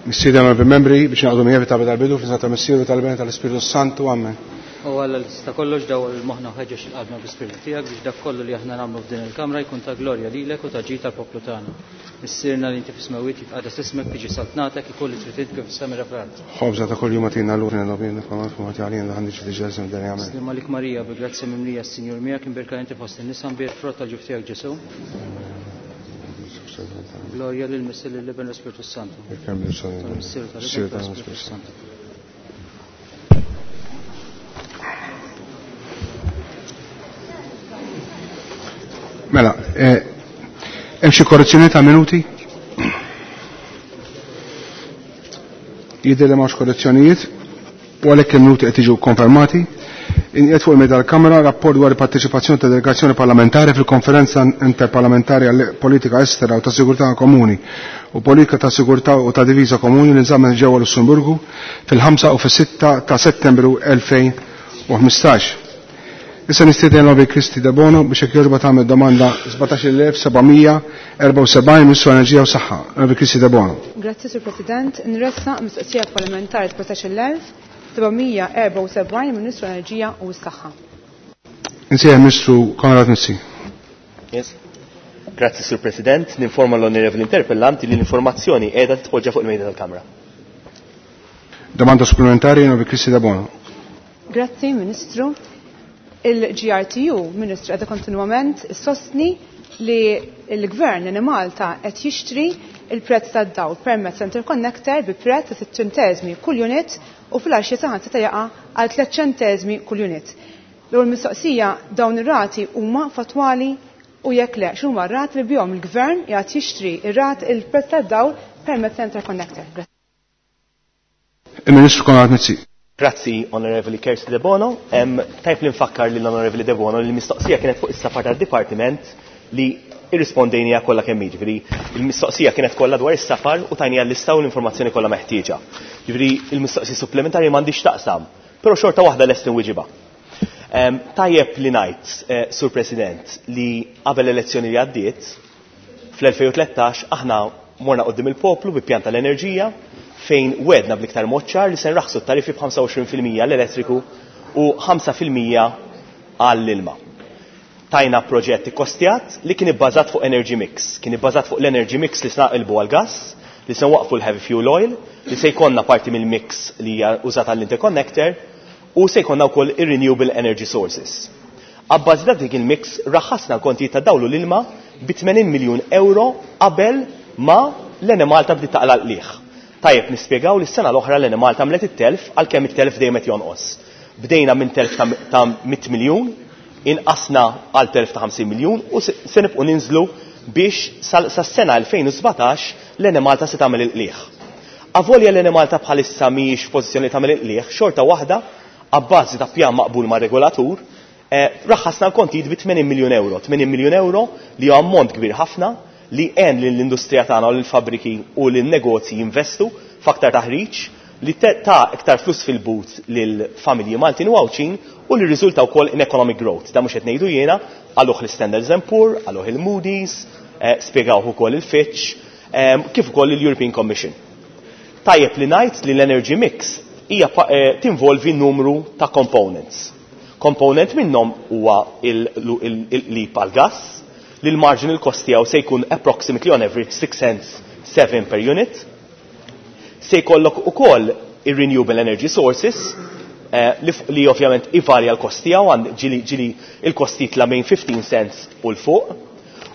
Missieri għamel membri biex naqdu miegħi ta' tal-bidu fl ta' Missieru tal-Ben tal-Ispirtu Santu. Amen. U Alla li tista' kollox dawwal il-moħħna u ħeġġeġ il-qalbna bl-Ispirtu tiegħek biex dak kollu li aħna nagħmlu f'din il-kamra jkun ta' glorja lilek u ta' ġid tal-poplu tagħna. Missierna li inti fis-smewwiet jitqaddes ismek, tiġi saltnatek, ikun li trid int kif fis-sema fl-art. Ħobża ta' kuljum agħtina llum, aħfrilna dnubietna bħalma aħna ħati għalina daħal niġi tiġġel dan jagħmel. Sliem għalik Marija, bi grazzja mimlija s-Sinjur miegħek, imbierka inti fost in-nisa, mbierek frott tal-ġuf tiegħek Ġesù. Glorja lil Missier lil Iben u l-Ispirtu Santu. Tal-Missier u tal-Iben u tal-Ispirtu Santu. Mela, eh, hemm xi korrezzjoni ta' minuti? Jidher li m'hawnx korrezzjonijiet u għalhekk il-minuti qed jiġu konfermati. Inqiegħed fuq il-mejda tal-Kamra rapport dwar il-parteċipazzjoni ta' delegazzjoni parlamentari fil-Konferenza Interparlamentari għal Politika Estera u ta' Sigurtà Komuni u Politika ta' Sigurtà u ta' Diviża Komuni li nżammet ġewwa Lussemburgu fil-5 u fis-6 ta' Settembru 2015. Issa nistieden Lobby Kristi Debono biex jekk jogħġobha tagħmel domanda 17774 Ministru Enerġija u Saħħa. Lobby Kristi Debono. Grazzi, Sur President. Nressaq mistoqsija parlamentari 17774 Ministru Enerġija u s-Saħħa. Insejjaħ Ministru Konrad Mizzi. Yes. Grazzi, Sur President. Ninforma l-onorevoli interpellanti li l-informazzjoni qiegħda titpoġġa fuq il-mejda tal-Kamra. Domanda supplementari Lobby Kristi Debono. Grazzi, Ministru. Il-GRTU, Ministru, qiegħda kontinwament issostni li l-Gvern in Malta qed jixtri il-prezz tad-dawl permezz interconnector bi prezz ta' 6 ċentesmi kull unit u fil-għaxja saħansitra jaqa' għal 3 ċentesmi kull unit. L-ewwel mistoqsija dawn ir-rati huma fatwali u jekk le x'huma r-rati li bihom il-Gvern qiegħed jixtri ir-rat il-prezz tad-dawl permezz interconnector. Grazzi. Il-Ministru Konrad Mizzi. Grazzi, Onorevoli Kirsty Debono. Tajb li nfakkar lill Onorevoli Debono li l-mistoqsija kienet fuq is-safar tad-Dipartiment li irrispondejnija kollha kemm jiġifieri il-mistoqsija kienet kollha dwar is-safar u tajnija l-lista u l-informazzjoni kollha meħtieġa. Jiġifieri il-mistoqsija supplementari m'għandix taqsam, però xorta waħda lest inwiġibha. Tajjeb li ngħid, eh, Sur President, li qabel l-elezzjoni li għaddiet, fl-2013 aħna morna qudiem il-poplu bi pjan tal-enerġija fejn wedna bl-iktar mod ċar li se nraħsu t-tariffi b'25% l-elettriku u 5% għall-ilma. Tajna proġett ikkostjat li kien ibbażat fuq energy mix. Kien ibbażat fuq l-energy mix li se naqilbu għal-gas, li se nwaqfu l-heavy fuel oil, li se jkollna parti mill-mix li hija użata għall-interconnector u se jkollna wkoll ir-renewable energy sources. Abbażi ta' dik il-mix raħasna l-kontijiet ta' dawl u l-ilma bi 80 miljun euro qabel ma l-Enemalta bdiet taqla' l-qligħ. Tajjeb nispjegaw li s-sena l-oħra l-Enemalta għamlet it-telf għalkemm it-telf dejjem qed jonqos. Bdejna minn telf ta' 100 miljun, inqasna għal telf ta' 50 miljun u se nibqgħu ninżlu biex sas-sena 2017 l-Enemalta se tagħmel il-qligħ. Avolja l-Enemalta bħalissa mhijiex f'pożizzjoni li tagħmel il-qligħ, xorta waħda abbażi ta' pjan maqbul ma' regolatur, raħasna l-kontijiet bi 80 miljun euro. 80 miljun euro li huwa ammont kbir ħafna li għen lill-industrija tagħna u lill-fabbriki u lin-negozji jinvestu f'aktar taħriġ li ta' iktar flus fil-but lill-familji Maltin u Għawdxin u li rriżulta wkoll in economic growth. Da mhux qed ngħidu jiena, qaluh l-Standards and Poor, qaluh il-Moody's, spjegawh ukoll il-Fitch, kif ukoll il-European Commission. Tajjeb li ngħid li l-energy mix hija tinvolvi numru ta' components. Component minnhom huwa il-qlib għal-gas, li l-marginal cost tiegħu se jkun approximately on average 6 cents 7 per unit. Se jkollok ukoll ir-renewable energy sources, li ovvjament ivarja l-kost tiegħu, għand ġili il-kost jitla' bejn 15 cents u l fuq.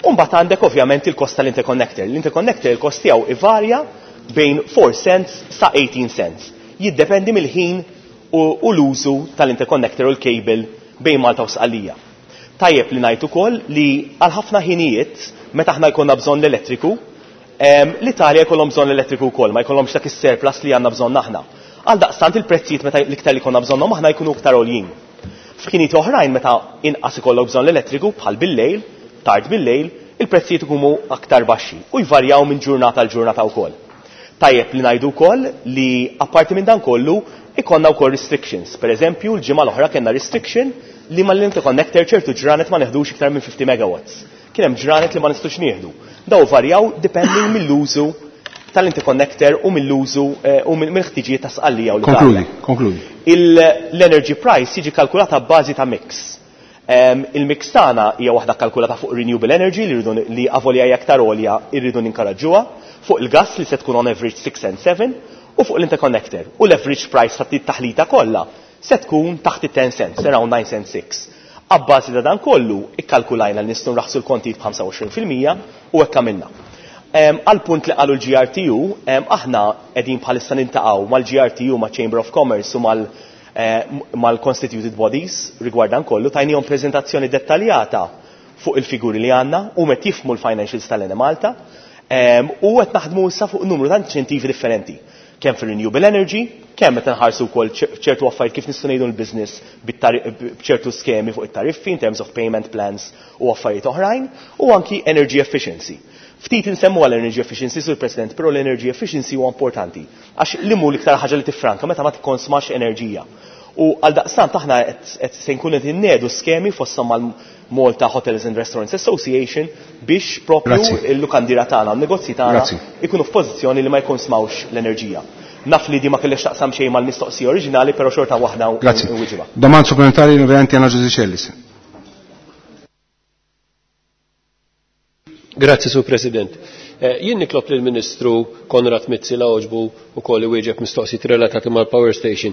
U mbagħad għandek ovvjament il-kost tal-interconnector. L-interconnector il-kost tiegħu ivarja bejn 4 cents sa 18 cents. Jiddependi mill-ħin u l-użu tal-interconnector u l-cable bejn Malta u Sqallija. Tajjeb li ngħid ukoll li għal ħafna ħinijiet meta aħna jkollna bżonn l-elettriku, l-Italja jkollhom bżonn l-elettriku wkoll, ma jkollhomx dak is-surplus li għandna bżonn aħna. Għal daqstant il-prezzijiet meta l-iktar li jkollna bżonnhom aħna jkunu iktar għoljin. F'ħinijiet oħrajn meta inqas ikollok bżonn l-elettriku bħal bil-lejl, tard bil-lejl, il-prezzijiet ikunu aktar baxxi u jvarjaw minn ġurnata għal ġurnata wkoll. Tajjeb li ngħidu wkoll li apparti minn dan kollu ikonna wkoll restrictions. Per eżempju, l-ġimgħa l-oħra kellna restriction li mal-interconnector ċertu ġranet ma neħdux iktar minn 50 megawatts. Kien hemm ġranet li ma nistgħux nieħdu. Daw varjaw depending mill-użu tal-interconnector u mill-użu u mill-ħtiġijiet ta' Sqallija u l-Italja. Konkludi, konkludi. L-energy price jiġi kalkulata b'bażi ta' mix. Il-mix tagħna hija waħda kalkulata fuq renewable energy li rridu li avolja hija aktar għolja rridu ninkoraġġuha, fuq il-gas li se tkun on average 6 and 7 u fuq l-interconnector. U l-average price ta' taħlita kollha se tkun taħt it-10 cents, around 9 cents 6. Abbażi ta' dan kollu, ikkalkulajna li nistgħu nraħsu l-kontijiet b'25% u hekk għamilna. Għal punt li qalu l-GRTU, aħna qegħdin bħalissa nintaqgħu mal-GRTU, ma' Chamber of Commerce u mal-Constituted Bodies rigward dan kollu, tajnihom preżentazzjoni dettaljata fuq il-figuri li għandna u met jifhmu l-financials tal-Enemalta, u qed naħdmu issa fuq numru ta' inċentivi differenti. Kemm fil-renewable energy, kemm qed nħarsu wkoll ċertu affarijiet kif nistgħu ngħidu l-business b'ċertu skemi fuq it-tariffi in terms of payment plans u affarijiet oħrajn, u anki energy efficiency. Ftit insemmu għal energy efficiency, Sur President, però l-energy efficiency huwa importanti għax li mhu l-iktar ħaġa li tiffranka meta ma tikkonsmax enerġija. U għal daqstant aħna qed se nkunu qed innedu skemi fosthom mal-Malta Hotels and Restaurants Association biex propju il-lukandira tagħna, n-negozji tagħna ikunu f'pożizzjoni li ma jkonsmawx l-enerġija. Naf li di ma kellix taqsam xejn mal-mistoqsija oriġinali, però xorta waħda nwiġibha. Domanda supplementari l-Onorevoli Anna José Cellis. Grazzi, Sur President. Jien nitlob lill-Ministru Konrad Mizzi la għoġbu wkoll iwieġeb mistoqsijiet relatati mal-Power Station.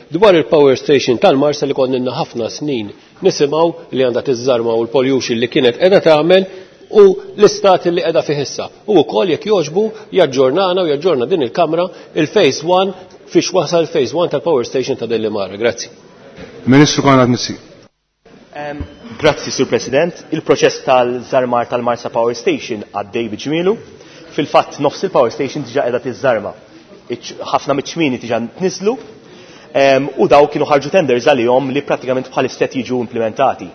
Dwar il-Power Station tal-Marsa li konna ħafna snin nisimgħu li għandha tiżżarma u l-pollution li kienet qiegħda tagħmel u l-istat li qiegħda fih issa. U wkoll jekk jogħġbu jaġġornana u jaġġorna din il-Kamra il-Phase 1 fiex wasal Phase 1 tal-Power Station ta' Delimara. Grazzi. Ministru Konrad Mizzi. Grazzi, Sur President. Il-proċess tal-żarmar tal-Marsa Power Station għaddej biġmielu. Fil-fatt nofs il-Power Station diġà qiegħda tiżżarma. Ħafna miċ-ċmieni diġà tniżlu. U daw kienu ħarġu tenders għalihom li pratikament bħalissa qed jiġu implementati.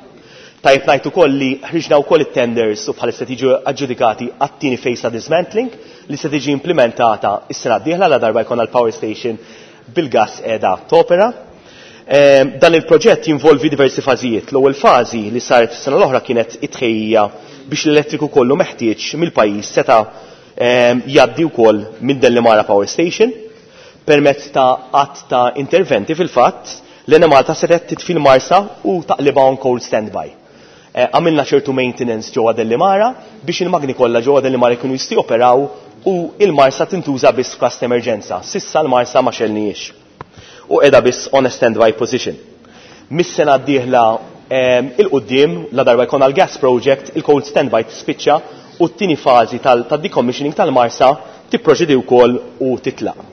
Tajjeb ngħid ukoll li ħriġna wkoll it-tenders u bħalissa qed jiġu aġġudikati għat-tieni phase ta' dismantling li se tiġi implementata s-sena d-dieħla la darba jkollna l-power station bil-gas qiegħda topera. Dan il-proġett jinvolvi diversi fażijiet. L-ewwel fażi li saret s-sena l-oħra kienet it-tħejjija biex l-elettriku kollu meħtieġ mill-pajjiż seta' jgħaddi wkoll minn Delimara Power Station. Permezz ta' att ta' interventi fil-fatt, l-Enemalta setgħet titfi l-Marsa u taqlibha on cold standby. Għamilna ċertu maintenance ġewwa Delimara biex il-magni kollha ġewwa Delimara jkunu jistgħu joperaw u il-Marsa tintuża biss f'każ ta' emerġenza. Sissa l-Marsa ma xelniex u qiegħda biss on a standby position. Mis-sena d-dieħla il-qudiem la darba jkun għall-gas project, il-cold standby tispiċċa u t-tieni fażi tad-decommissioning tal-Marsa tipproċedi wkoll u titlaq.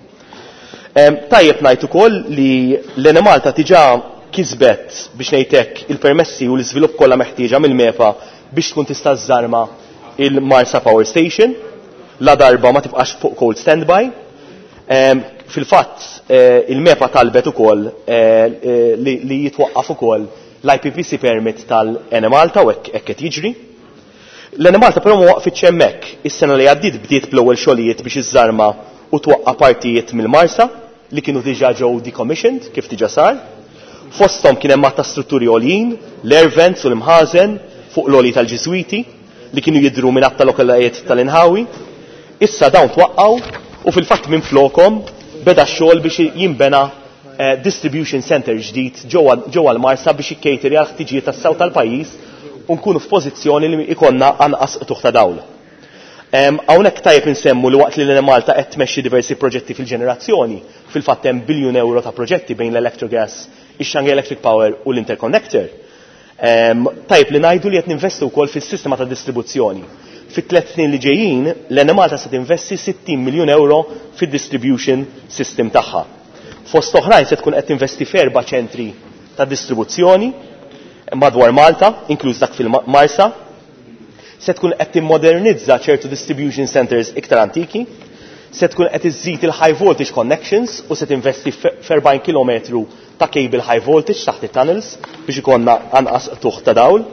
Tajjeb ngħid ukoll li l-Enemalta diġà kisbet biex ngħidlek il-permessi u l-iżvilupp kollha meħtieġa mill-MEPA biex tkun tista' żżarma il-Marsa Power Station la darba ma tibqax fuq cold standby. Fil-fatt il-MEPA talbet ukoll li jitwaqqaf ukoll l-I P P C permit tal-Enemalta u hekk qed jiġri. L-Enemalta però ma waqfitx hemmhekk. Is-sena li għaddiet bdiet bl-ewwel xogħlijiet biex iżżarma u twaqqa' partijiet mill-Marsa li kienu diġà ġew decommissioned kif diġà sar. Fosthom kien hemm ta' strutturi għoljin, l-air vents u l-imħażen fuq l-għoli tal-Ġiżwiti li kienu jidhru minn għadd ta' lokalajiet tal-inħawi. Issa dawn twaqqgħu u fil-fatt minn flokom beda x-xogħol biex jinbena distribution center ġdid ġewwa l-Marsa biex jikkejteri għal ħtiġijiet tas-sew tal-pajjiż u nkunu f'pożizzjoni li ikonna anqas qtugħ ta' dawl. Hawnhekk tajjeb insemmu li waqt li l-Enemalta qed tmexxi diversi proġetti fil-ġenerazzjoni, fil-fatt hemm biljun euro ta' proġetti bejn l-Electrogas, ix-Shanghai Electric Power u l-Interconnector. Tajjeb li ngħidu li qed ninvestu wkoll fis-sistema ta' distribuzzjoni. Fit-tliet snin li ġejjin, l-Enemalta se tinvesti 60 miljun euro fid-distribution system tagħha. Fost oħrajn se tkun qed tinvesti f'erba' ċentri ta' distribuzzjoni madwar Malta, inkluż dak fil-Marsa. Se tkun qed timmodernizza ċertu distribution centers iktar antiki, se tkun qed iżżid il-high voltage connections u se tinvesti f'erbgħin kilometru ta' cable high voltage taħt it-tunnels biex ikollna anqas tuħ ta' dawl.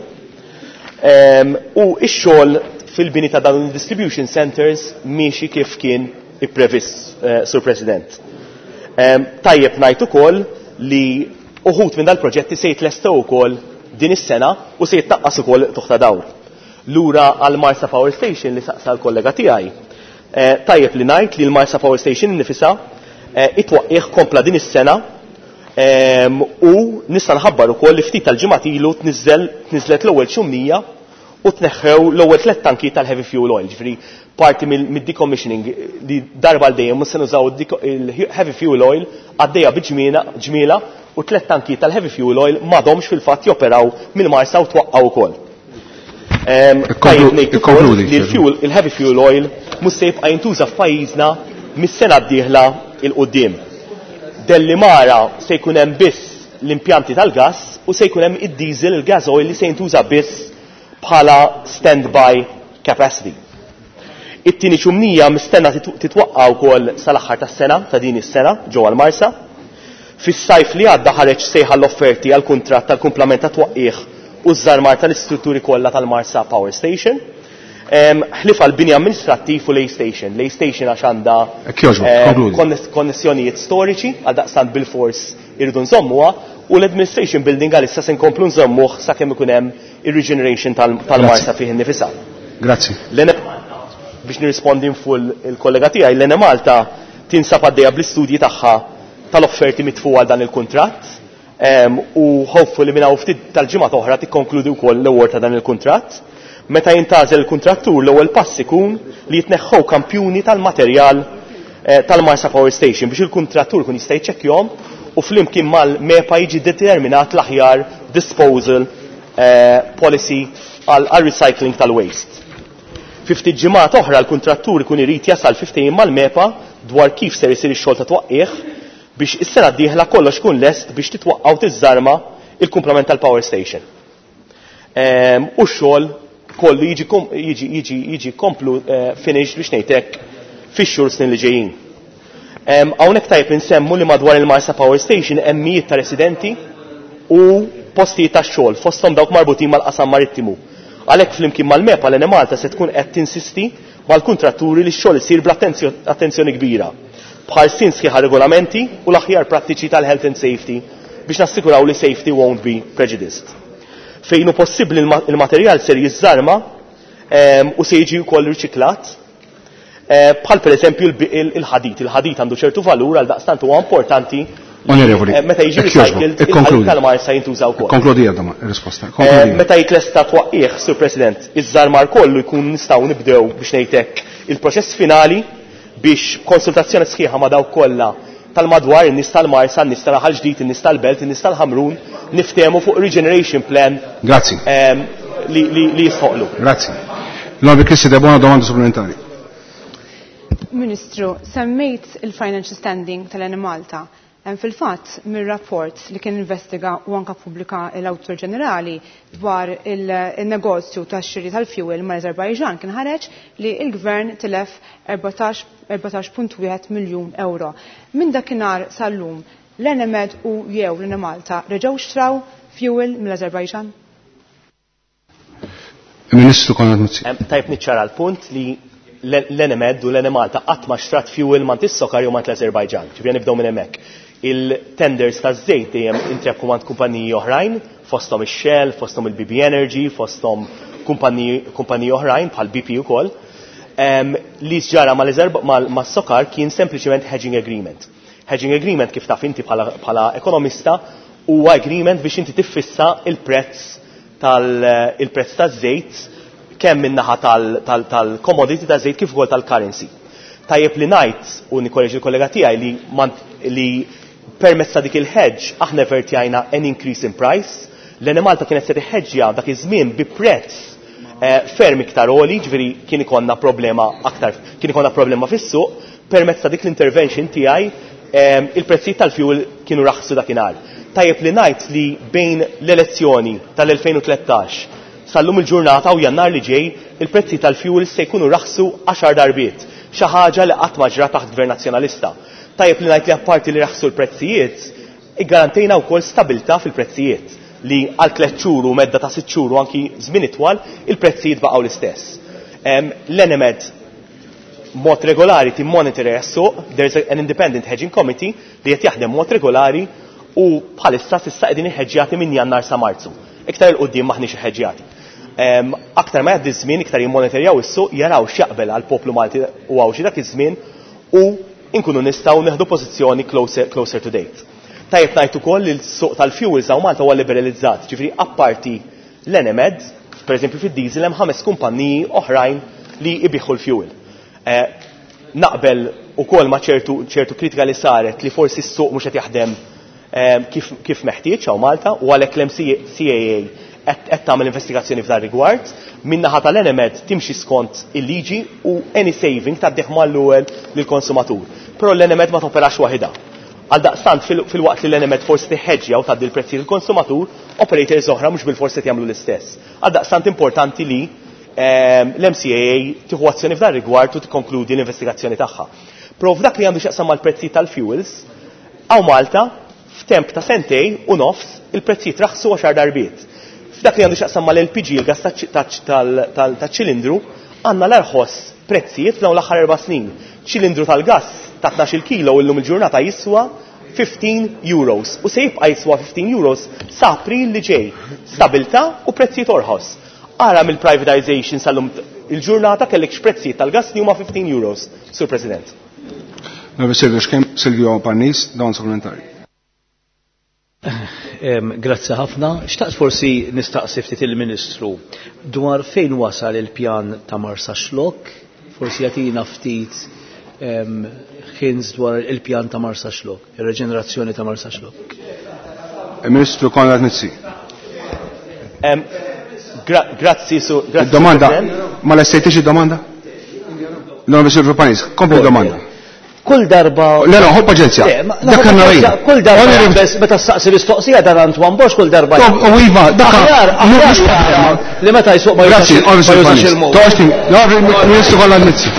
U x-xogħol fil-bini ta' dawn il-distribution centers miexi kif kien ipprevist, Sur President. Tajjeb ngħid ukoll li uħud minn dal-proġetti se jitlestew ukoll din is-sena u se jitnaqqas ukoll tuħ ta' dawl. Lura għal Marsa Power Station li saqsa l-kollega tiegħi. Tajjeb li ngħid li l-Marsa Power Station innifisha it-twaqqigħ kompla din is-sena u nista' nħabbar ukoll li ftit tal-ġimgħat ilu tniżżlet l-ewwel ċumnija u tneħħew l-ewwel tliet tanki tal-heavy fuel oil, ġifieri parti mid-decommissioning li darba għal dejjem mhux se nużaw il-heavy fuel oil għaddejja bi ġmiela u tliet tanki tal-heavy fuel oil m'għadhomx fil-fatt joperaw mill-Marsa u twaqqgħu wkoll. Tajjeb ngħid ukoll li l-heavy fuel oil mhux se jibqa' jintuża f'pajjiżna mis-sena d-dieħla 'l quddiem. Dellimara se jkun hemm biss l-impjanti tal-gass u se jkun hemm id-diesel, il-gas oil li se jintuża biss bħala stand-by capacity. It-tieni ċumnija mistenna titwaqqa' wkoll sal-aħħar tas-sena ta' din is-sena ġewwa l-Marsa. Fis-sajf li għadda ħareġ sejħa l-offerti għall-kuntratt tal-kumplament ta' twaqqigħ u ż-żarmar tal-istrutturi kollha tal-Marsa Power Station. Ħlief għall-bini amministrattiv u l-A Station. L-A Station għax għandha konnessjonijiet storiċi, għaldaqstant bilfors irridu nżommuha, u l-Administration Building għalissa se nkomplu nżommuh sakemm ikun hemm ir-regeneration tal-Marsa fih innifisha. Grazzi. Biex nirrispondi full il-kollega tiegħi, l-Enemalta tinsab għaddejja bl-istudji tagħha tal-offerti mitfuqa għal dan il-kuntratt u hopefully minn hawn ftit tal-ġimgħa oħra tikkonkludi wkoll l-award ta' dan il-kuntratt. Meta jintgħażel il-kuntrattur, l-ewwel pass ikun li jitneħħew kampjuni tal-materjal tal-Marsa Power Station biex il-kuntrattur kun jista' jiċċekkjahom u flimkien mal-MEPA jiġi determinat l-aħjar disposal policy għal recycling tal-waste. Fi ftit ġimgħat oħra l-kuntrattur ikun irid jasal fi ftehim mal-MEPA dwar kif ser isir ix-xogħol ta' twaqqigħ biex is-sena d-dieħla kollox ikun lest biex titwaqqgħu tiżżarma il-kumplament tal-power station. U x-xogħol kollu jiġi komplu finished biex ngħidlek fix-xhur snin li ġejjin. Hawnhekk tajjeb insemmu li madwar il-Marsa Power Station hemm mijiet ta' residenti u postijiet ta' xogħol fosthom dawk marbutin mal-qasam marittimu. Għalhekk flimkien mal-MEPA l-Enemalta se tkun qed tinsisti mal-kuntratturi li x-xogħol isir bl-attenzjoni kbira, b'ħarsien sħiħa regolamenti u l-aħjar prattiċi tal-health and safety biex nassikuraw li safety won't be prejudiced. Fejn hu possibbli il-materjal ser jiżżarma u se jiġi wkoll riċiklat, bħal pereżempju il-ħadid. Il-ħadid għandu ċertu valur, għal daqstant huwa importanti Onorevoli, meta jiġi recycled il-ħadid tal-Marsa jintuża wkoll. Konkludi għadha risposta. Meta jitlesta twaqqigħ, Sur President, iż-żarmar kollu jkun nistgħu nibdew biex ngħidlek il-proċess finali biex konsultazzjoni sħiħa ma' dawk kollha tal-madwar, in-nies tal-Marsa, in-nies tal-Raħal Ġdid, in-nies tal-Belt, in-nies tal-Ħamrun, niftehmu fuq regeneration plan. Grazzi. Li jistħoqlu. Grazzi. L-Onorevoli Kristy Debono, domanda supplementari. Ministru, semmejt il-financial standing tal-Enemalta. Fil-fatt, mir-rapport li kien investiga u anka pubblika l-Awditur Ġenerali dwar il-negozju tax-xiri tal-fuel mal-Azerbajġan kien ħareġ li l-gvern tilef 14.1 miljun euro. Minn dakinhar sal-lum, l-Enemed u jew l-Enemalta reġgħu xtraw fuel mill-Azerbajġan? Ministru Konrad Mizzi. Tajb niċċara l-punt li l-Enemed u l-Enemalta qatt ma xtrat fuel mant is-Sokar jew mant l-Azerbajġan. Ġifieri nibdew minn hemmhekk. Il-tenders ta' żejt dejjem intrebħu mant kumpaniji oħrajn, fosthom ix-Shell, fosthom il-BB Energy, fosthom kumpaniji oħrajn bħal BP ukoll. Li ġara mas-Sokar kien sempliċement hedging agreement. Hedging agreement, kif taf inti bħala ekonomista, huwa agreement biex inti tiffissa il-prezz taż-żejt kemm min-naħa tal-commodity ta' żejt kif ukoll tal-currency. Tajjeb li ngħid u nikkoreġi l-kollega tiegħi li permezz ta' dik il-hedge aħna vertjajna an increase in price. L-Enemalta kienet se tiħeġġja dak iż-żmien bi prezz ferm iktar għoli, ġifieri kien ikollna problema aktar, kien ikollna problema fis-suq, permezz ta' dik l-intervention tiegħi il-prezzijiet tal-fuel kienu raħsu dakinhar. Tajjeb li ngħid li bejn l-elezzjoni tal-2013 sal-lum il-ġurnata u Jannar li ġej il-prezzi tal-fuel se jkunu raħsu 10 darbiet, xi ħaġa li qatt ma ġrat taħt Gvern Nazzjonalista. Tajjeb li ngħid li apparti li raħsu l-prezzijiet, iggarantejna wkoll stabilità fil-prezzijiet li għal 3 xhur u medda ta' 6 xhur u anki żmien itwal il-prezzijiet baqgħu l-istess. L-Enemed mod regolari timmonitorja s-suq, there's an independent hedging committee li qed jaħdem mod regolari u bħalissa s'issa qegħdin iħeġġjati minn Jannar sa Marzu. Iktar il quddiem maħniex iħeġġjati. Aktar ma jgħaddi żmien iktar jimmonitorjaw is-suq, jaraw x'jaqbel għall-poplu Malti u Għawdxi dak iż-żmien u nkunu nistgħu neħdu pożizzjoni closer, closer to date. Tajjeb ngħid ukoll li l-suq tal-fuels hawn Malta huwa liberalizzat, ġifieri apparti l-Enemed, pereżempju fid-diesel hemm ħames kumpanniji oħrajn li jbigħu l-fuel. Naqbel ukoll ma' ċertu ċertu kritika li saret li forsi s-suq mhux qed jaħdem kif, kif meħtieġ hawn Malta u għalhekk l-MCAA qed tagħmel investigazzjoni f'dan rigward. Min-naħa tal-Enemed timxi skont il-liġi u any saving tgħaddih mal-ewwel lill-konsumatur. Però l-Enemed ma toperax waħidha. Għaldaqstant fil-waqt li l-Enemed forsi tiħħeġġja u tgħaddi l-prezzi lill-konsumatur, operators oħra mhux bil-forsi qed jagħmlu l-istess. Għaldaqstant importanti li l-MCAA tieħu azzjoni f'dan rigward u tikkonkludi l-investigazzjoni tagħha. Però f'dak li għandu x'jaqsam mal-prezzijiet tal-fuels, hawn Malta f'temp ta' sentejn u nofs il-prezzijiet raħsu 10 darbiet. F'dak li għandu x'jaqsam mal-LPG, il-gas taċ-ċilindru, għandna l-arħos prezzijiet f'dawn l-aħħar 4 snin. Ċilindru tal-gas ta' 12 kilo illum il-ġurnata jiswa 15 euros u se jibqa' jiswa 15 euros sa April li ġej. Stabilità u prezzijiet orħos. Ara mill-privatization sal-lum il-ġurnata kellek x'prezzijiet tal-gas li huma 15 euros, Sur President. Silvio Schemb, Silvio Parnis, dawn supplementari. Grazzi ħafna. Xtaqt forsi nistaqsi ftit il-Ministru dwar fejn wasal il-pjan ta' Marsaxlokk, forsi jagħtina ftit hints dwar il-pjan ta' Marsaxlokk, ir-reġenerazzjoni ta' Marsaxlokk. Il-Ministru Konrad Mizzi. Grazzi, su, grazzi. Domanda, President. ma lestejtix id-domanda? No, Silvio Parnis, kompli domanda. Kull darba. Le, no, ħu paċenzja. Le, Dak ħu għandna paċenzja. rejn. Kull darba Onorevoli- bes meta staqsi mistoqsija dan Antoine Borg kull darba. U iva, dak Aħjar, aħjar jara li meta jsuq ma Grazzi, jużax Onorevoli ma jużax Parnis. il-mod. Toqgħodx Onorevoli Ministru Konrad Mizzi.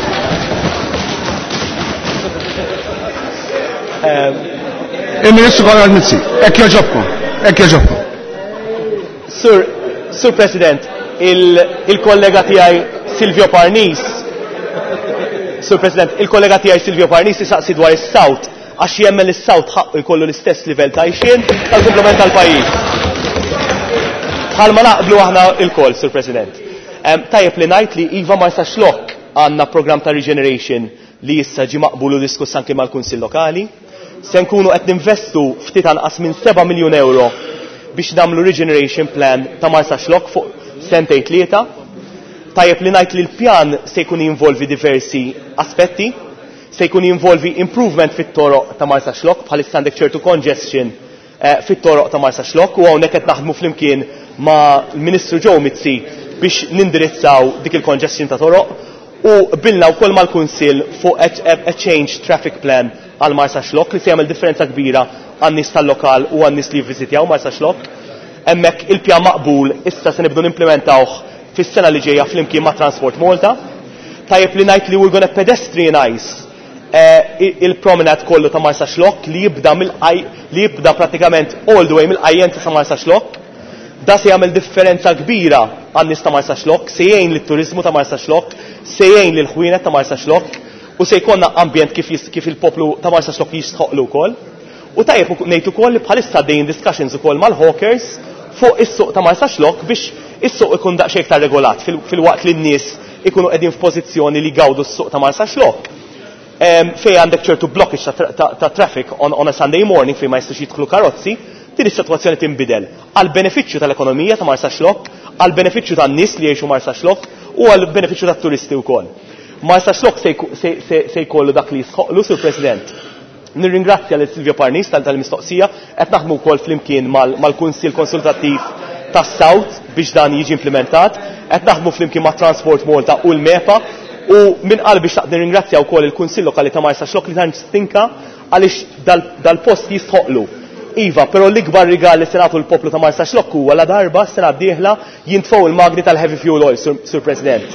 Il-Ministru Konrad Mizzi, hekk jogħġobkom, hekk jogħġobkom. Sur President, il-kollega tiegħi Silvio Parnis, Sur President, il-kollega tiegħi Silvio Parnis jisaqsi dwar is-South għax jemmen li s-South ħaqqu jkollu l-istess livell ta' għajxien tal-kumplament tal-pajjiż. Bħalma naqblu aħna il-koll, Sur President. Tajjeb li ngħid li iva Marsaxlokk għandna program ta' regeneration li issa ġi maqbul u diskuss anke mal-Kunsill Lokali. Se nkunu qed ninvestu ftit anqas minn 7 miljun euro biex nagħmlu regeneration plan ta' Marsaxlokk fuq sentejn tlieta. Tajjeb li ngħid li l-pjan se jkun jinvolvi diversi aspetti, se jkun jinvolvi improvement fit-toroq ta' Marsaxlokk, bħalissa għandek ċertu congestion fit-toroq ta' Marsaxlokk u hawnhekk qed naħdmu flimkien ma' l-Ministru Joe Mizzi biex nindirizzaw dik il-congestion ta' toroq u bilna wkoll mal-Kunsill fuq a change traffic plan għal Marsaxlokk li se jagħmel differenza kbira għan-nies tal-lokal u għan-nies li jivviżitjaw Marsaxlokk. Hemmhekk il-pjan maqbul issa se nibdu nimplementawh fis-sena li ġejja flimkien ma' Transport Malta. Tajjeb li ngħid li we're gonna pedestrianize il-promenade kollu ta' Marsaxlokk li jibda mill-qaj, li jibda pratikament all the way mill-Qajjenza sa' Marsaxlokk. Da se jagħmel differenza kbira għan-nies ta' Marsaxlokk, se jgħin lit-turiżmu ta' Marsaxlokk, se jgħin lil-ħwienet ta' Marsaxlokk u se jkollna ambjent kif il-poplu ta' Marsaxlokk jistħoqlu wkoll. U tajjeb ngħid ukoll li bħalissa għaddejjin discussions ukoll mal-hawkers fuq is-suq ta' Marsaxlokk biex is-suq ikun daqsxejn iktar regolat fil-waqt li n-nies ikunu qegħdin f'pożizzjoni li jgawdu s-suq ta' Marsaxlokk. Fej għandek ċertu blockage ta' traffic on a Sunday morning fej ma jistax jidħlu karozzi, din is-sitwazzjoni tinbidel għal benefiċċju tal-ekonomija ta' Marsaxlokk, għal benefiċċju tan-nies li jgħixu Marsaxlokk u għal benefiċċju tat-turisti wkoll. Marsaxlokk se jkollu dak li jisħoqlu, Sur President. Nirringrazzja lil Silvio Parnis tal-mistoqsija, qed naħdmu wkoll flimkien mal-Kunsill Konsultattiv tas-South biex dan jiġi implementat, qed naħdmu flimkien ma' Transport Malta u l-MEPA u minn qalbi xtaqt nirringrazzja wkoll il-Kunsill Lokali ta' Marsaxlokk li tant stinka għaliex dal-post jistħoqlu. Iva, però l-ikbar rigal li se nagħtu l-poplu ta' Marsaxlokk huwa la darba sena d-dieħla jintfgħu il-magni tal-heavy fuel oil, Sur President.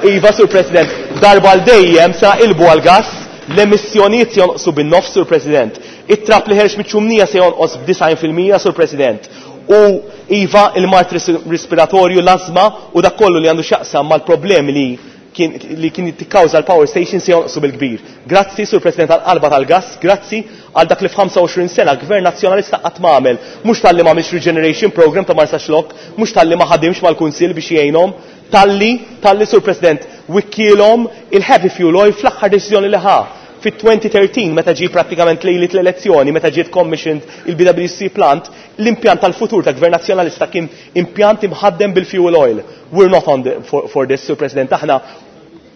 Iva, Sur President, darba l dejjem sa ilbu għal-gas, l-emissjonijiet se jonqsu bin-nofs, Sur President. It-trap li ħerx miċ-ċumnija se jonqos b'disgħin fil-mija, Sur President. U iva, il-mard respiratorju, l-azma u dak kollu li għandu x'jaqsam mal-problemi li kien, li kien tikkawża l-power station se jonqsu bil-kbir. Grazzi, Sur President, għall-qalba tal-gass, grazzi għal dak li f'25 sena Gvern Nazzjonalista qatt ma għamel. Mhux talli ma għamilx regeneration program ta' Marsaxlokk, mhux talli ma ħadimx mal-Kunsill biex jgħinhom, talli, talli Sur President, wikkielhom il-heavy fuel oil fl-aħħar deċiżjoni li ħa fit-2013 meta ġie prattikament lejliet l-elezzjoni, meta ġiet commissioned il-BWC plant, l-impjant tal-futur ta' Gvern Nazzjonalista kien impjant imħaddem bil-fuel oil. We're not on the, for this, Sur President, aħna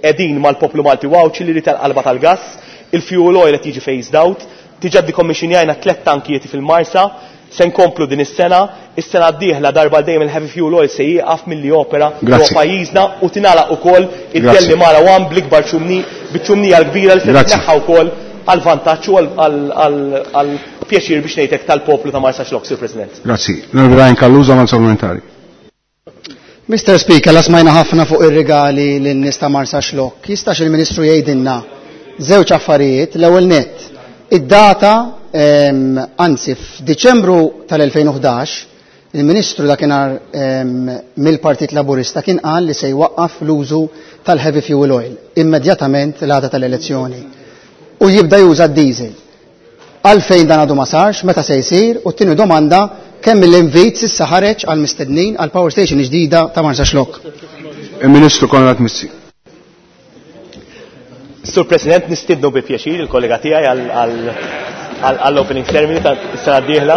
qegħdin mal-poplu Malti u Għawdxi li jrid il-qalba tal-gass, il-fuel oil qed jiġi phased out, diġà decommissionjajna tliet tankijiet fil-Marsa, se nkomplu din is-sena, is-sena d-dieħla darba dejjem il-heavy fuel oil se jieqaf milli jopera ġewwa pajjiżna u tingħalaq ukoll id-Delimara 1 bl-ikbar ċumni, biċ-ċumnija l-kbira li se titneħħa wkoll għall-vantaġġ u għall-pjaċir biex ngħidlek tal-poplu ta' Marsaxlokk, Sur President. Grazzi. L-Onorevoli Ryan Callusa mal supplementari. Mr. Speaker, la smajna ħafna fuq ir-rigali lin-nies ta' Marsaxlokk. Jistax il-Ministru jgħidilna żewġ affarijiet, l-ewwel nett, id-data, anzi f'Diċembru tal-2011, il-Ministru dakinhar mill-Partit Laburista kien qal li se jwaqqaf l-użu tal-heavy fuel oil immedjatament l-għada tal-elezzjoni u jibda juża d-diesel. Għalfejn dan għadu ma sarx, meta se jsir, u t-tieni domanda kemm l-invit s'issa ħareġ għal mistednin għal power station ġdida ta' Marsaxlokk. Il-Ministru Konrad Mizzi. Sur President, nistidnu bi pjaċir il-kollega tiegħi għall-opening ceremony ta' s-sena d-dieħla.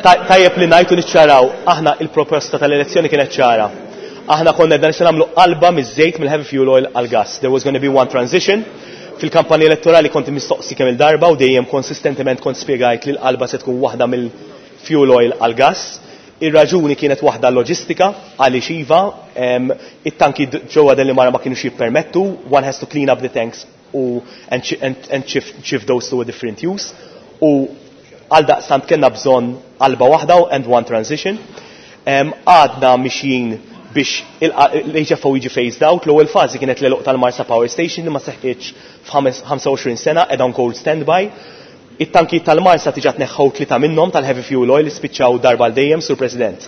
Tajjeb li ngħidu niċċaraw, aħna il-proposta tal-elezzjoni kienet ċara. Aħna konna dan se nagħmlu qalba miż-żejt mill-heavy fuel oil għal-gas. There was going to be one transition. Fil-kampanja elettorali konti mistoqsi kemm il-darba u dejjem konsistentement kont spjegajt li l-qalba se tkun waħda mill-fuel oil għal-gas. Ir-raġuni kienet waħda loġistika għaliex iva, it-tanki ġewwa Delimara ma kienux jippermettu, one has to clean up the tanks u and shift those to a different use. U għal daqstant kellna bżonn qalba waħda and one transition. Għadna mixjin biex l-HFO jiġi phased out, l-ewwel fażi kienet l-għeluq tal-Marsa Power Station li ma seħħitx f'25 sena, qiegħda on cold standby. It-tanki tal-Marsa diġà tneħħew tlieta minnhom tal-heavy fuel oil li spiċċaw darba għal dejjem, Sur President.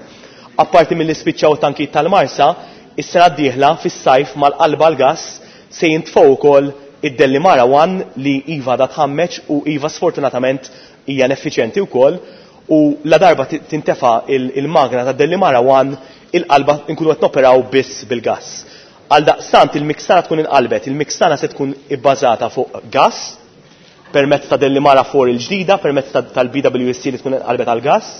Apparti mill-li spiċċaw tanki tal-Marsa, is-sena d-dieħla fis-sajf mal-qalba l-gas se jintfgħu wkoll id-Delimara 1 li iva da tħammeċ u iva sfortunatament hija ineffiċjenti wkoll u la darba tintefa il-magna ta' Delimara 1 il-qalba nkunu qed noperaw biss bil-gas. Għal daqstant il-mix tagħna tkun inqalbet, il-mix tagħna se tkun ibbażata fuq gas permezz ta' Delimara 4 il-ġdida, permezz tal-BWSC li tkun inqalbet għal gas,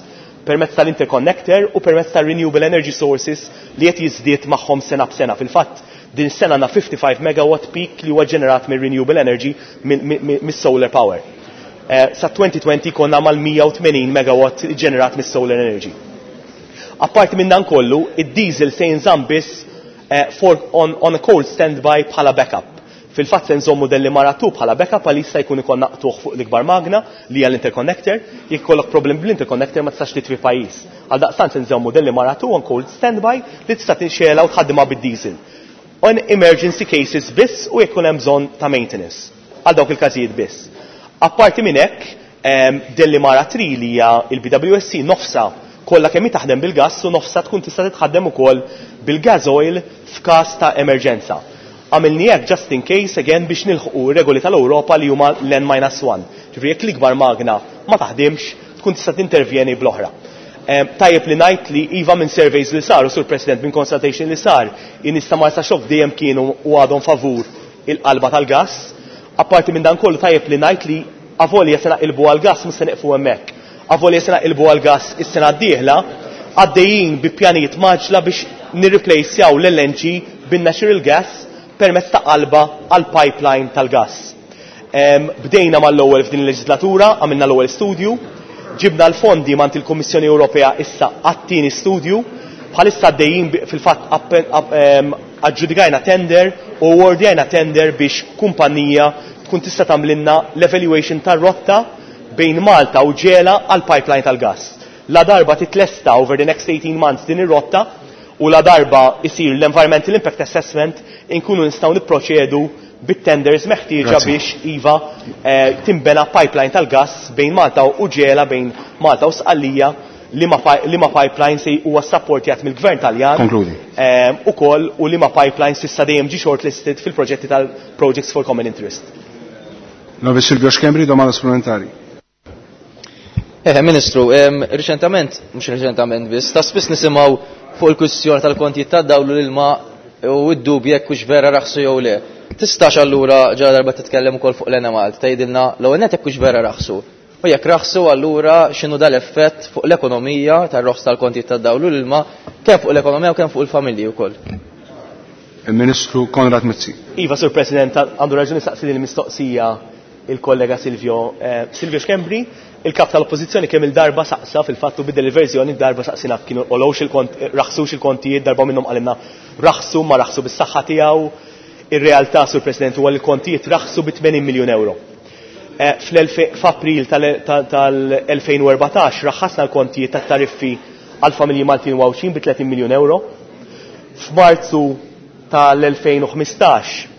permezz tal-interconnector u permezz tal-renewable energy sources li qed jiżdied magħhom sena b'sena. Fil-fatt, din sena għandna 55 megawatt peak li huwa ġenerat minn renewable energy mis-solar power. Sa 2020 konna mal-180 megawatt ġenerat mis-solar energy. Apparti minn dan kollu, id-diesel se jinżamm biss on a cold standby bħala backup. Fil-fatt se nżommu Delimara 2 bħala backup għal jista' jkun ikollna qtugħ fuq l-ikbar magna li hija l-interconnector, jekk ikollok problem bl-interconnector ma tistax titfi pajjiż. Għal daqstant se nżommu Delimara 2 on cold standby li tista' tinxela u tħaddimha bid-diesel. On emergency cases biss u jekk hemm bżonn ta' maintenance. Għal dawk il-każijiet biss. Apparti minn hekk, Delimara 3 li hija il-BWSC nofsa kollha kemm taħdem bil-gas u nofsa tkun tista' titħaddem ukoll bil-gas oil f'każ ta' emerġenza. Għamilni hekk just in case again biex nilħqu regoli tal-Ewropa li huma l-N-1. Ġifieri jekk l-ikbar magna ma taħdimx, tkun tista' tintervjeni bl-oħra. Tajjeb li ngħid li iva minn surveys li saru, Sur President, minn consultation li sar, in-nies ta' Marsaxlokk dejjem kienu u għadhom favur il-qalba tal-gas. Apparti minn dan kollu tajjeb li ngħid li avolja se naqilbu għal-gas mhux se neqfu hemmhekk. Avolja se naqilbu għal-gas is-sena d-dieħla, għaddejjin bi pjanijiet maġla biex nirreplacejaw l-LNG bin-natural gas permezz ta' qalba għal pipeline tal-gas. Bdejna mal-ewwel f'din il-leġislatura, għamilna l-ewwel studju, ġibna l-fondi mant il-Kummissjoni Ewropea issa għat-tieni studju, bħalissa għaddejjin fil-fatt aġġudikajna tender u awardjajna tender biex kumpanija tkun tista' tagħmlilna l-evaluation tar-rotta bejn Malta u Ġela għal pipeline tal-gas. La darba titlesta over the next 18 months din ir-rotta u la darba isir l-Environmental Impact Assessment inkunu nistgħu nipproċedu bit-tenders meħtieġa biex iva timbena pipeline tal-gas bejn Malta u Ġela, bejn Malta u Sqallija. liema pipeline se huwa ssapportjat mill-Gvern Taljan. Konkludi. Ukoll u liema pipeline s'issa dejjem ġie shortlisted fil-proġetti tal-Projects for Common Interest. L-Onorevoli Silvio Schembri, domanda supplementari. Ministru, riċentament, mhux riċentament biss, ta' spiss nisimgħu fuq il-kwistjoni tal-kontijiet tad-dawl u l-ilma u d-dubji jekk hux vera raħsu jew le. Tistax allura ġara darba titkellem ukoll fuq l-Enemalta tgħidilna l-ewwel nett jekk hux vera raħsu. U jekk raħsu allura x'inhu dal-effett fuq l-ekonomija tar-roħs tal-kontijiet tad-dawl u l-ilma kemm fuq l-ekonomija u kemm fuq il-familji wkoll. Il-Ministru Konrad Mizzi. Iva, Sur President, għandu raġuni saqsi din il-mistoqsija il-kollega Silvio Silvio Schembri, il-kap tal-Oppożizzjoni kemm il-darba saqsa fil-fatt u bidel il-verżjoni darba saqsina kienu għolowx il-kont, raħsux il-kontijiet, darba minnhom qalilna raħsu ma raħsu bis-saħħa tiegħu. Ir-realtà, Sur President, huwa li l-kontijiet raħsu bi 80 miljun euro. F'April tal-2014 raħħasna l-kontijiet tat-tariffi għal familji Maltin u Għawdxin bi 30 miljun euro. F'Marzu tal-2015,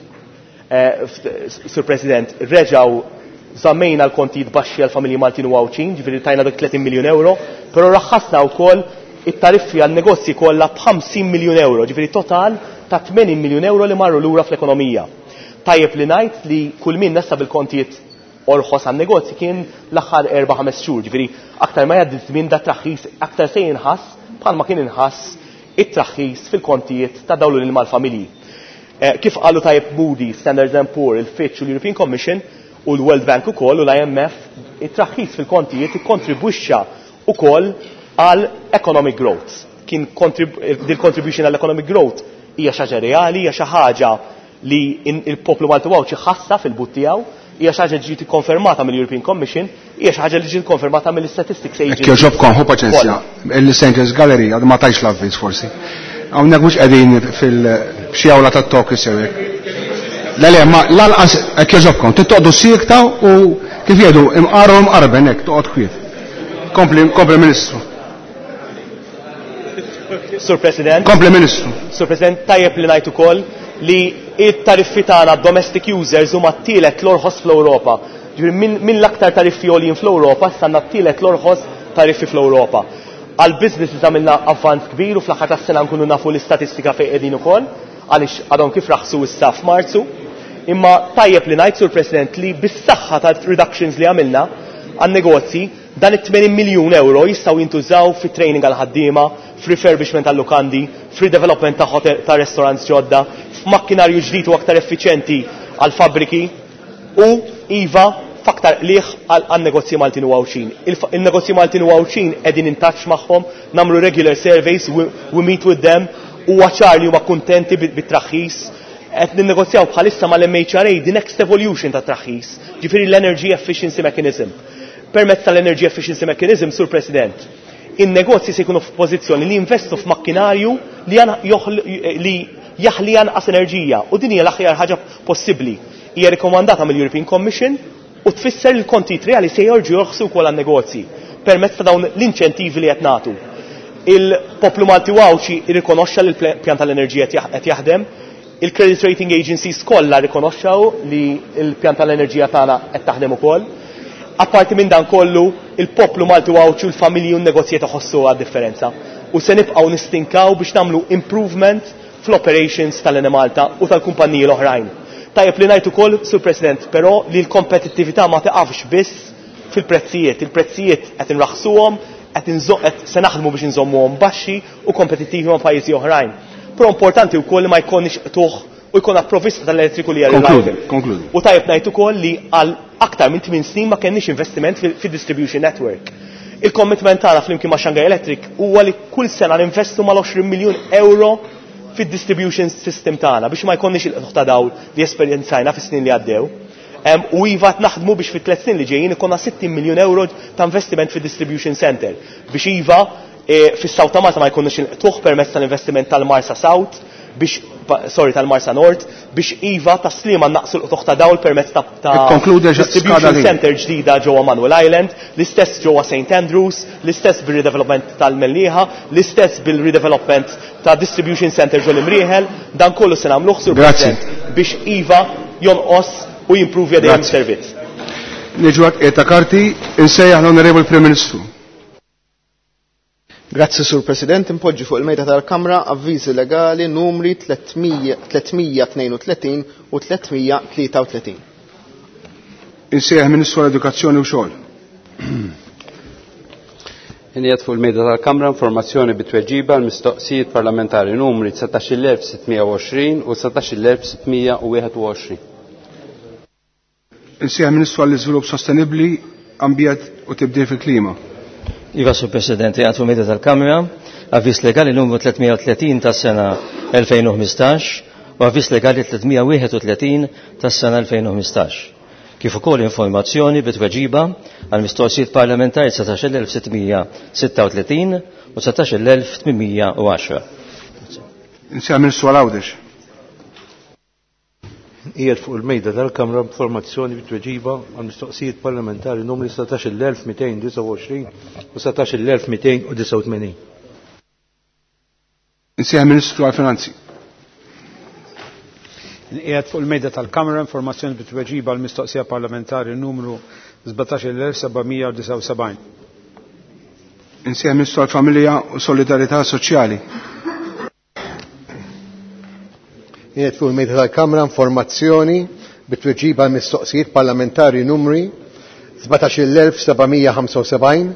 Sur President, reġgħu żammejna l-kontijiet baxxi għal familji Maltin u Għawdxin, ġifieri tajna dak 30 miljun euro, però raħħasna wkoll it-tariffi għal negozji kollha b'50 miljun euro, ġifieri total ta' 80 miljun euro li marru lura fl-ekonomija. Tajjeb li ngħid li kull min nessa bil-kontijiet orħos għan negozji kien l-aħħar 4-5 xhur, ġifieri aktar ma jgħaddi żmien da traħħis aktar se jinħass bħalma kien inħass it-traħħis fil-kontijiet ta' dawl l-ilma l-familji. Kif qalu tajjeb Moody, Standard and Poor, il-Fitch u l-European Commission u l-World Bank ukoll u l-IMF, it-traħħis fil-kontijiet ikkontribwixxa ukoll għal economic growth. Kien dil-contribution għal economic growth hija xi ħaġa reali, hija xi ħaġa li il-poplu Malti Għawdxi ħassa fil-but tiegħu, hija xi ħaġa ġiet ikkonfermata mill-European Commission, hija xi ħaġa li ġiet ikkonfermata mill-Statistics Agency. Jekk jogħġobkom, ħu paċenzja. Il-St. Gallery għadu ma tajx l-avviż forsi. Hawnhekk mhux qegħdin fil-xi awla tat-Tokyo sewek. Le le, ma lanqas hekk jogħġobkom, tittoqgħodu siekta u kif jgħidu imqaru imqarben hekk toqgħod kwiet. Kompli, kompli Ministru. Sur President. Kompli Ministru. Sur President, tajjeb li ngħid ukoll li it-tariffi tagħna domestic users huma t-tielet l-orħos fl-Ewropa. Ġifieri min l-aktar tariffi għoljin fl-Ewropa, issa għandna t-tielet l-orħos tariffi fl-Ewropa. Għal businesses għamilna avvanz kbir u fl-aħħar tas-sena nkunu nafu l-istatistika fejn qegħdin ukoll, għaliex għadhom kif raħsu issa f'Marzu. Imma tajjeb li ngħid, Sur President, li bis-saħħa ta' reductions li għamilna għan-negozji, dan it-80 miljun euro jistgħu jintużaw fi training għal ħaddiema, f'refurbishment għal lukandi, f'redevelopment ta' hotel, ta' restaurants ġodda, f'makkinarju ġdid u aktar effiċjenti għal fabbriki u iva f'aktar qligħ għal negozji Maltin u Għawdxin. Il-negozji Maltin u Għawdxin qegħdin in touch magħhom, nagħmlu regular surveys, we meet with them, u ċar li huma kuntenti bit-traħħis. Qed ninnegozjaw bħalissa mal-MHRA the next evolution ta' traħħis, ġifieri l-Energy Efficiency Mechanism. Permezz tal-Energy Efficiency Mechanism, Sur President, in-negozji se jkunu f'pożizzjoni li jinvestu f'makkinarju li jaħli anqas enerġija, u din hija l-aħjar ħaġa possibbli. Hija rikkomandata mill-European Commission u tfisser li l-kontijiet reali se jorġu jorħsu wkoll għan-negozji permezz ta' dawn l-inċentivi li qed nagħtu. Il-poplu Malti u Għawdxi rrikonoxxa li l-pjan tal-enerġija qed jaħdem, il-credit rating agencies kollha rrikonoxxew li l-pjan tal-enerġija tagħna qed taħdem ukoll. Apparti minn dan kollu, il-poplu Malti u Għawdxi u l-familji u n-negozji iħossu għad-differenza. U se nibqgħu nistinkaw biex nagħmlu improvement fl-operations tal-Enemalta u tal-kumpaniji l-oħrajn. Tajjeb li ngħid ukoll, Sur President, però li l-kompetittività ma tiqafx biss fil-prezzijiet. Il-prezzijiet qed inraħsuhom, qed se naħdmu biex inżommuhom baxxi u kompetittivi ma' pajjiżi oħrajn. Però importanti wkoll li ma jkollniex qtugħ u jkollna provvista tal-elettriku li hija Konkludi, reliable. konkludi. U tajjeb ngħid ukoll li għal aktar minn 8 snin ma kenniex investiment fid-distribution network. Il-commitment tagħna flimkien ma' Shanghai Electric huwa li kull sena ninvestu mal-20 miljun euro fid-distribution system tagħna biex ma jkollniex il-qtugħ ta' dawl li esperjenzajna fis-snin li għaddew. U iva qed naħdmu biex fit-tliet snin li ġejjin ikollna 60 miljun euro ta' investiment fid-distribution center biex iva fis-South ta' Malta ma jkollniex il-qtugħ permezz tal-investiment tal-Marsa South biex, sorry, tal-Marsa Nord, biex iva ta' Sliema naqsu l-qtugħ ta' dawl permezz ta' Ikkonkludi għax distribution skada li. center ġdida ġewwa Manuel Island, l-istess ġewwa St. Andrews, l-istess bil-redevelopment tal-Mellieħa, l-istess bil-redevelopment ta' distribution center ġol Imrieħel, dan kollu se nagħmluh, Sur Grazzi. President, biex iva jonqos u jimprovja dejjem Grazzi. servizz. Niġu għat ta' karti, insejjaħ l-Onorevoli Prim Ministru. Grazzi Sur President, impoġġi fuq il-mejda tal-Kamra avviżi legali numri 332 u 333. Insejjaħ Ministru għall-Edukazzjoni u Xogħol. Inqiegħed fuq il-mejda tal-Kamra informazzjoni bit-tweġiba għal mistoqsijiet parlamentari numri 19620 u 19621. Insejjaħ Ministru għall-Iżvilupp Sostenibbli, Ambjent u Tibdil fil-Klima. Iva, Sur President, għad fuq mejda tal-Kamra, avviż legali numru 330 tas-sena 2015 u avviż legali 331 tas-sena 2015. Kif ukoll informazzjoni bit-tweġiba għal mistoqsijiet parlamentari 19636 u 19810. Insejjaħ Ministru għal Għawdex. Qiegħed fuq il-mejda tal-Kamra informazzjoni bit-tweġiba għal mistoqsijiet parlamentari numri 16229 u 16289. Insejjaħ Ministru għall-Finanzi. Qiegħed fuq il-mejda tal-Kamra informazzjoni bit-tweġiba għal mistoqsija parlamentari numru 17779. Insejjaħ Ministru għall-Familja u Solidarità Soċjali. Qiegħed fuq il-mejda tal-Kamra informazzjoni bit-tweġiba għal mistoqsijiet parlamentari numri 17775,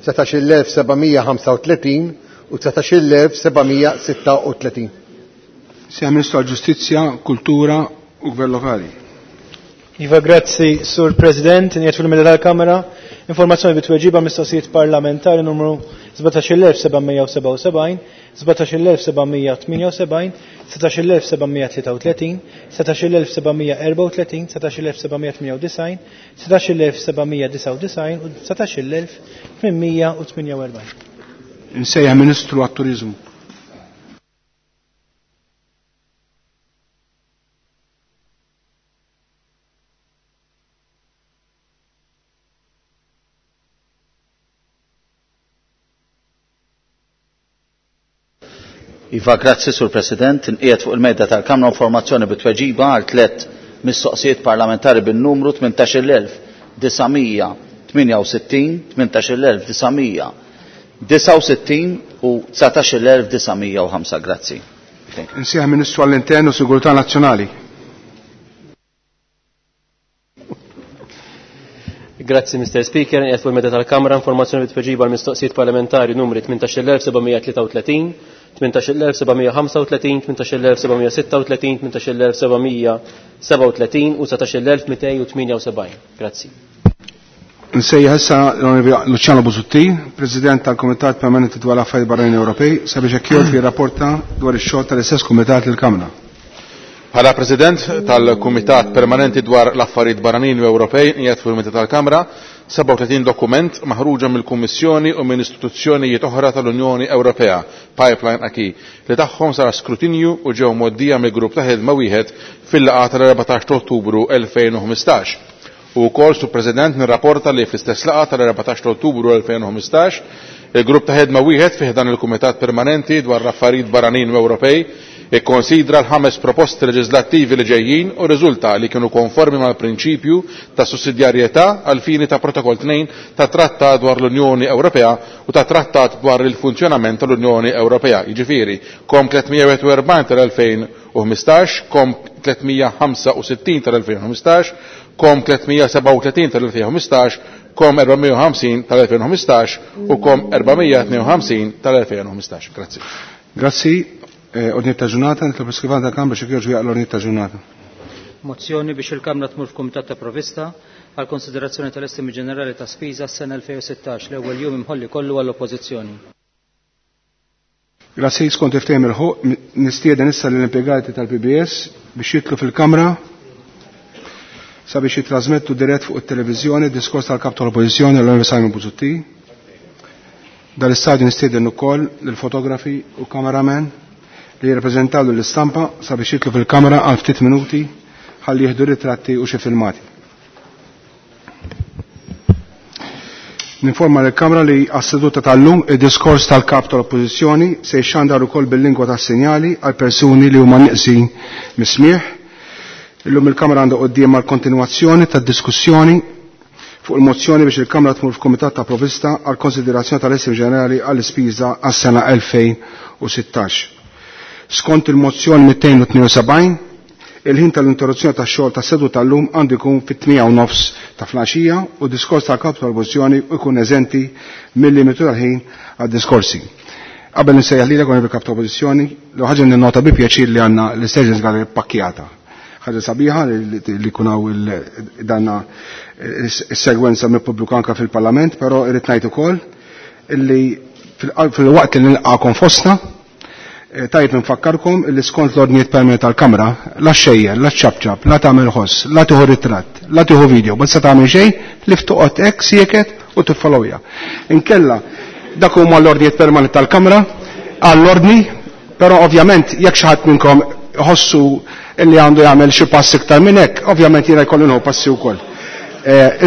19735 u 19736. Insejjaħ Ministru għall-Ġustizzja, Kultura u Gvern Lokali. Iva, grazzi, Sur President, njiet fil-meda tal-Kamra, informazzjoni bit-tweġiba mistoqsijiet parlamentari numru 17777, 17778, 17733, 17734, 17798, 17799 u 19848. Insejjaħ Ministru għat-Turiżmu. Iva, grazzi Sur President, inqiegħed fuq il-mejda tal-Kamra informazzjoni bit-tweġiba għal tliet mistoqsijiet parlamentari bin-numru 18968, 18969 u 19905. Grazzi. Insejjaħ Ministru għall-Intern u Sigurtà Nazzjonali. Grazzi, Mr. Speaker. Qiegħed fuq il-mejda tal-Kamra informazzjoni bit-tweġiba għal mistoqsijiet parlamentari numri 18733, 18735, 18736, 18737 u 19278. Grazzi. Nsejjaħ issa l-Onorevoli Luciano Busuttil, President tal-Kumitat Permanenti dwar l-Affarijiet Barranin Ewropej, sabiex hekk jgħid jirrapporta dwar ix-xogħol tal-istess Kumitat lill-Kamra. Bħala President tal-Kumitat Permanenti dwar l-Affarijiet Barranin u Ewropej qiegħed fuq il-Mejda tal-Kamra 37 dokument maħruġa mill-Kummissjoni u minn istituzzjonijiet oħra tal-Unjoni Ewropea, Pipeline Acquis, li tagħhom sar skrutinju u ġew mgħoddija mill-grupp ta' ħidma wieħed fil-laqgħa tal-14 ta' Ottubru 2015. U wkoll, Sur President, nirrapporta li fl-istess laqgħa tal-14 ta' Ottubru 2015 il-grupp ta' ħidma wieħed fih dan il-Kumitat Permanenti dwar l-Affarijiet Barranin u Ewropej ikkonsidra l-ħames proposti leġislattivi li ġejjin u riżulta li kienu konformi mal-prinċipju ta' sussidjarjetà għal fini ta' Protokoll 2 ta' Trattat dwar l-Unjoni Ewropea u ta' Trattat dwar il-funzjonament tal-Unjoni Ewropea, jiġifieri KOM 341 tal-2015, KOM 365 tal-2015, KOM 337 tal-2015, KOM 450 tal-2015 u KOM 452 tal-2015. Grazzi. Grazzi. Ordni ta' ġurnata, nitlob l-iskrivan tal-Kamra xi jogħġbu jaqra l-ordni ta' ġurnata. Mozzjoni biex il-Kamra tmur f'Kumitat ta' Provista għal konsiderazzjoni tal-estimi ġenerali ta' spiża s-sena 2016 l-ewwel jum imħolli kollu għall-Oppożizzjoni. Grazzi, skont iftehim il-ħuq, nistieden issa lill-impjegati tal-PBS biex jitlu fil-Kamra sabiex jitrasmettu dirett fuq it-televiżjoni diskors tal-Kap tal-Oppożizzjoni l-Onorevoli Simon Busuttil. Dal-istadju nistieden ukoll lill-fotografi u kameramen li jirrappreżentaw lill-istampa sabiex jitlu fil-kamra għal ftit minuti ħalli jieħdu ritratti u xi filmati. Ninforma lill-Kamra li għas-seduta tal-lum id-diskors tal-Kap tal-Oppożizzjoni se jxandar ukoll bil-lingwa tas-sinjali għal persuni li huma nieqsin mis-smieħ. Illum il-Kamra għandha qudiemha l-kontinwazzjoni tad-diskussjoni fuq il-mozzjoni biex il-Kamra tmur f'Kumitat ta' Provista għal konsiderazzjoni tal-Estim Ġenerali għall-ispiża għas-sena 2016. Skont il-mozzjoni 272, il-ħin tal-interruzzjoni tax-xogħol tas-seduta tal-lum għandu jkun fit-8:30 ta' flaxija u diskors tal-kap tal-oppożizzjoni jkun eżenti mill-limitu tal-ħin għad-diskorsi. Qabel nsejjaħ lilek għon il-kap tal-oppożizzjoni, l ħaġa ninnota bi pjaċir li għandna l-Stations Gallery pakkjata. Ħaġa sabiħa li kunaw danna s-segwenza mill pubbliku anka fil-Parlament, però irrid ngħid ukoll illi fil-waqt li nilqakom fostna, tajb nfakkarkom illi skont l-ordnijiet permanenti tal-Kamra, la xejjer, la ċabċab, la tagħmel ħoss, la tieħu ritratt, la tieħu video, ma tista' tagħmel xejn li ftuqgħod hekk sieket u tiffollowja. Inkella dak huma l-ordnijiet permanenti tal-Kamra għall-ordni, però ovvjament jekk xi ħadd minnkom ħossu illi għandu jagħmel xi pass iktar minn hekk, ovvjament jiena jkollu nħu passi wkoll.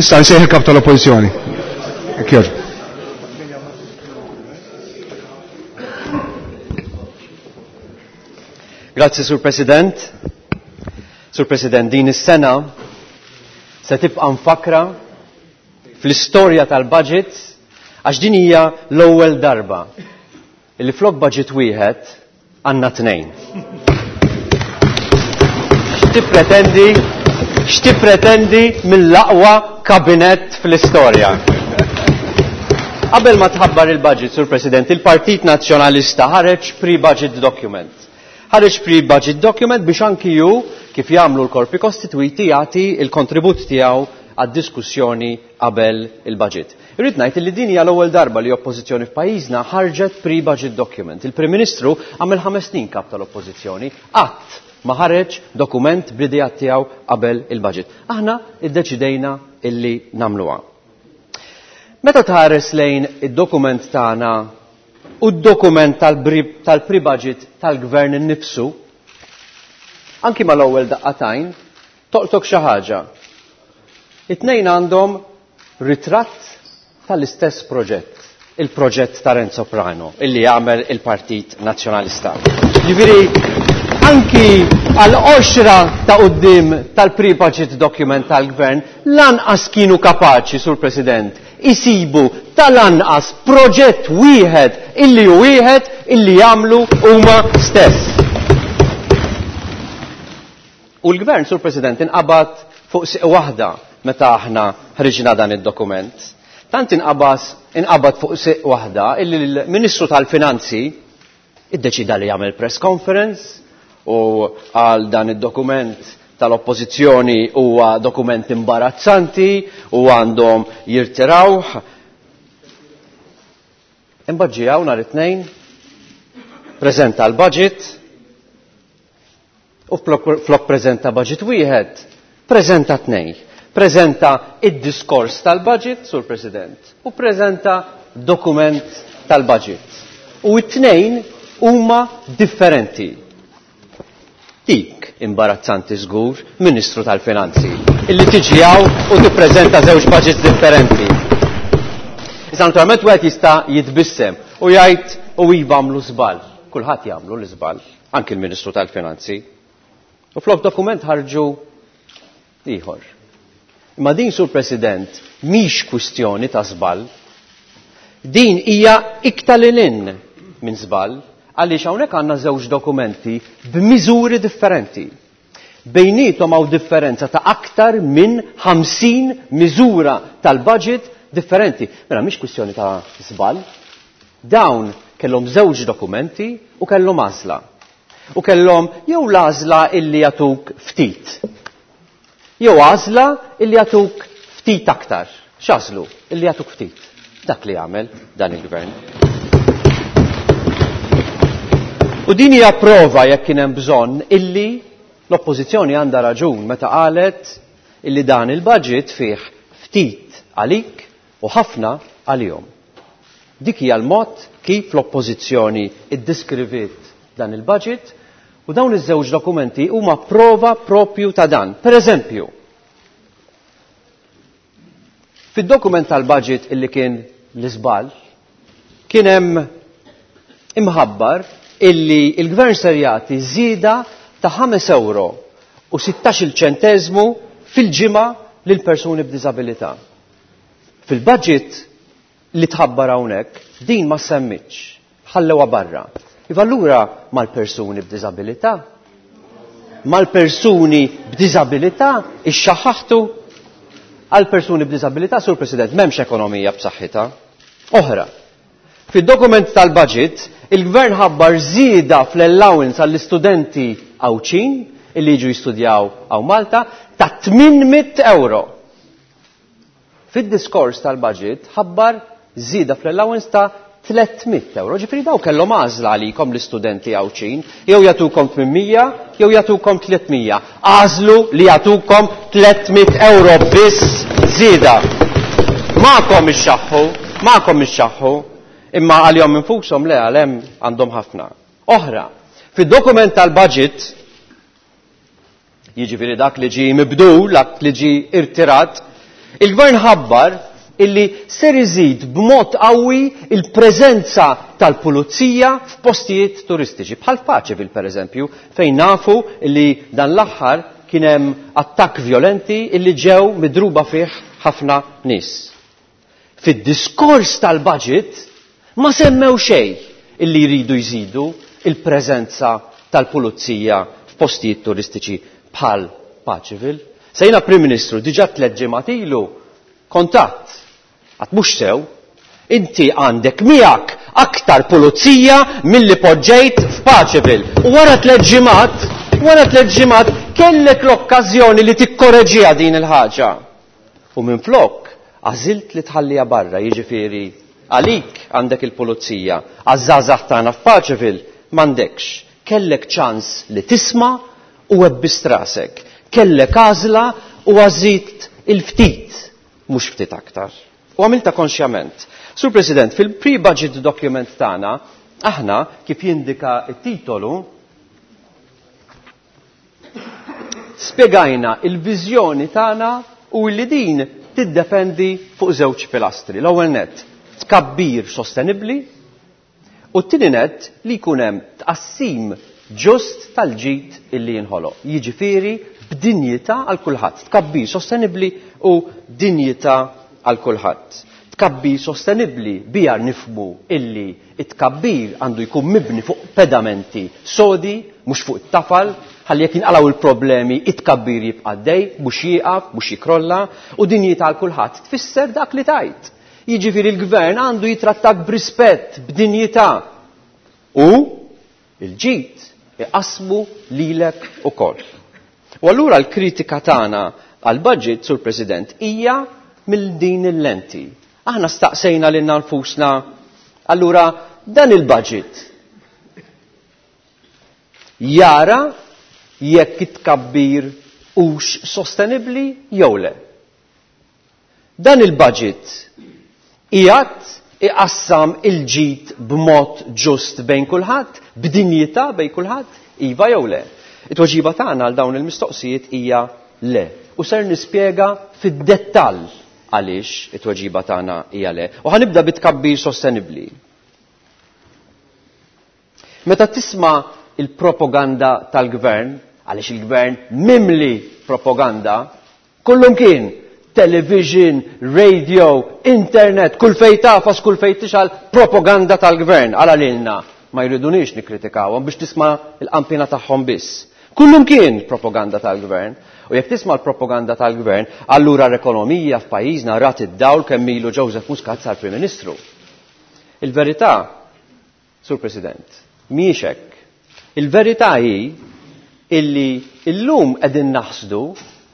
Issa nsejħ il-kap tal-Oppożizzjoni. Jekk Grazzi, Sur President. Sur President, din is-sena se tibqa' mfakra fl-istorja tal-budget għax din hija l-ewwel darba li flok budget wieħed għandna tnejn. X'tippretendi x'tippretendi mill-aqwa kabinett fl-istorja? Qabel ma tħabbar il-budget, Sur President, il-Partit Nazzjonalista ħareġ pre-budget document. Ħareġ pre-budget document biex anki ju kif jagħmlu l-korpi kostitwiti jagħti il-kontribut tiegħu għad-diskussjoni qabel il-budget. Irrid ngħid li din hija l-ewwel darba li oppożizzjoni f'pajjiżna ħarġet pre-budget document. Il-Prim Ministru għamel 5 snin kap tal-oppożizzjoni, qatt ma ħareġ dokument bl-idea tiegħu qabel il-budget. Aħna iddeċidejna illi nagħmluha. Meta tħares lejn id-dokument tagħna u d-dokument tal-pre-budget tal-gvern innifsu, anki mal-ewwel daqqatajn, toqtok xi ħaġa. It-tnejn għandhom ritratt tal-istess proġett, il-proġett ta' Renzo Prano, illi jagħmel il-Partit Nazzjonalista. Ġifieri, anki għal-qoxra ta' quddiem tal-pre-budget document tal-gvern, lanqas kienu kapaċi, Sur President, isibu tal-anqas proġett wieħed illi hu wieħed illi jagħmlu huma stess. U l-gvern, Sur President, inqabad fuq siq waħda meta aħna ħriġna dan id-dokument. Tant inqabad fuq siq waħda illi l-Ministru tal-Finanzi iddeċida li jagħmel press conference u għal dan id-dokument tal-oppożizzjoni huwa dokument imbarazzanti u għandhom jirtirawh. Imbagħad ġie hawn nhar it-Tnejn, preżenta l-budget u flok preżenta budget wieħed, preżenta tnejn. Preżenta id-diskors tal-budget, Sur President, u preżenta dokument tal-budget. U t-tnejn huma differenti. Dik imbarazzanti żgur, Ministru tal-Finanzi, illi tiġi hawn u tippreżenta żewġ budgets differenti. Issa naturalment wieħed jista' jitbissem u jgħid u iva għamlu żball. Kulħadd jagħmlu l-iżball, anki l-Ministru tal-Finanzi. U flok dokument ħarġu ieħor. Imma din, Sur President, mhix kwistjoni ta' żball. Din hija iktar lil hinn minn żball, għaliex hawnhekk għandna żewġ dokumenti b'miżuri differenti. Bejnietom hawn differenza ta' aktar minn 50 miżura tal-budget differenti. Mela mhix kwistjoni ta' żball. Dawn kellhom żewġ dokumenti u kellhom għażla. U kellhom jew l-għażla illi jagħtuk ftit. Jew għażla illi jagħtuk ftit aktar. X'għażlu? Illi jagħtuk ftit. Dak li għamel dan il-gvern. U din hija prova jekk kien hemm bżonn illi l-oppożizzjoni għandha raġun meta qalet illi dan il-budget fih ftit għalik u ħafna għalihom. Dik hija l-mod kif l-oppożizzjoni iddiskriviet dan il-budget u dawn iż-żewġ dokumenti huma prova propju ta' dan. Per eżempju, fid-dokument tal-budget illi kien l-iżball, kien hemm imħabbar illi il-gvern ser jagħti żieda ta' ħames euro u sittax-il ċenteżmu fil-ġimgħa lil persuni b'diżabilità. Fil-budget li tħabbar hawnhekk din ma semmitx, ħallewha barra. Iva allura mal-persuni b'diżabilità? Mal-persuni b'diżabilità ixxaħħaħtu? Għal persuni b'diżabilità, Sur President, m'hemmx ekonomija b'saħħitha. Oħra, fid-dokument tal-budget, il-Gvern ħabbar żieda fl-allowance għall-istudenti Għawdxin illi jiġu jistudjaw hawn Malta ta' 800 euro. Fid-diskors tal-budget ħabbar żieda fl-allowance ta' 300 euro. Ġifieri daw kellhom għażla għalikom l-istudenti Għawdxin, jew jagħtukom 800 jew jagħtukom 300. Għażlu li jagħtukom 300 euro biss żieda. Magħkom ixxaħħu, magħkom ixxaħħu, imma għalihom infushom le għal hemm għandhom ħafna. Oħra, fid-dokument tal-budget, jiġifieri dak li ġie mibdul, dak li ġie irtirat, il-Gvern ħabbar illi ser iżid b'mod qawwi il-preżenza tal-pulizija f'postijiet turistiċi, bħal Paceville pereżempju, fejn nafu illi dan l-aħħar kien hemm attakk vjolenti illi ġew midruba fih ħafna nies. Fid-diskors tal-budget ma semmew xejn illi jridu jżidu il-preżenza tal-pulizija f'postijiet turistiċi bħal Paceville. Se jiena Prim Ministru diġà tliet ġimgħat ilu kontatt. Għad mhux sew. Inti għandek miegħek aktar pulizija milli poġġejt f'Paceville. U wara tliet ġimgħat, wara tliet ġimgħat kellek l-okkażjoni li tikkoreġiha din il-ħaġa. U minflok għażilt li tħalliha barra, jiġifieri għalik għandek il-pulizija, għaż-żgħażagħ tagħna f'Paceville m'għandekx. Kellek ċans li tisma' u webbist rasek. Kellek għażla u għażilt il-ftit, mhux ftit aktar. U għamilta konxjament. Sur President, fil-pre-budget document tagħna, aħna, kif jindika t-titolu, spjegajna il-viżjoni tagħna u li din tiddependi fuq żewġ pilastri. L-ewwel nett, tkabbir sostenibbli u t-tieni nett li jkun hemm tqassim ġust tal-ġid illi jinħoloq. Jiġifieri b'dinjità għal kulħadd. Tkabbir sostenibbli u dinjità għal kulħadd. Tkabbir sostenibbli biha nifhmu illi t-tkabbir għandu jkun mibni fuq pedamenti sodi, mhux fuq it-tafal, ħalli jekk jinqalgħu l-problemi it-tkabbir jibqa' għaddej, mhux jieqaf, mhux jikrolla, u dinjità għal kulħadd tfisser dak li tgħid. Jiġifieri l-gvern għandu jitrattak b'rispett, b'dinjità. U l-ġid iqassmu lilek ukoll. U allura l-kritika tagħna għall-budget, Sur President, hija mill din il-lenti. Aħna staqsejna lilna nfusna, allura dan il-budget jara jekk it-tkabbir hux sostenibbli jew le. Dan il-budget qiegħed iqassam il-ġid b'mod ġust bejn kulħadd, b'dinjità bejn kulħadd, iva jew le? It-tweġiba tagħna għal dawn il-mistoqsijiet hija le. U ser nispjega fid-dettall għaliex it-tweġiba tagħna hija le. U ħa nibda bit-tkabbir sostenibbli. Meta tisma' il-propaganda tal-gvern, għaliex il-gvern mimli propaganda, kullumkien, television, radio, internet, kull fejn tagħfas, kull fejn tixgħal, propaganda tal-gvern, għala lilna ma jridunix nikkritikawhom biex tisma' l-qampina tagħhom biss. Kullumkien propaganda tal-gvern. U jekk tisma' l-propaganda tal-gvern, allura l-ekonomija f'pajjiżna rat id-dawl kemm ilu Joseph Muscat sar Prim Ministru. Il-verità, Sur President, mhijiex hekk. Il-verità hi illi illum qegħdin naħsdu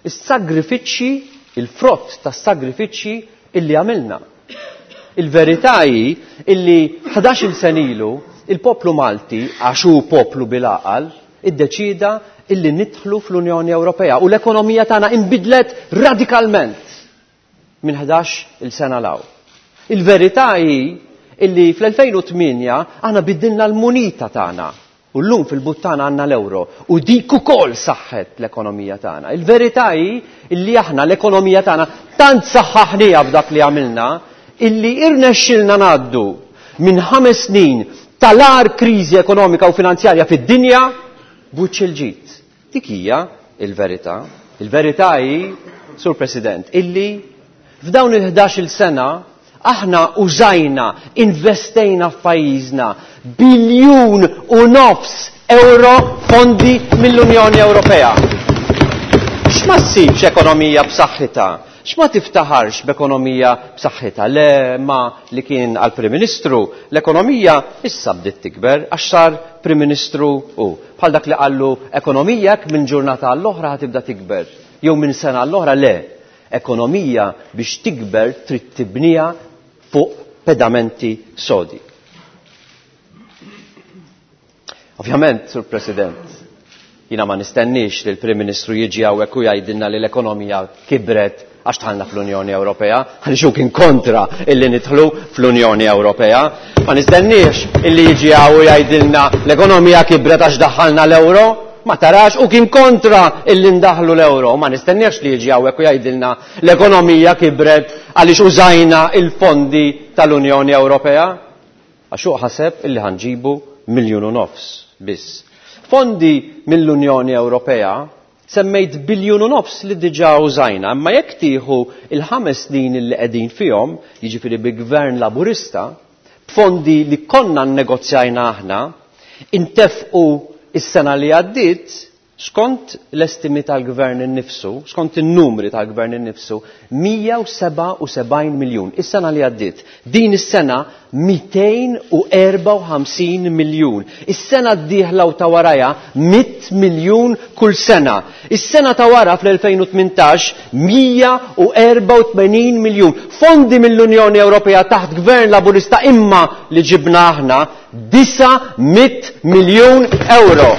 s-sagrifiċċji, il-frott tas-sagrifiċċji illi għamilna. Il-verità hi illi ħdax-il sena ilu il-poplu Malti, għax hu poplu bil-għaqal, iddeċieda illi nidħlu fl-Unjoni Ewropea u l-ekonomija tagħna inbidlet radikalment minn 11-il sena 'l hawn. Il-verità hi illi fl-2008 aħna biddilna l-munita tagħna u llum fil-but tagħna għandna l-euro u dik ukoll saħħet l-ekonomija tagħna. Il-verità hi illi aħna l-ekonomija tagħna tant saħħaħniha b'dak li għamilna illi irnexxilna ngħaddu minn ħames snin tal-agħar kriżi ekonomika u finanzjarja fid-dinja b'wiċċ il-ġid. Dik hija l-verità. Il-verità hi, Sur President, illi F'dawn il-11-il sena aħna użajna, investejna f'pajjiżna biljun u nofs euro fondi mill-Unjoni Ewropea. X'ma ssibx ekonomija b'saħħitha? X'ma tiftaħarx b'ekonomija b'saħħitha? Le ma li kien għal Prim Ministru, l-ekonomija issa bdiet tikber għax sar Prim Ministru hu. Bħal dak li qallu ekonomija hekk minn ġurnata għall-oħra ħa tibda tikber jew minn sena għall-oħra le. Ekonomija biex tikber trid tibniha fuq pedamenti sodi. Ovvjament, Sur President, jiena ma nistenniex li l-Prim Ministru jiġi hawnhekk u jgħidilna li l-ekonomija kibret għax dħalna fl-Unjoni Ewropea, għaliex hu kien kontra illi nidħlu fl-Unjoni Ewropea. Ma nistenniex illi jiġi hawn u jgħidilna l-ekonomija kibret għax daħħalna l-euro. Ma tarax u kien kontra illi ndaħħlu l-euro. Ma nistenniex li jiġi hawnhekk u jgħidilna l-ekonomija kibret għaliex użajna il-fondi tal-Unjoni Ewropea. Għax hu ħaseb illi ħa nġibu miljun u nofs biss. Fondi mill-Unjoni Ewropea semmejt biljun u nofs li diġà użajna, imma jekk tieħu il-ħames snin illi qegħdin fihom, jiġifieri bi Gvern Laburista, b'fondi li konna nnegozjajna aħna, intefqu s-sena li għaddiet, Skont l-estimi tal-Gvern innifsu, skont in-numri tal-Gvern innifsu, 177 miljun is-sena li għaddiet. Din is-sena 254 miljun. Is-sena d-dieħla u ta' warajha 100 miljun kull sena. Is-sena ta' wara fl-2018 184 miljun. Fondi mill-Unjoni Ewropea taħt Gvern Laburista imma li ġibna aħna 900 miljun euro.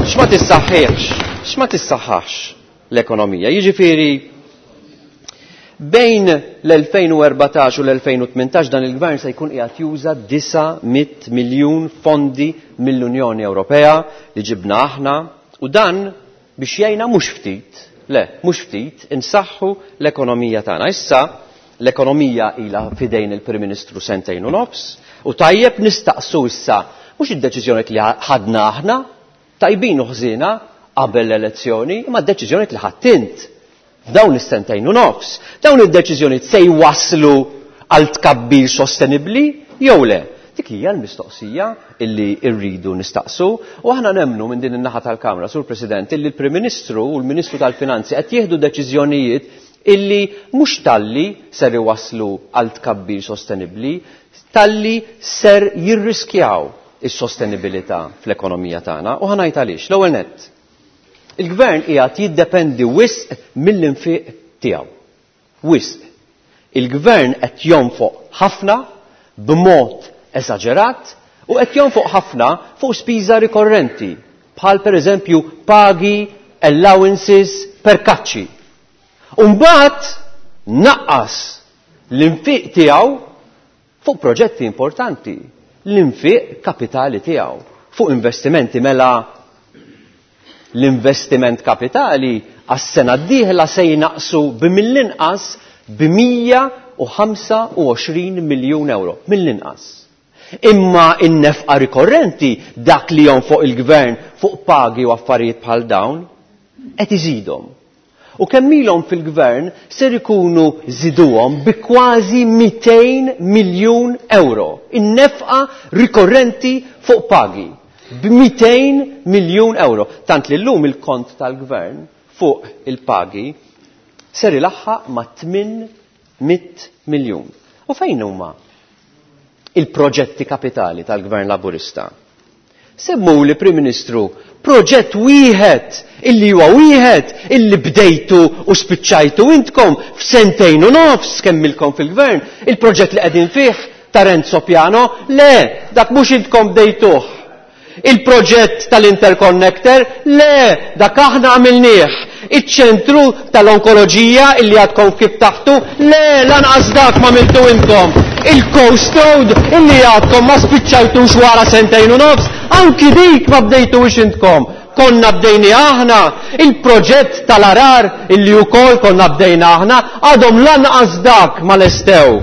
X'ma tissaħħiex, x'ma tissaħħax l-ekonomija. Jiġifieri bejn l-2014 u l-2018 dan il-gvern se jkun qiegħed juża 900 miljun fondi mill-Unjoni Ewropea li ġibna aħna u dan biex jgħinna mhux ftit, le, mhux ftit, insaħħu l-ekonomija tagħna. Issa L-ekonomija ilha f'idejn il-Prim Ministru sentejn u nofs u tajjeb nistaqsu issa mhux id-deċiżjonijiet li ħadna aħna, tajbin u ħżiena, qabel l-elezzjoni, imma d-deċiżjonijiet li ħadt int f'dawn is-sentejn u nofs. Dawn id-deċiżjonijiet se jwasslu għal tkabbir sostenibbli jew le? Dik hija l-mistoqsija illi rridu nistaqsu u aħna nemmnu minn din in-naħa tal-Kamra, Sur President, illi l-Prim Ministru u l-Ministru tal-Finanzi qed jieħdu deċiżjonijiet illi mhux talli ser iwasslu għal tkabbir sostenibbli, talli ser jirriskjaw is-sostenibilità fl-ekonomija tagħna u ħa ngħid għaliex. L-ewwel nett, il-Gvern qiegħed jiddependi wisq mill-infiq tiegħu. Wisq. Il-Gvern qed jonfoq ħafna b'mod esaġerat u qed jonfoq ħafna fuq spiża rikorrenti bħal pereżempju pagi, allowances, perkaċċi. U mbagħad naqqas l-infiq tiegħu fuq proġetti importanti, l-infiq kapitali tiegħu fuq investimenti mela l-investiment kapitali għas-sena d-dieħla se jnaqsu b'mill-inqas b'125 miljun euro, mill-inqas. Imma in-nefqa rikorrenti, dak li jonfoq il-gvern fuq pagi u affarijiet bħal dawn, qed iżidhom. U kemm ilhom fil-gvern ser ikunu żiduhom bi kważi 200 miljun euro. In-nefqa rikorrenti fuq pagi b'200 miljun euro. Tant li llum il-kont tal-gvern fuq il-pagi ser ilaħħaq ma' 800 miljun. U fejn huma il-proġetti kapitali tal-Gvern Laburista? Semmuli, Prim Ministru, proġett wieħed illi huwa wieħed illi bdejtu u spiċċajtu intkom f'sentejn u nofs kemm ilkom fil-Gvern, il-proġett li qegħdin fih ta' Renzo Piano, le, dak mhux intkom bdejtuh. Il-proġett tal-interconnector, le, dak aħna għamilnieh. Iċ-ċentru tal-onkoloġija illi għadkom kif taħtu, le, lanqas dak ma għamiltu intkom. Il-Coast Road illi għadkom ma spiċċajtux wara sentejn u nofs, anki dik ma bdejtux intkom. Konna bdejni aħna, il-proġett tal-arar illi wkoll konna bdejna aħna, għadhom lanqas dak ma lestew.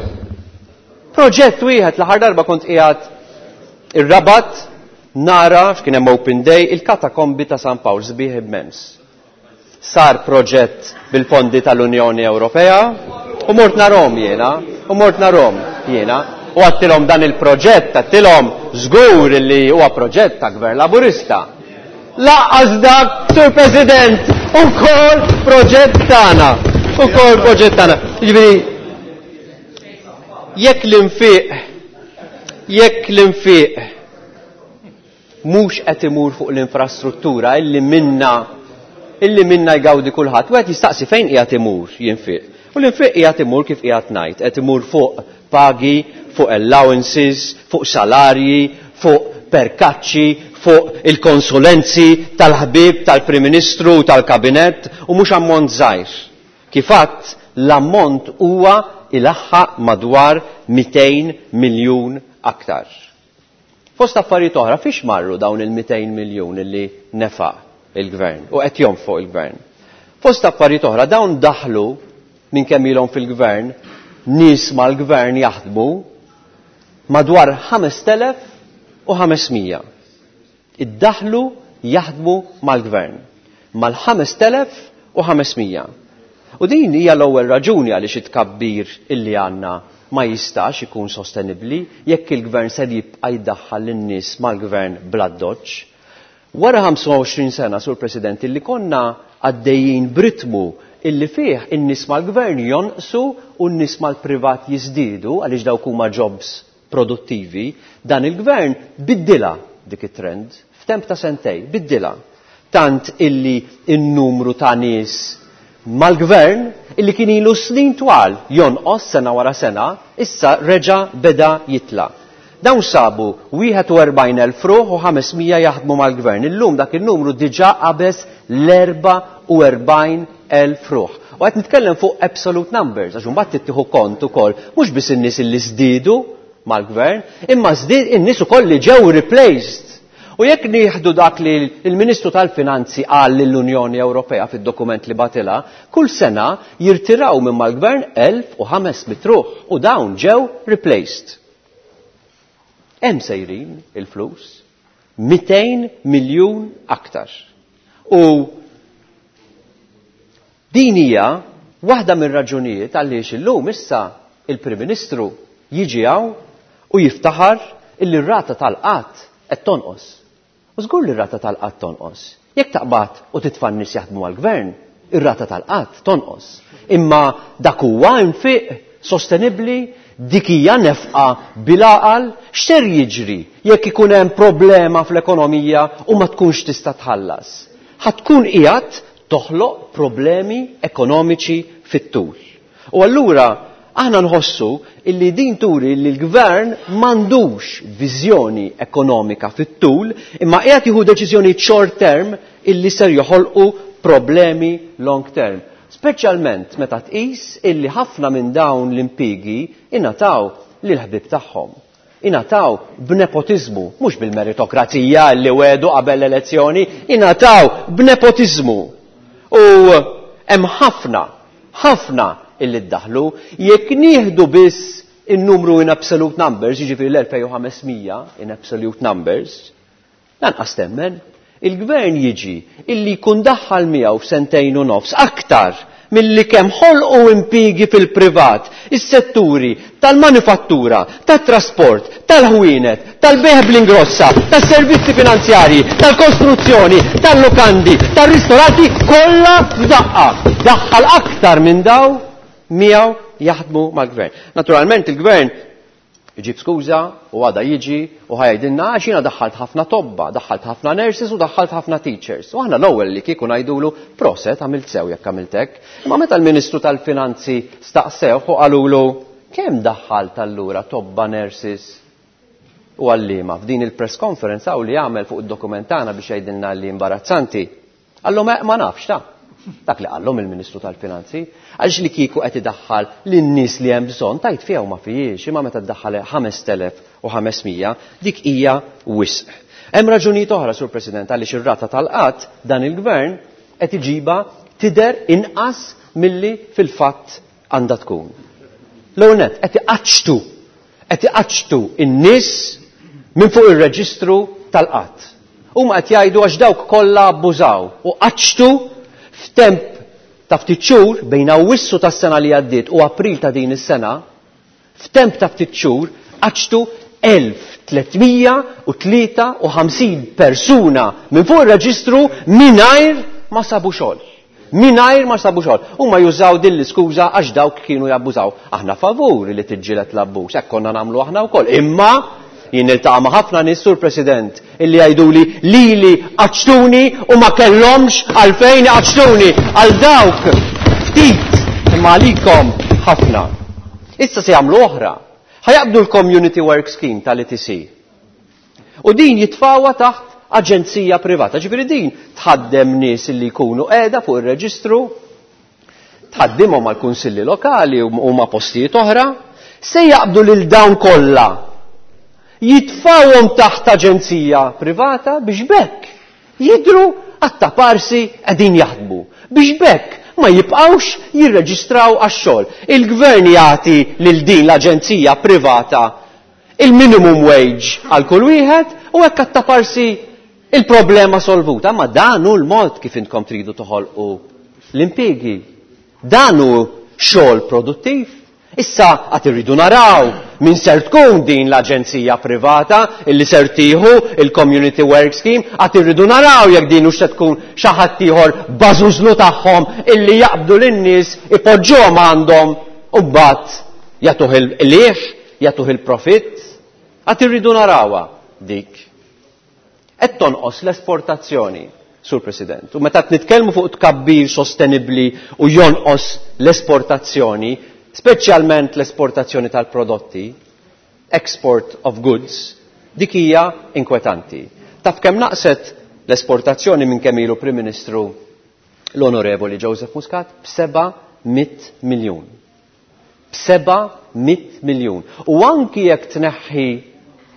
Proġett wieħed l-aħħar darba kont qiegħed ir-Rabat nara x'kien hemm Open Day il-katakombi ta' San Pawl sbieħ immens. Sar proġett bil-fondi tal-Unjoni Ewropea u mort narhom jiena, u mort narhom jiena u għattilhom dan il-proġett, għattilhom żgur li huwa proġett ta' Gvern Laburista. Laqqas dak, Sur President, ukoll proġett tagħna, ukoll proġett tagħna. Jiġifieri jekk l-infiq jekk l-infiq mhux qed imur fuq l-infrastruttura illi minna illi minna jgawdi kulħadd, wieħed jistaqsi fejn qiegħed imur jinfiq. U l-infiq qiegħed imur kif qiegħed ngħid, qed imur fuq pagi, fuq allowances, fuq salarji, fuq perkaċċi, fuq il-konsulenzi tal-ħbieb tal-Prim Ministru u tal-Kabinett u mhux ammont żgħir. Kif għadt, l-ammont huwa ilaħħaq madwar 200 miljun aktar. Fost affarijiet oħra, fiex marru dawn il-200 miljun illi nefaq il-Gvern u qed jonfoq il-Gvern? Fost affarijiet oħra, dawn daħlu minn kemm ilhom fil-Gvern, nies mal-Gvern jaħdmu madwar 5,500. Iddaħlu jaħdmu mal-Gvern. Mal-5,500. U din hija l-ewwel raġuni għaliex it-tkabbir illi għandna ma jistax ikun sostenibbli jekk il-Gvern ser jibqa' jdaħħal lin-nies mal-Gvern bl-addoċċ. Wara 25 sena, Sur President, illi konna għaddejjin b'ritmu illi fih in-nies mal-Gvern jonqsu u n-nies mal-privat jiżdiedu għaliex dawk huma jobs produttivi, dan il-Gvern biddilha dik it-trend f'temp ta' sentej, biddilha. Tant illi n-numru ta' nies mal-Gvern illi kien ilu snin twal jonqos sena wara sena, issa reġa' beda jitla'. Dawn sabu 41,000 ruħ u 500 jaħdmu mal-Gvern. Illum dak in-numru diġà qabeż l-44,000 ruħ. U qed nitkellem fuq absolute numbers, għax imbagħad trid tieħu kont ukoll mhux biss in-nies illi żdiedu mal-Gvern, imma żdied in-nies ukoll li ġew replaced. U jekk nieħdu dak li l-Ministru tal-Finanzi qal lill-Unjoni Ewropea fid-dokument li bagħtilha, kull sena jirtiraw minn mal-Gvern 1,500 ruħ u dawn ġew replaced. Hemm sejrin il-flus, 200 miljun aktar. U din hija waħda mir-raġunijiet għaliex illum issa il-Prim Ministru jiġi hawn u jiftaħar illi r-rata tal-qgħad qed tonqos. U żgur li r-rata tal-qgħad tonqos. Jekk taqbad u titfa' n-nies jaħdmu għall-gvern, ir-rata tal-qgħad tonqos. Imma dak huwa infiq sostenibbli, dik hija nefqa bil-għaqal, x'ser jiġri jekk ikun hemm problema fl-ekonomija u ma tkunx tista' tħallas? Ħa tkun qiegħed toħloq problemi ekonomiċi fit-tul. U allura aħna nħossu illi din turi li l-gvern m'għandux viżjoni ekonomika fit-tul imma qiegħed jieħu deċiżjoni short term illi ser joħolqu problemi long term. Speċjalment meta tqis illi ħafna minn dawn l-impjiegi ingħataw lill-ħbieb tagħhom. Ingħataw b'nepotiżmu, mhux bil-meritokrazija li wegħdu qabel l-elezzjoni, ingħataw b'nepotiżmu. U hemm ħafna, ħafna illi ddaħlu, jekk nieħdu biss in-numru in absolute numbers, jiġifieri l-2500 in absolute numbers, lanqas temmen, il-gvern jiġi illi jkun daħħal miegħu f'sentejn u nofs aktar milli kemm ħolqu impjiegi fil-privat, is-setturi tal-manifattura, tat-trasport, tal-ħwienet, tal-bejgħ bl-ingrossa, tas-servizzi finanzjarji, tal-kostruzzjoni, tal-lukandi, tar-ristoranti, kollha f'daqqa. Daħħal aktar minn daw miegħu jaħdmu mal-gvern. Naturalment il-gvern iġib skuża u għada jiġi u ħajdilna għax jiena daħħalt ħafna tobba, daħħalt ħafna nurses u daħħalt ħafna teachers. U aħna l-ewwel li kieku ngħidulu proset għamilt sew jekk għamilt hekk. Imma meta l-Ministru tal-Finanzi staqsewh u qalulu kemm daħħalt allura tobba, nurses u għalliema f'din il-press conference hawn li għamel fuq id-dokument tagħna biex jgħidilna li imbarazzanti. Qallhom ma nafx ta'. Dak li qallhom il-Ministru tal-Finanzi. Għaliex li kieku qed idaħħal lin-nies li hemm bżonn tajt fiha u ma fihiex, imma meta ddaħħal 5500 dik hija wisq. Hemm raġunijiet oħra, Sur President, għaliex ir-rata tal-qgħad dan il-Gvern qed iġibha tidher inqas milli fil-fatt għandha tkun. L-ewwel nett qed iqaċċtu qed iqaċċtu n-nies minn fuq ir-reġistru tal-qgħad. Huma qed jgħidu għax dawk kollha abbużaw u qaċċtu F'temp ta' ftit xhur bejn Awwissu tas-sena li għaddiet u April ta' din is-sena, f'temp ta' ftit xhur qaċċtu 1353 persuna minn fuq ir-reġistru mingħajr ma sabu xogħol. Mingħajr ma sabu xogħol. Huma jużaw din l-iskuża għax dawk kienu jabbużaw. Aħna favur li tiġġieled l-abbuż, hekk konna nagħmlu aħna wkoll. Imma jien niltaqa' ma' ħafna nies, Sur President, illi jgħiduli lili qaċċtuni u ma kellhomx għalfejn iqaċċtuni. Għal dawk ftit, imma għalikom ħafna. Issa se jagħmlu oħra. Ħa jaqbdu l-Community Work Scheme tal-ETC. U din jitfgħuha taħt aġenzija privata. Ġifieri din tħaddem nies illi jkunu qiegħda fuq ir-reġistru, tħaddimhom mal-kunsilli lokali u ma' postijiet oħra, se jaqbdu lil dawn kollha. Jitfgħuhom taħt aġenzija privata biex b'hekk jidhru għat-taparsi qegħdin jaħdmu. Biex b'hekk ma jibqgħux jirreġistraw għax-xogħol. Il-gvern jagħti lil din l-aġenzija privata il-minimum wage għal kull wieħed u hekk għat-taparsi il-problema solvuta. Ma dan hu l-mod kif intkom tridu toħolqu l-impjiegi. Dan hu xogħol produttiv. Issa għad irridu naraw min ser tkun din l-aġenzija privata illi ser tieħu il-Community Work Scheme, għad irridu naraw jekk din hux se tkun xi ħadd ieħor bażużlu tagħhom illi jaqbdu lin-nies ipoġġuhom għandhom u mbagħad jagħtuh il-qligħ, jagħtuh il-profitt. Għad irridu narawha dik. Qed tonqos l-esportazzjoni, Sur President. U meta qed nitkellmu fuq tkabbir sostenibbli u jonqos l-esportazzjoni, speċjalment l-esportazzjoni tal-prodotti, export of goods, dik hija inkwetanti. Taf kemm naqset l-esportazzjoni minn kemm ilu Prim Ministru l-Onorevoli Joseph Muscat? B'seba' mitt miljun. B'seba' mitt miljun. U anki jekk tneħħi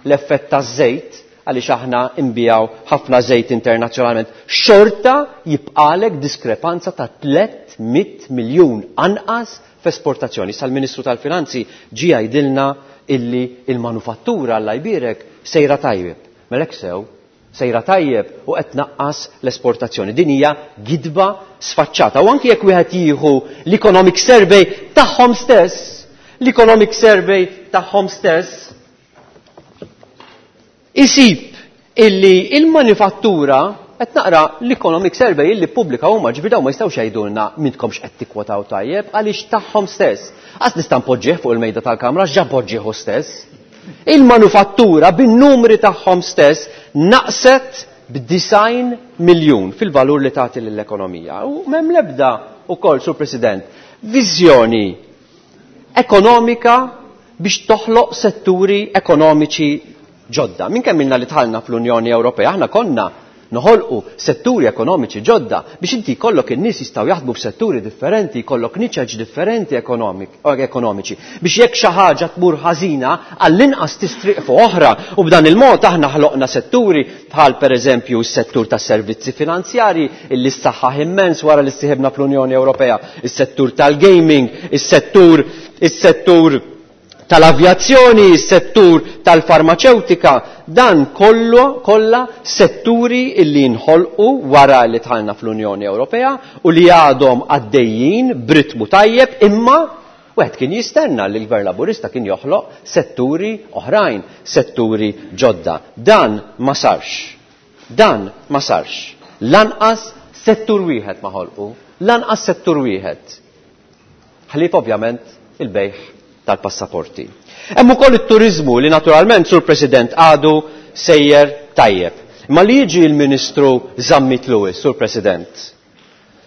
l-effett taż-żejt, għaliex aħna nbiegħu ħafna żejt internazzjonalment, xorta jibqalek diskrepanza ta' 300 miljun anqas f'esportazzjoni. Issa l-Ministru tal-Finanzi ġie jgħidilna illi il-manufattura Alla jbierek sejra tajjeb. Mela hekk sew, sejra tajjeb u qed tnaqqas l-esportazzjoni. Din hija gidba sfaċċata. U anki jekk wieħed jieħu l-Economic Survey tagħhom stess, l-Economic Survey tagħhom stess isib illi il-manifattura, qed naqra l-Economic Survey illi ppubblika huma, ġifieri dawn ma jistgħux jgħidulna m'intkomx qed tikkwotaw tajjeb għaliex tagħhom stess. Qas nista' npoġġih fuq il-mejda tal-Kamra għax ġa poġġih hu stess. Il-manufattura bin-numri tagħhom stess naqset b'design miljun fil-valur li tagħti lill-ekonomija. U m'hemm l-ebda wkoll, Sur President, viżjoni ekonomika biex toħloq setturi ekonomiċi ġodda. Minn kemm ilna li dħalna fl-Unjoni Ewropea aħna konna noħolqu setturi ekonomiċi ġodda biex inti jkollok in-nies jistgħu jaħdmu f'setturi differenti, jkollok niċeċ differenti ekonomiċi biex jekk xi ħaġa tmur ħażina għall-inqas tistriq fuq oħra. U b'dan il-mod aħna ħloqna setturi bħal pereżempju s-settur tas-servizzi finanzjarji illi ssaħħaħ immens wara li ssieħibna fl-Unjoni Ewropea, is-settur tal-gaming, is-settur tal-avjazzjoni, is-settur tal-farmaċewtika, dan kollu kollha setturi illi nħolqu wara li dħalna fl-Unjoni Ewropea u li għadhom għaddejjin b'ritmu tajjeb, imma wieħed kien jistenna li l-Gvern Laburista kien joħloq setturi oħrajn, setturi ġodda. Dan ma sarx. Dan ma sarx. Lanqas settur wieħed ma ħolqu, lanqas settur wieħed. Ħlief ovvjament il-bejgħ tal-passaporti. Hemm ukoll it-turiżmu li naturalment, Sur President, għadu sejjer tajjeb. Imma li jiġi l-Ministru Zammit Lewis, Sur President,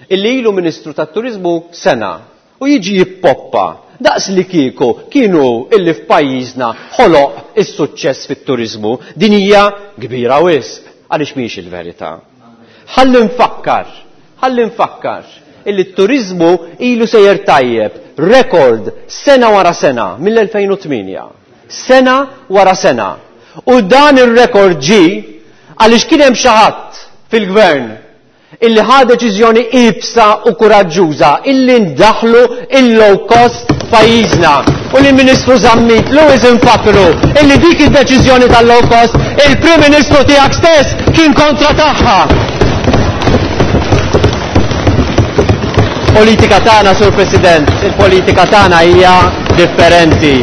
illi ilu Ministru tat-Turiżmu sena u jiġi jippoppa daqs li kieku kienu illi f'pajjiżna ħoloq is-suċċess fit-turiżmu, din hija kbira wisq għaliex mhijiex il-verità. Ħalli nfakkar, ħalli nfakkar illi t-turiżmu ilu sejjer tajjeb, rekord sena wara sena mill-2008. Sena wara sena. U dan ir-rekord ġie għaliex kien hemm xi ħadd fil-gvern illi ħa deċiżjoni iebsa u kuraġġuża illi ndaħlu il-low cost f'pajjiżna. U li Ministru Zammit Lewis infakkru illi dik id-deċiżjoni tal-low cost il-Prim Ministru tiegħek stess kien kontra tagħha. Il-politika tagħna, Sur President, il-politika tagħna hija differenti.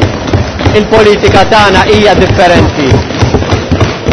Il-politika tagħna hija differenti.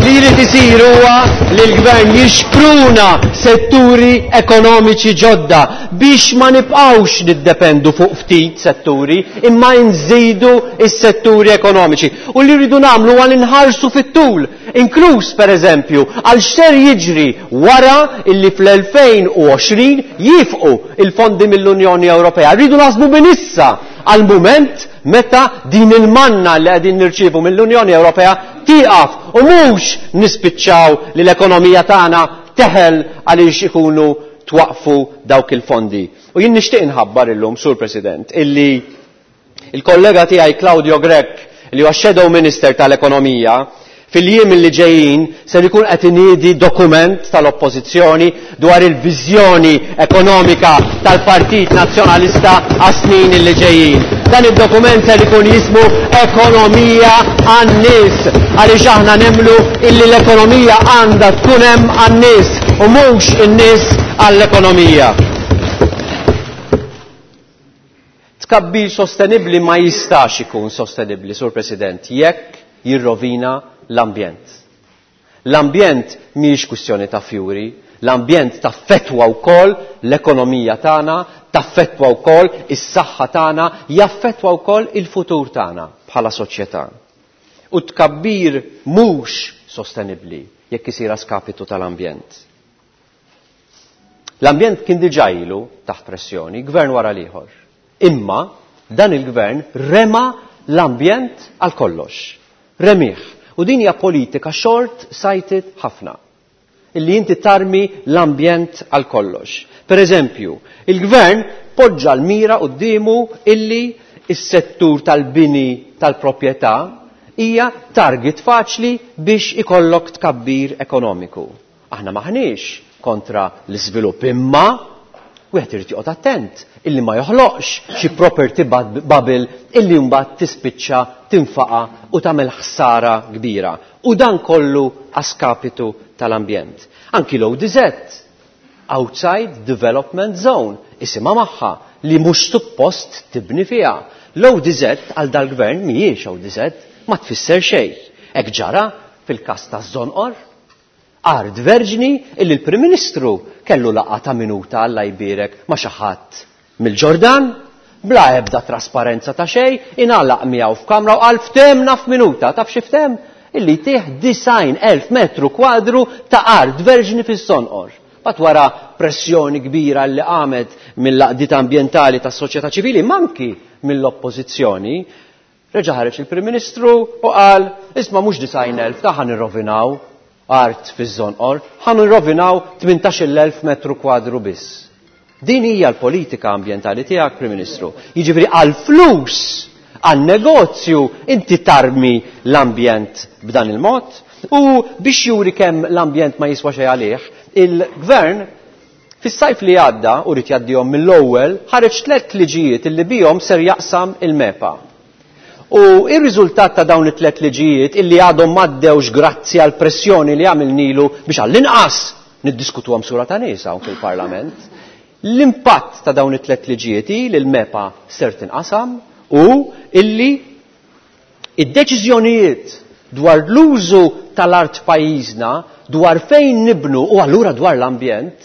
Li jrid isir huwa li l-gvern jixpruna setturi ekonomiċi ġodda biex ma nibqgħux niddependu fuq ftit setturi imma nżidu s-setturi ekonomiċi. U li rridu nagħmlu huwa li nħarsu fit-tul, inkluż pereżempju għal x'ser jiġri wara illi fl-2020 jifqu il-fondi mill-Unjoni Ewropea. Rridu naħsbu minn issa għal mument meta din il-manna li qegħdin nirċievu mill-Unjoni Ewropea tieqaf u mhux nispiċċaw li l-ekonomija tagħna teħel għaliex ikunu twaqfu dawk il-fondi. U jien nixtieq inħabbar illum, Sur President, illi il-kollega tiegħi Claudio Grech, li huwa Shadow Minister tal-Ekonomija, fil-jiem li ġejjin ser ikun qed iniedi dokument tal-Oppożizzjoni dwar il-viżjoni ekonomika tal-Partit Nazzjonalista għas-snin li ġejjin. Dan id-dokument ser ikun jismu Ekonomija għan-nies, għaliex aħna nemmnu illi l-ekonomija għandha tkun hemm għan-nies u mhux in-nies għall-ekonomija. Tkabbir sostenibbli ma jistax ikun sostenibbli, Sur President, jekk jirrovina l-ambjent. L-ambjent mhijiex kwistjoni ta' fjuri, l-ambjent taffettwa wkoll l-ekonomija tagħna, taffettwa wkoll is-saħħa tagħna, jaffettwa wkoll il-futur tagħna bħala soċjetà. U tkabbir mhux sostenibbli jekk isir a skapitu tal-ambjent. L-ambjent kien diġà ilu taħt pressjoni, gvern wara l-ieħor. Imma dan il-gvern rema l-ambjent għal kollox. Remih. U din hija politika short-sighted ħafna. Illi inti tarmi l-ambjent għal kollox. Per eżempju, il-gvern poġġa l-mira quddiemu illi s-settur tal-bini tal-proprjetà hija target faċli biex ikollok tkabbir ekonomiku. Aħna maħniex kontra l-iżvilupp, imma wieħed irid joqgħod attent illi ma joħloqx xi property bubble illi mbagħad tispiċċa tinfaqa u tagħmel ħsara kbira. U dan kollu għaskapitu tal-ambjent. Anki l-ODZ, Outside Development Zone, isimha magħha li mhux suppost tibni fiha. L-ODZ għal dal-gvern mhijiex ODZ, ma tfisser xejn. Hekk ġara fil-każ taż-Żonqor, art verġni illi l-Prim Ministru kellu laqgħa ta' minuta Alla jbierek ma' xi ħadd mill-Ġordan, bla ebda trasparenza ta' xejn, ingħalaq miegħu f'kamra u qal ftehmna f'minuta. Taf xi fthem? Illi jtih 90,000 metru kwadru ta' art verġni fis-Sonqor. Bat wara pressjoni kbira li qamet mill-laqdiet ambjentali tas-soċjetà ċivili, manki mill-oppożizzjoni, reġa' ħareġ il-Prim Ministru u qal isma' mhux 90,000 ta' ħa nirrovinaw art fiż-Żonqor, ħa nirrovinaw 18,000 metru kwadru biss. Din hija l-politika ambjentali tiegħek, Prim Ministru. Jiġifieri għall-flus, għan-negozju, inti tarmi l-ambjent b'dan il-mod. U biex juri kemm l-ambjent ma jiswa xejn għalih, il-gvern fis-sajf li għadda, u rrid jgħaddihom mill-ewwel, ħareġ 3 liġijiet illi bihom ser jaqsam il-MEPA. U ir-riżultat ta' dawn it-tliet liġijiet illi għadhom m'għaddewx grazzi għall pressjoni li għamilnilu biex għall-inqas niddiskutuhom sura ta' nies hawn fil-Parlament. L-impatt ta' dawn it-tliet liġijiet hi li l-MEPA ser tinqasam u illi id-deċiżjonijiet dwar l-użu tal-art pajjiżna, dwar fejn nibnu u allura dwar l-ambjent,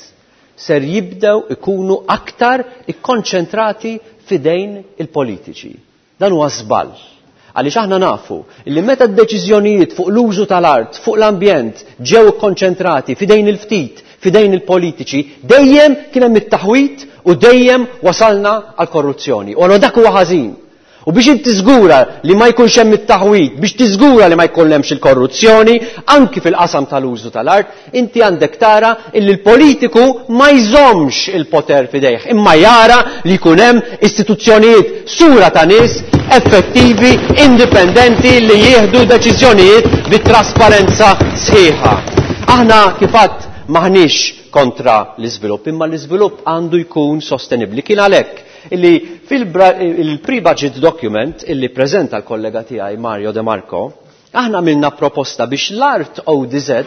ser jibdew ikunu aktar ikkonċentrati fidejn il-politiċi. Dan huwa żball. Għaliex aħna nafu li meta d-deċiżjonijiet fuq l-użu tal-art, fuq l-ambjent ġew ikkonċentrati fidejn il-ftit, fidejn il-politiċi, dejjem kien hemm it-taħwit u dejjem wasalna għal korruzzjoni. U allura dak huwa ħażin. U biex inti tiżgura li ma jkunx hemm it-taħwit, biex tiżgura li ma jkun hemmx il-korruzzjoni, anki fil-qasam tal-użu tal-art, inti għandek tara illi l-politiku ma jżommx il-poter fidejh, imma jara li jkun hemm istituzzjonijiet sura ta' nies effettivi, indipendenti li jieħdu deċiżjonijiet bi trasparenza sħiħa. Aħna kif għadt maħniex kontra l-iżvilupp, imma l-iżvilupp għandu jkun sostenibbli. Kien għalhekk illi fil-pre-budget document illi preżenta l-kollega tiegħi Mario De Marco, aħna għamilna proposta biex l-art ODZ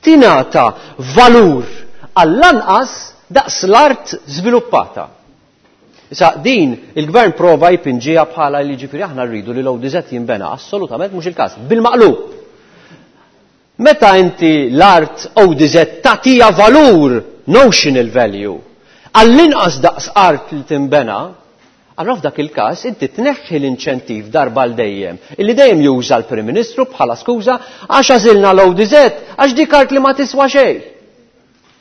tingħata valur għall-anqas daqs l-art żviluppata. Issa din il-gvern prova jpinġiha bħala li ġifieri aħna rridu li l-ODZ jinbena, assolutament mhux il-każ. Bil-maqlub. Meta inti l-art ODZ tagħtiha valur, notional value, għall-inqas daqs art li tinbena, allora f'dak il-każ inti tneħħi l-inċentiv darba għal dejjem, illi dejjem juża l-Prim Ministru bħala skuża għax għażilna l-ODZ, għax dik art li ma tiswa xejn.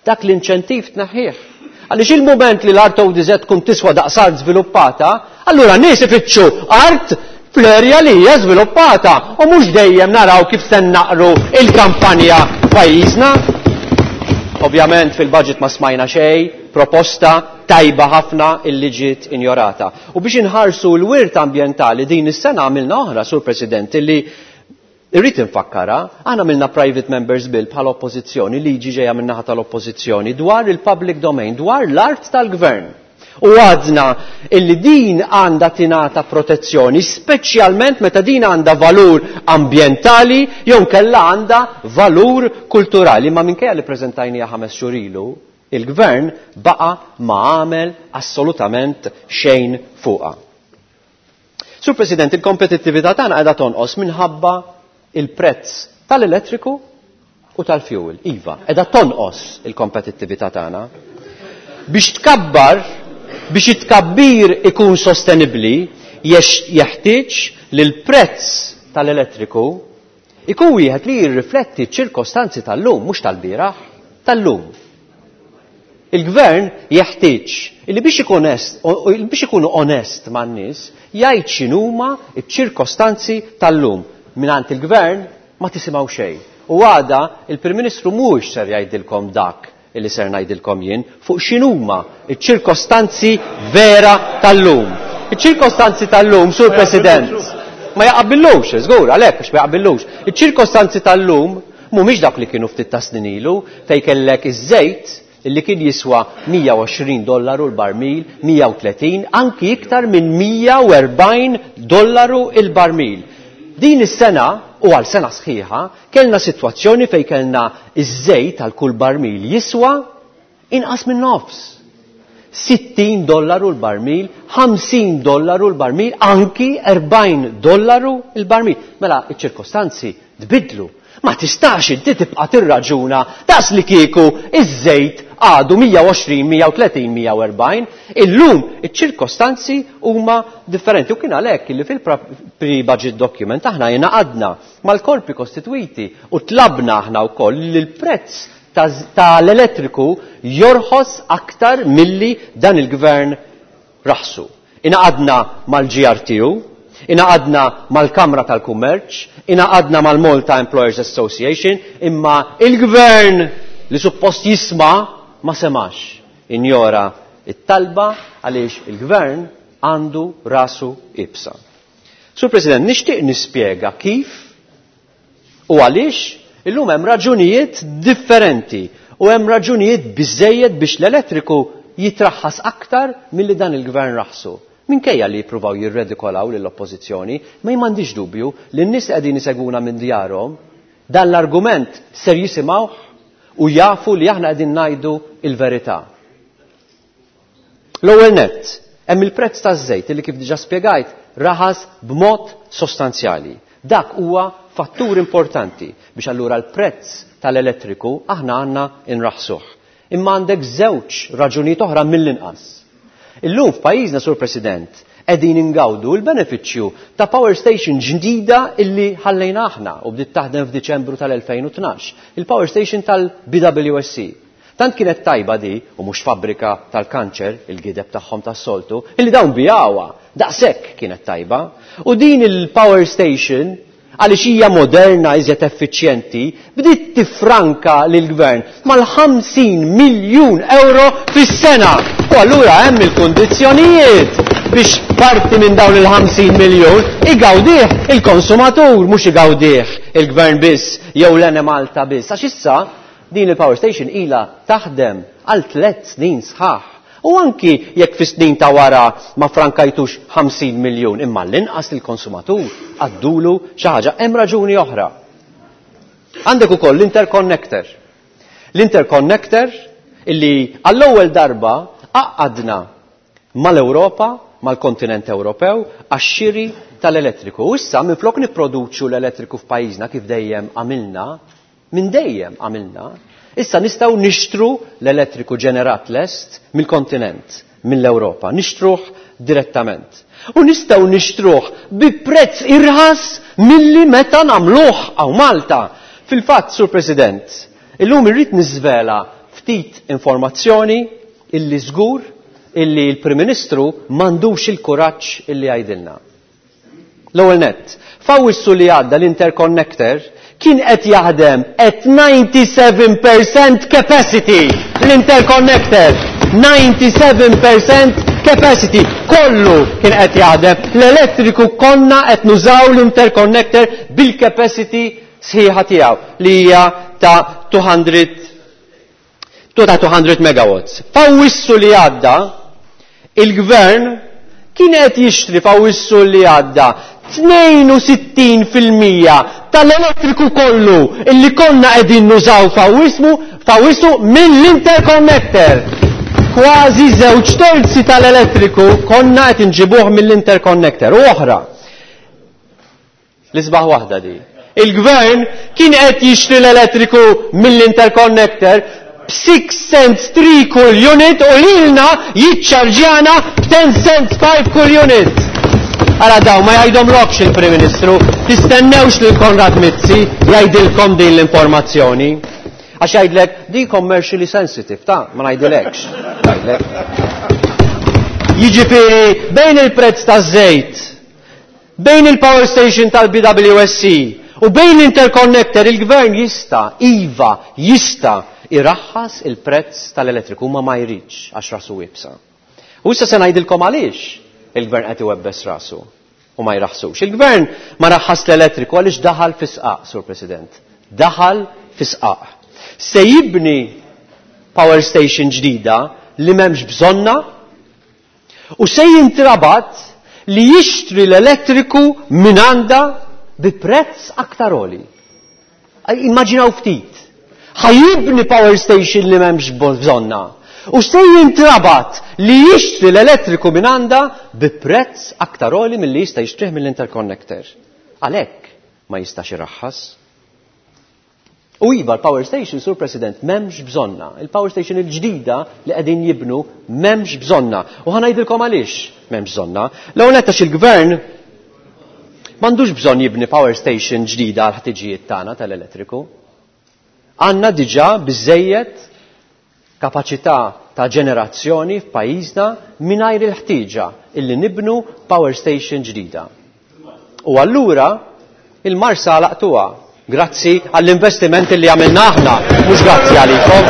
Dak l-inċentiv tneħħih. Għaliex il-mument li l-art ODZ tkun tiswa daqs art żviluppata, allura nies ifittxu art fl-erja li hija żviluppata u mhux dejjem naraw kif se naqru il-kampanja f'pajjiżna. Ovvjament fil-budget ma smajna xejn, proposta tajba ħafna illi ġiet injorata. U biex inħarsu l-wirt ambjentali din is-sena għamilna oħra, Sur President, illi irrid infakkara, aħna għamilna private members bill bħala oppożizzjoni, liġi ġejja min-naħa tal-oppożizzjoni dwar il-public domain, dwar l-art tal-gvern. U għadna illi din għandha tingħata protezzjoni, speċjalment meta din għandha valur ambjentali jew kella għandha valur kulturali. Ma minkejja li preżentajniha 5 xhur ilu, il-gvern baqa' ma għamel assolutament xejn fuqha. Sur President, il-kompetittività tagħna qiegħda tonqos minħabba il-prezz tal-elettriku u tal-fuel. Iva, qiegħda tonqos il-kompetittività tagħna. Biex tkabbar, biex it-tkabbir ikun sostenibbli, jeħtieġ li l-prezz tal-elettriku ikun wieħed li jirrifletti ċ-ċirkostanzi tal-lum, mhux tal-bieraħ, tal-lum. Il-gvern jeħtieġ li biex ikun onest, biex ikunu onest man-nies, jgħid x'inhuma ċ-ċirkostanzi tal-lum. Mingħand il-gvern ma tisimgħu xejn. U għada il-Prim Ministru mhuwiex ser jgħidilkom dak illi ser ngħidilkom jien fuq x'inhuma ċ-ċirkostanzi vera tal-lum. Iċ-ċirkostanzi tal-lum, Sur President, ma jaqbillux, żgur, għalhekk għax ma jaqbillux. Iċ-ċirkostanzi tal-lum mhumiex dak li kienu ftit ta' snin ilu fejn kellek iż-żejt illi kien jiswa 120 dollaru l-barmil, 130, anki iktar minn 140 dollaru il-barmil. Din is-sena, u għal sena sħiħa, kellna sitwazzjoni fejn kellna iż-żejt għal kull barmil jiswa inqas minn nofs. 60 dollaru l-barmil, 50 dollaru l-barmil, anki 40 dollaru l-barmil. Mela, iċ-ċirkostanzi tbidlu. Ma tistax inti tibqa' tirraġuna daqs li kieku iż-żejt għadu 120, 130, 140. Illum iċ-ċirkostanzi huma differenti. U kien għalhekk li fil-pre-budget document aħna ingħaqadna mal-korpi kostitwiti u tlabna aħna wkoll li l-prezz tal-elettriku jorħos aktar milli dan il-gvern raħsu. Ingħaqadna mal-GRTU, ingħaqadna mal-Kamra tal-Kummerċ, ingħaqadna mal-Malta Employers Association, imma il-gvern li suppost jisma' ma semax. Injora it-talba għaliex il-gvern għandu rasu ibsa. Sur President, nixtieq nispjega kif u għaliex illum hemm raġunijiet differenti u hemm raġunijiet biżejjed biex l-elettriku jitraħħas aktar milli dan il-gvern raħsu. Minkejja li jippruvaw jirredikolaw lill-oppożizzjoni, ma m'għandix dubju li n-nies li qegħdin isegwuna minn djarhom dan l-argument ser jisimgħuh u jafu li aħna qegħdin ngħidu il-verità. L-ewwel nett, hemm il-prezz taż-żejt li kif diġà spjegajt raħas b'mod sostanzjali. Dak huwa fattur importanti biex allura l-prezz tal-elettriku aħna għandna nraħsuh. Imma għandek żewġ raġunijiet oħra mill-inqas. Illum f'pajjiżna, Sur President, qegħdin ingawdu l-benefiċċju ta' power station ġdida illi ħallejna aħna u bdiet taħdem f'Diċembru tal-2012, il-power station tal-BWSC. Tant kienet tajba di, u mhux fabbrika tal-kanċer, il-gideb tagħhom tas-soltu, illi dawn bijawha, daqshekk kienet tajba. U din il-power station, għaliex hija moderna iżjed effiċjenti, bdiet tifranka lill-gvern mal-50 miljun euro fis-sena. U allura hemm il-kundizzjonijiet biex parti minn dawn il-50 miljun igawdih il-konsumatur, mhux igawdih il-gvern biss jew l-Enemalta biss. Għax issa din il-power station ilha taħdem għal 3 snin sħaħ. U anki jekk fi snin ta' wara ma frankajtux 50 miljun, imma l-inqas il-konsumatur għaddulu xi ħaġa. Hemm raġuni oħra. Għandek ukoll l-interconnector. L-interconnector illi għall-ewwel darba għaqqadna mal-Ewropa, mal-kontinent Ewropew, għax-xiri tal-elettriku. U issa minflok nipproduċu l-elettriku f'pajjiżna kif dejjem għamilna, minn dejjem għamilna, issa nistgħu nixtru l-elettriku ġenerat lest mill-kontinent, mill-Ewropa, nixtruh direttament. U nistgħu nixtruh bi prezz irħas milli meta nagħmluh hawn Malta. Fil-fatt, Sur President, illum irrid niżvela ftit informazzjoni illi żgur illi l-Prim Ministru m'għandux il-kuraġġ illi jgħidilna. L-ewwel nett, f'Awwissu li għadda l-interconnector kien qed jaħdem at 97% capacity. L-interconnector 97% capacity. Kollu kien qed jaħdem. L-elettriku konna qed nużaw l-interconnector bil-capacity sħiħa tiegħu li hija ta' 200 ta' 200 megawatts. F'Awwissu li għadda, il-gvern kien qed jixtri f'Awwissu li għadda 62% tal-elettriku kollu illi konna qegħdin nużaw f'Awwissu mill-interconnector. Kważi żewġ terzi tal-elettriku konna qed inġibuh mill-interconnector. U oħra, l-isbaħ waħda di. Il-gvern kien qed jixtri l-elettriku mill-interconnector b'6 cents 3 kull unit u lilna jiċċarġjana b'10 cents 5 kull unit. Ara daw ma jgħidhomlokx il-Prim Ministru, tistennewx lil Konrad Mizzi jgħidilkom din l-informazzjoni. Għax jgħidlek di commercially sensitive, ta' ma ngħidilekx. Jgħidlek. Jiġifieri bejn il-prezz taż-żejt, bejn il-power station tal-BWSC u bejn l-interconnector il-gvern jista', iva, jista' iraħħas il-prezz tal-elettriku, ma ma jridx għax rasu iebsa. U issa se ngħidilkom għaliex il-gvern qed iwebbes rasu u ma jraħsux. Il-gvern ma raħħas l-elettriku għaliex daħal fi sqaq, Sur President. Daħal fi sqaq. Se jibni power station ġdida li m'hemmx bżonna u se jintrabat li jixtri l-elettriku minn għandha bi prezz aktar għoli. Immaġinaw ftit. Ħa jibni power station li m'hemmx bżonna. U se jintrabat li jixtri l-elettriku minn għandha bi prezz aktar għoli milli jista' jixtrih mill-interconnector. Għalhekk ma jistax iraħħas. U iva l-power station, Sur President, m'hemmx bżonna. Il-power station il-ġdida li qegħdin jibnu m'hemmx bżonna. U ħa ngħidilkom għaliex m'hemmx bżonna. L-ewwel nett għax il-gvern m'għandux bżonn jibni power station ġdida għal ħtiġijiet tagħna tal-elettriku. Għandna diġà biżejjed kapaċità ta' ġenerazzjoni f'pajjiżna mingħajr il-ħtieġa illi nibnu power station ġdida. U allura il-Marsa laqtuha grazzi għall-investiment li għamilna aħna, mhux grazzi għalikom,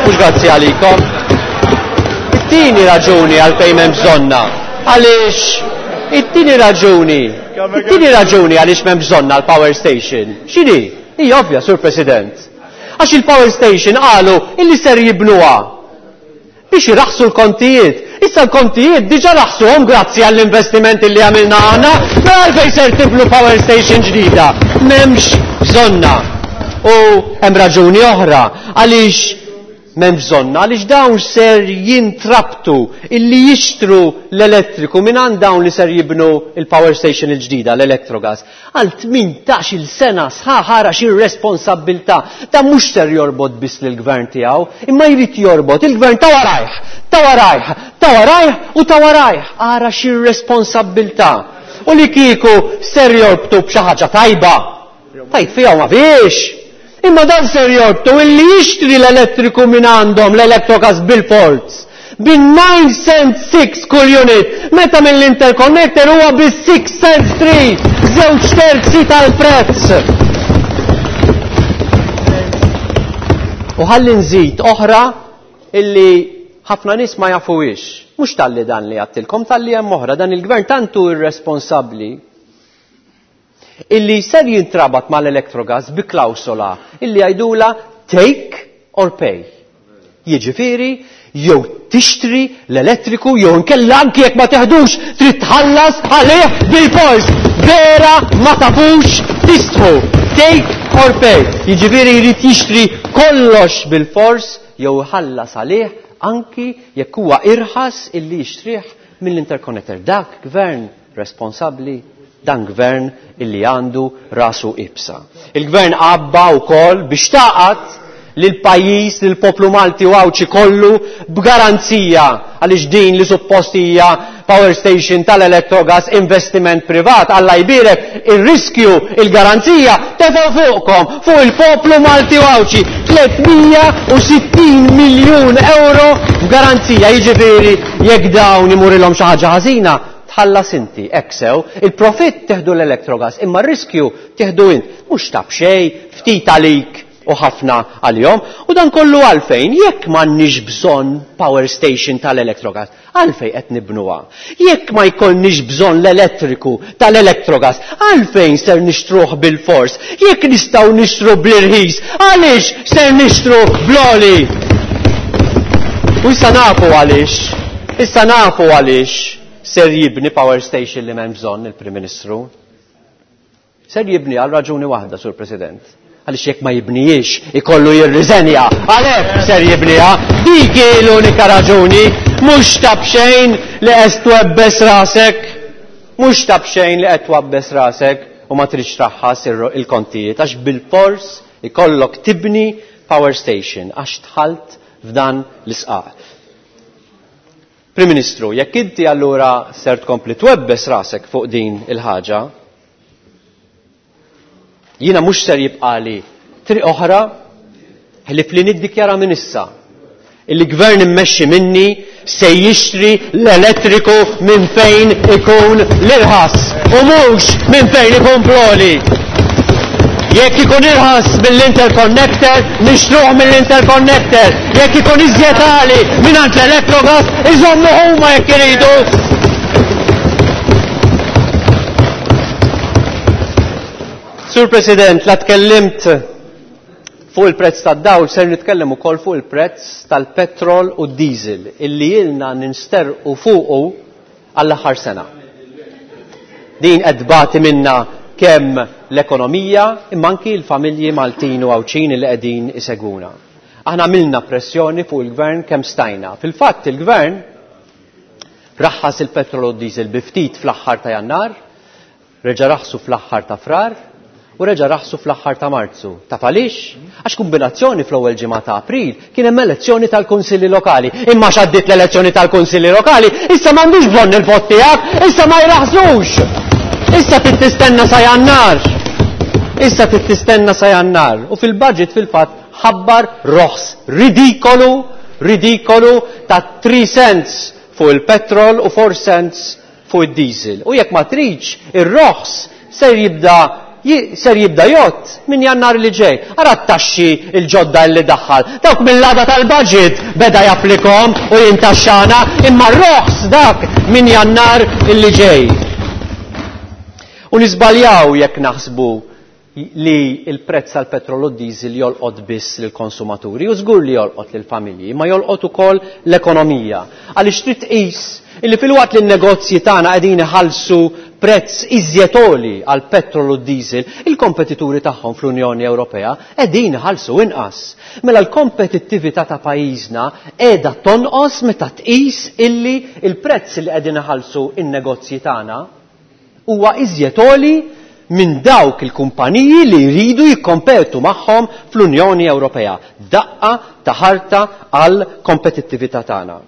mhux grazzi għalikom. It-tieni raġuni għalfejn m'hemm bżonna, għaliex it-tieni raġuni, it-tieni raġuni għaliex m'hemm bżonna l-power station. X'inhi? Hija ovvja, Sur President. Għax il-power station qalu illi ser jibnuha biex iraħsu l-kontijiet. Issa l-kontijiet diġa raħsuhom grazzi għall-investimenti li għamilna aħna, mela għalfejn ser tibnu power station ġdida. M'hemmx bżonna. U hemm raġuni oħra għaliex m'hemm bżonna, għaliex dawn ser jintrabtu illi jixtru l-elettriku minn għand dawn li ser jibnu il-power station il-ġdida, l-Electrogas. Għal 18-il sena sħaħ ara xi responsabbiltà. Ta' mhux ser jorbot biss lill-gvern tiegħu, imma jrid jorbot il-gvern ta' warajh, ta' warajh, ta' warajh u ta' warajh. Ara xi responsabbiltà. U li kieku ser jorbtu b'xi ħaġa tajba. Tajt fiha ma fiex. Imma dan ser jorbtu illi jixtri l-elettriku minn għandhom l-Electrogas bil-ports bin 9 cent 6 kull unit, meta mill-interconnector huwa bi 6 cent 3, żewġ terzi tal-prezz. U ħalli nżid oħra illi ħafna nies ma jafuhiex. Mhux talli dan li għattilkom, talli hemm oħra, dan il-gvern tantu irresponsabbli illi ser jintrabat mal-Electrogas bi klawsola illi jgħidula take or pay. Jiġifieri jew tixtri l-elettriku jew inkella anki jekk ma teħdux trid tħallas għalih bil-fors. Vera ma tafux tistħu. Take or pay. Jiġifieri jrid jixtri kollox bil-fors jew iħallas għalih anki jekk huwa irħas illi jixtrih mill-interconnector. Dak gvern responsabbli, dan gvern illi għandu rasu ibsa. Il-gvern għabba wkoll biex taqat lil pajjiż, lil poplu Malti u Għawdxi kollu b'garanzija għaliex din li suppost hija power station tal-Electrogas investiment privat, Alla jbierek ir-riskju, il-garanzija tefgħu fuqkom, fuq il-poplu Malti u Għawdxi, 360 miljun euro f'garanzija, jiġifieri jekk dawn imurilhom xi ħaġa ħażina, tħallas inti, hekk sew, il-profitt teħdu l-Electrogas, imma r-riskju teħdu int, mhux ta' b'xejn, ftit għalik u ħafna għalihom, u dan kollu għalfejn, jekk m'għandniex bżonn power station tal-Electrogas, għalfejn qed nibnuha? Jekk ma jkollniex bżonn l-elettriku tal-Electrogas, għalfejn ser nixtruh bil-fors? Jekk nistgħu nixtru bl-irħis, għaliex ser nixtru bl-għoli? U issa nafu għaliex, issa nafu għaliex ser jibni power station li m'hemm bżonn il-Prim Ministru. Ser jibni għal raġuni waħda, Sur President. Għaliex jekk ma jibnijiex ikollu jirriżenja, għalhekk ser jibniha. Dik hi l-unika raġuni, mhux ta' b'xejn li qed twebbes rasek, mhux ta' b'xejn li qed twabbes rasek u ma tridx traħħas il-kontijiet, għax bil-fors ikollok tibni power station għax dħalt f'dan l-isqaq. Prim Ministru, jekk inti allura ser tkompli twebbes rasek fuq din il-ħaġa, jiena mhux ser jibqali triq oħra ħlief li niddikjara minn issa il-gvern immexxi minni se jixtri l-elettriku minn fejn ikun l-irħas u mhux minn fejn ikun proli. Jekk ikun irħas mill-interconnector, nixtruh mill-interconnector. Jekk ikun iżjed għali mingħand l-Electrogas, iżommu huma jekk iridu. Sur President, la tkellimt fuq il-prezz tad-dawl, ser nitkellem ukoll fuq il-prezz tal-petrol u d-diesel illi ilna ninsterqu fuqu għall-aħħar sena. Din qed tbati minna kemm l-ekonomija imma anki l-familji Maltin u Għawdxin li qegħdin isegwuna. Aħna għamilna pressjoni fuq il-gvern kemm stajna. Fil-fatt il-gvern raħħas il-petrol u d-diesel bi ftit fl-aħħar ta' Jannar, reġa' raħsu fl-aħħar ta' Frar u reġa' raħsu fl-aħħar ta' Marzu. Taf għaliex? Għax kombinazzjoni fl-ewwel ġimgħa ta' April kien hemm elezzjoni tal-Kunsilli Lokali. Imma x'għaddiet l-elezzjoni tal-Kunsilli Lokali, issa m'għandux bżonn il-vot tiegħek, issa ma jraħsux. Issa trid tistenna sa Jannar. Issa trid tistenna sa Jannar. U fil-budget fil-fatt ħabbar roħs ridikolu, ridikolu ta' 3 cents fuq il-petrol u 4 cents fuq id-diesel. U jekk ma tridx, ir-roħs ser jibda jgħodd minn Jannar li ġej. Ara t-taxxi il-ġodda li daħħal. Dawk mill-għada tal-budget beda japplikom u jintaxxana, imma r-roħs dak minn Jannar illi ġej. U nisbaljaw jekk naħsbu li il-prezz tal-petrol u d-diesel jolqot biss lill-konsumaturi, u żgur li jolqot lill-familji, ma jolqot ukoll l-ekonomija. Għaliex trid tqis illi filwaqt li n-negozji tagħna qegħdin iħallsu prezz iżjed għoli għal petrol u d-diesel, il-kompetituri tagħhom fl-Unjoni Ewropea qegħdin iħallsu inqas. Mela l-kompetittività ta' pajjiżna qiegħda tonqos meta tqis illi il-prezz li qegħdin iħallsu in-negozji tagħna huwa iżjed għoli minn dawk il-kumpaniji li jridu jikkompetu magħhom fl-Unjoni Ewropea. Daqqa ta' ħarta għal kompetittività tagħna.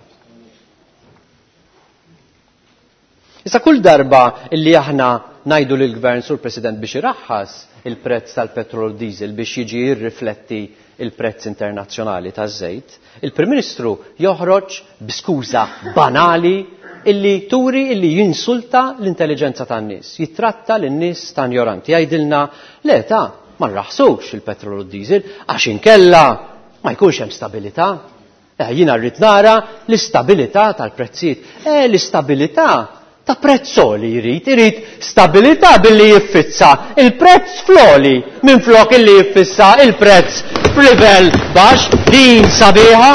Issa kull darba illi aħna ngħidu lill-Gvern, Sur President, biex iraħħas il-prezz tal-petrol diesel biex jiġi jirrifletti il-prezz internazzjonali taż-żejt, il-Prim Ministru joħroġ b'skuża banali illi turi illi jinsulta l-intelligenza tan-nies, jitratta lin-nies ta' ignoranti, jgħidilna le ta' ma nraħsux il-petrol u d-diesel għax inkella ma jkunx hemm stabilità. Jiena rrid nara l-istabilità tal-prezzijiet. L-istabilità ta' prezzoli jrid, irid stabilità billi jiffissa il-prezz floli minn flok illi jiffissa il-prezz f'livell baxx. Din sabiħa,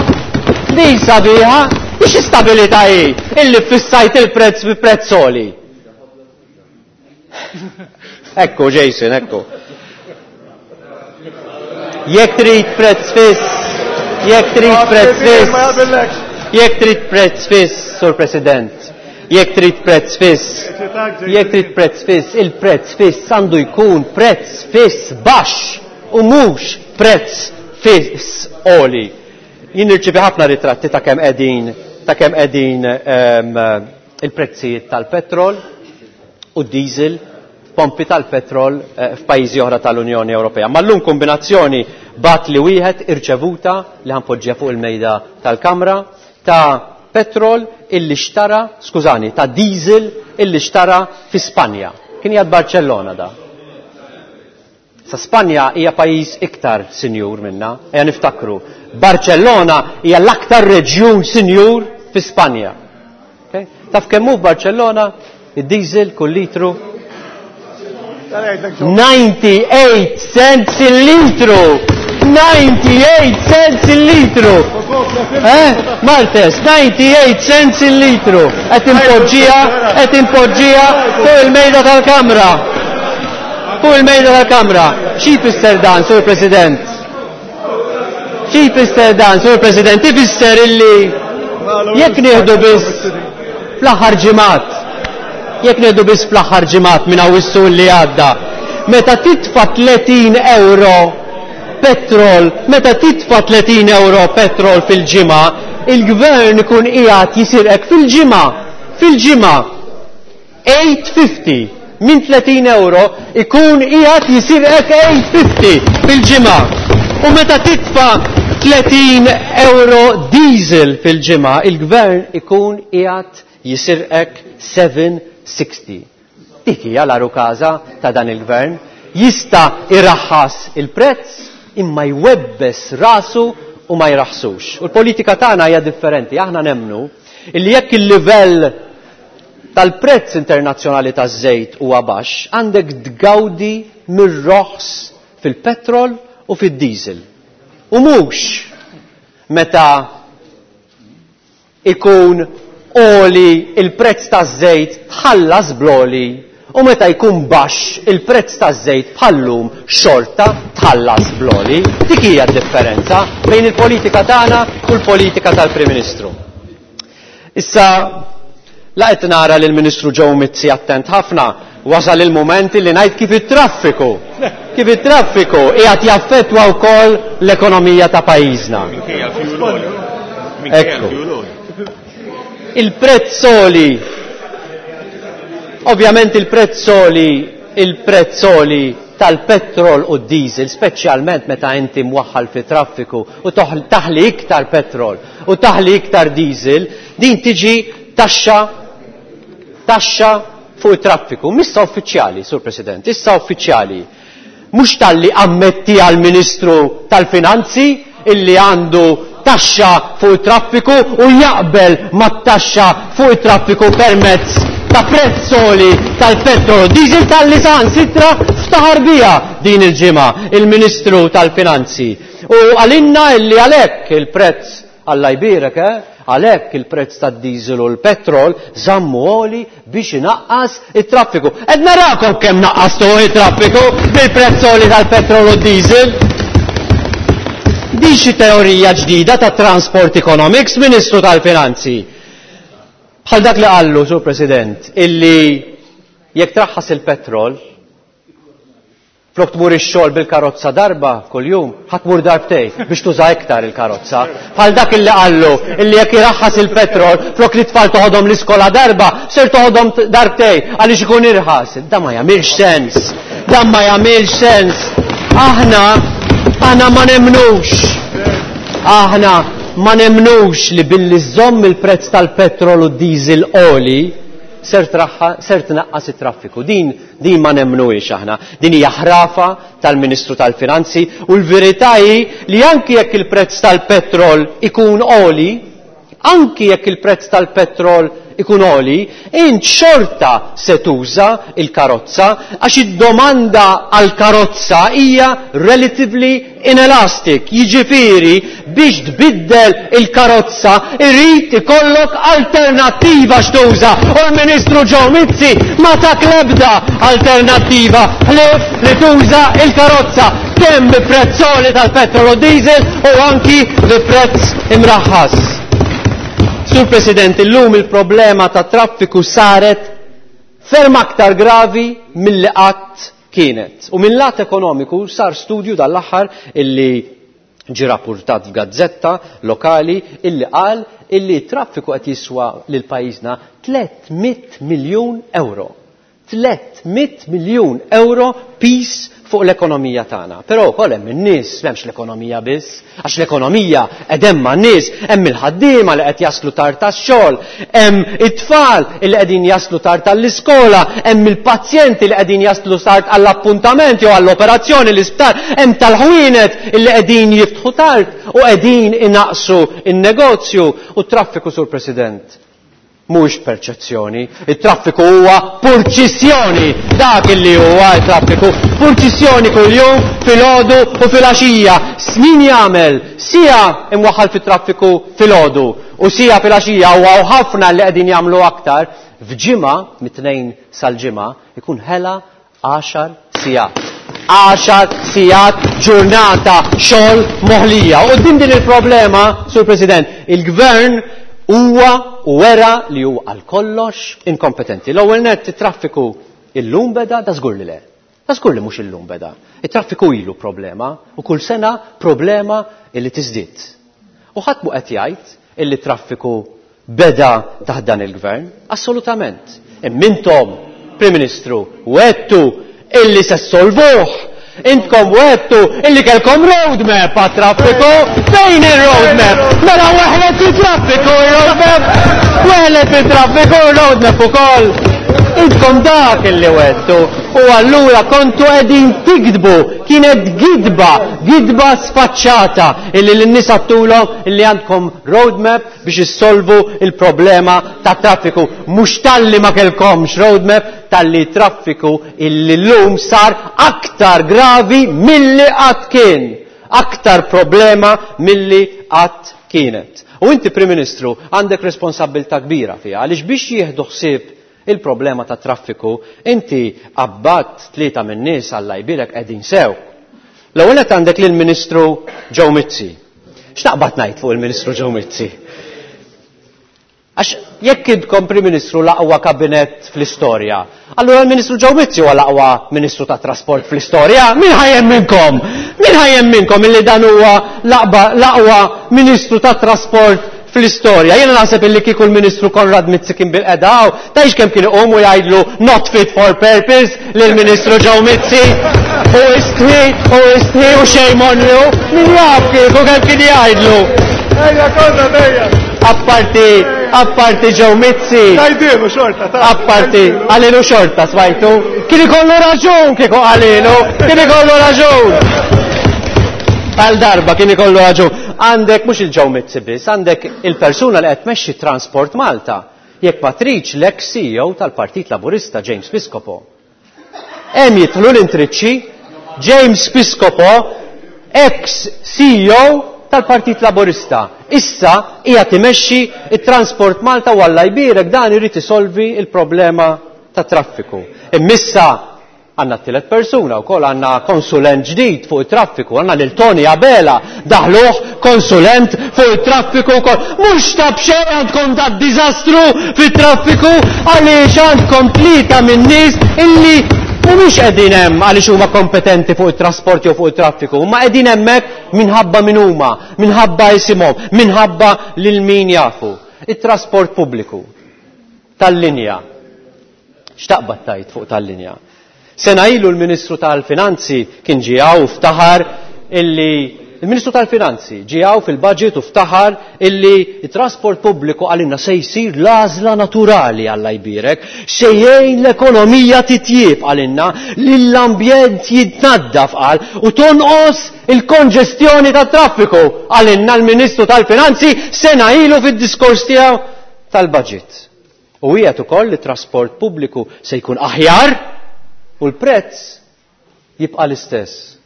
din sabiħa, biex istabilità hi illi fissajt il-prezz bi prezzoli. Ekku Jason, ekku. Jekk trid prezz fiss, jekk trid prezz fiss. Jekk trid prezz fiss, Sur President, jekk trid prezz fiss, jekk trid prezz fiss, il-prezz fiss għandu jkun prezz fiss baxx u mhux prezz fiss għoli. Jien nirċievi ħafna ritratti ta' kemm qegħdin ta' kemm qegħdin il-prezzijiet tal-petrol u d-diesel pompi tal-petrol f'pajjiżi oħra tal-Unjoni Ewropea. Ma llum kombinazzjoni bat li wieħed irċevuta li ħanpoġġiha fuq il-mejda tal-Kamra ta' petrol illi xtara, skużani, ta' diesel illi xtara fi Spanja. Kien jgħad Barcellona da. Sa Spanja hija pajjiż iktar sinjur minna, ejja niftakru. Barcellona hija l-aktar reġjun sinjur fi Spanja. Okay? Taf kemm hu f'Barcellona id-diesel kull litru 98 cents il-litru! 98 cents il-litru! Eh? Martes, 98 cents il-litru! Qed impoġġiha, qed impoġġiha fuq il-mejda tal-kamra. Fuq il-mejda tal-kamra. Xi jfisser dan, Sur President? Xi jfisser dan, Sur President? Ifisser illi jekk nieħdu biss fl-aħħar ġimgħat, jekk nieħdu biss fl-aħħar ġimgħat minn Awwissu li għadda, meta titfa' 30 euro petrol, meta titfa' 30 euro petrol fil-ġimgħa, il-gvern ikun qiegħed jisirqek fil-ġimgħa, fil-ġimgħa 850 minn 30 euro ikun qiegħed jisirqek 850 fil-ġimgħa. U meta titfa' 30 euro diesel fil-ġimgħa, il-gvern ikun qiegħed jisirqek 760. Dik hija l-għarukaża ta' dan il-gvern. Jista' iraħħas il-prezz imma jwebbes rasu u ma jraħsux. U l-politika tagħna hija differenti. Aħna nemmnu illi jekk il-livell tal-prezz internazzjonali taż-żejt huwa baxx, għandek tgawdi mir-roħs fil-petrol u fid-diesel. U mhux meta ikun għoli il-prezz taż-żejt tħallas bl-għoli u meta jkun baxx il-prezz taż-żejt bħal-lum xorta tħallas bl-għoli. Dik hija d-differenza bejn il-politika tagħna u l-politika tal-Prim Ministru. Issa, la qed nara lill Ministru Joe Mizzi attent ħafna, wasal il-mument li ngħid kif it-traffiku, kif it-traffiku qiegħed jaffettwa wkoll l-ekonomija ta' pajjiżna. Ekku. Il-prezz għoli, ovvjament il-prezz għoli, il-prezz għoli tal-petrol u d-diesel, speċjalment meta inti mwaħħal fi traffiku u taħli iktar petrol u taħli iktar diesel, din tiġi taxxa, taxxa fuq it-traffiku. Missa uffiċjali, Sur President, issa uffiċjali. Mhux talli ammetti għall-Ministru tal-Finanzi illi għandu taxxa fuq it-traffiku u jaqbel mat-taxxa fuq it-traffiku permezz ta' prezz għoli tal-petrol u diesel talli saħansitra ftaħar biha din il-ġimgħa il-Ministru tal-Finanzi. U għalinna illi għalhekk il-prezz, Alla jbierek, eh? Għalhekk il-prezz tad-diesel u l-petrol żammu għoli biex inaqqas it-traffiku. Qed narakom kemm naqqastu it-traffiku bil-prezz għoli tal-petrol u d-diesel. Din xi teorija ġdida ta' Transport Economics, Ministru tal-Finanzi. Bħal dak li qallu, Sur President, illi jekk traħħas il-petrol, flok tmur ix-xogħol bil-karozza darba kuljum, ħa tmur darbtej biex tuża iktar il-karozza. Bħal dak illi qallu illi jekk iraħħas il-petrol, flok li tfal toħodhom l-iskola darba, ser toħodhom darbtej għaliex ikun irħas. Dan ma jagħmilx sens. Dan ma jagħmilx sens. Aħna, aħna ma nemmnux. Aħna ma nemmnux li billi żżomm il-prezz tal-petrol u d-diesel għoli, ser traħħa, ser tnaqqas it-traffiku. Din, din ma nemmnuhiex aħna. Din hija ħrafa tal-Ministru tal-Finanzi u l-verità hi li anki jekk il-prezz tal-petrol ikun għoli, anki jekk il-prezz tal-petrol ikun għoli, int xorta se tuża il-karozza għax id-domanda għall-karozza hija relatively inelastic. Jiġifieri biex tbiddel il-karozza irid ikollok alternattiva x'tuża. U l-Ministru Joe Mizzi ma tak l-ebda alternattiva ħlief li tuża il-karozza kemm bi prezz għoli tal-petrol u diesel u anki bi prezz imraħħas. Sur President, illum il-problema ta' traffiku saret ferm aktar gravi milli qatt kienet. U mill-lat ekonomiku sar studju dal-aħħar illi ġi rappurtat f'gazzetta lokali illi qal illi traffiku qed jiswa lil pajjiżna 300 miljun euro. 300 miljun euro pis fuq l-ekonomija tagħna. Però wkoll hemm in-nies, m'hemmx l-ekonomija biss, għax l-ekonomija qed hemm man-nies, hemm il-ħaddiema li qed jaslu tard tax-xogħol, hemm it-tfal li qegħdin jaslu tard tal-iskola, hemm il-pazjenti li qegħdin jaslu tard għall-appuntament jew għall-operazzjoni l-isptar, hemm tal-ħwienet li qegħdin jiftħu tard u qegħdin inaqsu in-negozju u t-traffiku sur President. Mhux perċezzjoni, it-traffiku huwa purċissjoni, dak illi huwa t-traffiku, purċissjoni kuljum filgħodu u filgħaxija. Snin jagħmel sija imwaħħal fit-traffiku filgħodu u sija filgħaxija u hawn ħafna li qegħdin jagħmlu aktar, f'ġimgħa mit-tnejn sal-ġimgħa ikun ħela 10 sigħat. 10 sigħat ġurnata xogħol moħlija. U din din il-problema, Sur President, il-Gvern huwa u wera li huwa għal kollox inkompetenti. L-ewwel nett it-traffiku illum beda da żgur li le. Da żgur li mhux illum beda. It-traffiku ilu problema u kull sena problema illi tiżdied. U ħadd mhu qed jgħid illi traffiku beda taħt dan il-gvern, assolutament. Imma Prim Ministru, wettu illi se solvuh. Intkom wettu illi kelkom roadmap għat-traffiku. Fejn il-roadmap? Mela weħlet il-traffiku il-roadmap. Weħlet il-traffiku il-roadmap ukoll. Intkom dak illi wettu. U allura kontu qegħdin tikdbu. Kienet gidba, gidba sfaċċata illi l-nies għattulhom illi għandkom roadmap biex issolvu il-problema ta' traffiku. Mhux talli ma kellkomx roadmap, talli traffiku illi llum sar aktar gravi milli qatt kien. Aktar problema milli qatt kienet. U inti Prim Ministru għandek responsabbiltà kbira fiha għaliex biex jieħdu ħsieb il-problema ta' traffiku, inti abbat tlieta min-nies Alla jbierek qegħdin sew. L-ewwel qed għandek lill-Ministru Joe Mizzi. X'taqbad ngħid fuq il-Ministru Joe Mizzi? Għax jekk intkom Prim Ministru l-aqwa kabinett fl-istorja, allura l-Ministru Joe Mizzi huwa l-aqwa Ministru ta' Trasport fl-istorja. Min ħajjem minnkom? Min ħajjem minnkom illi dan huwa l-aqwa Ministru ta' Trasport fl-istorja? Jiena naħseb illi kieku l-Ministru Konrad Mizzi kien bil-qeda hawn, tgħidx kemm kien iqum u jgħidlu not fit for purpose lill-Ministru Joe Mizzi. U istħi, u istħi u shame on you. Min jaf kieku kemm kien jgħidlu. Ejja, Konrad, ejja. Apparti, apparti Joe Mizzi. Tajdilu xorta, ta' Apparti, għalilu xorta, smajtu. Kien ikollu raġun kieku għalilu, kien ikollu raġun. Għal darba kien ikollu raġun. Għandek mhux il-Joe Mizzi biss, għandek il-persuna li qed tmexxi Transport Malta. Jekk ma tridx l-ex CEO tal-Partit Laburista James Piscopo. Hemm jidħlu l-intriċċi James Piscopo, ex CEO tal-Partit Laburista. Issa qiegħed imexxi it-Transport Malta u Alla jbierek dan irid isolvi il-problema tat-traffiku. Immissa għandna t-tielet persuna wkoll għandna konsulent ġdid fuq it-traffiku, għandna lil Tony Abela daħluh konsulent fuq it-traffiku wkoll. Mhux ta' b'xejn għandkom da' diżastru fit-traffiku għaliex għandkom tlieta min-nies illi mhumiex qegħdin hemm għaliex huma kompetenti fuq it-trasport jew fuq it-traffiku, huma qegħdin hemmhekk minħabba min huma, minħabba isimhom, minħabba lil min jafu. It-trasport pubbliku tal-linja. X'taqbad tgħid fuq tal-linja? Sena ilu l-Ministru tal-Finanzi kien ġie hawn u ftaħar illi il-Ministru tal-Finanzi ġie hawn fil-budget u ftaħar illi t-trasport pubbliku qalilna se jsir l-għażla naturali Alla jbierek, se jgħin l-ekonomija titjieb qalilna, lill-ambjent jitnaddaf qal u tonqos il-konġestjoni tat-traffiku qalilna l-Ministru tal-Finanzi sena ilu fid-diskors tiegħu tal-budget. U wiegħed ukoll li t-trasport pubbliku se jkun aħjar u l-prezz jibqa' l-istess.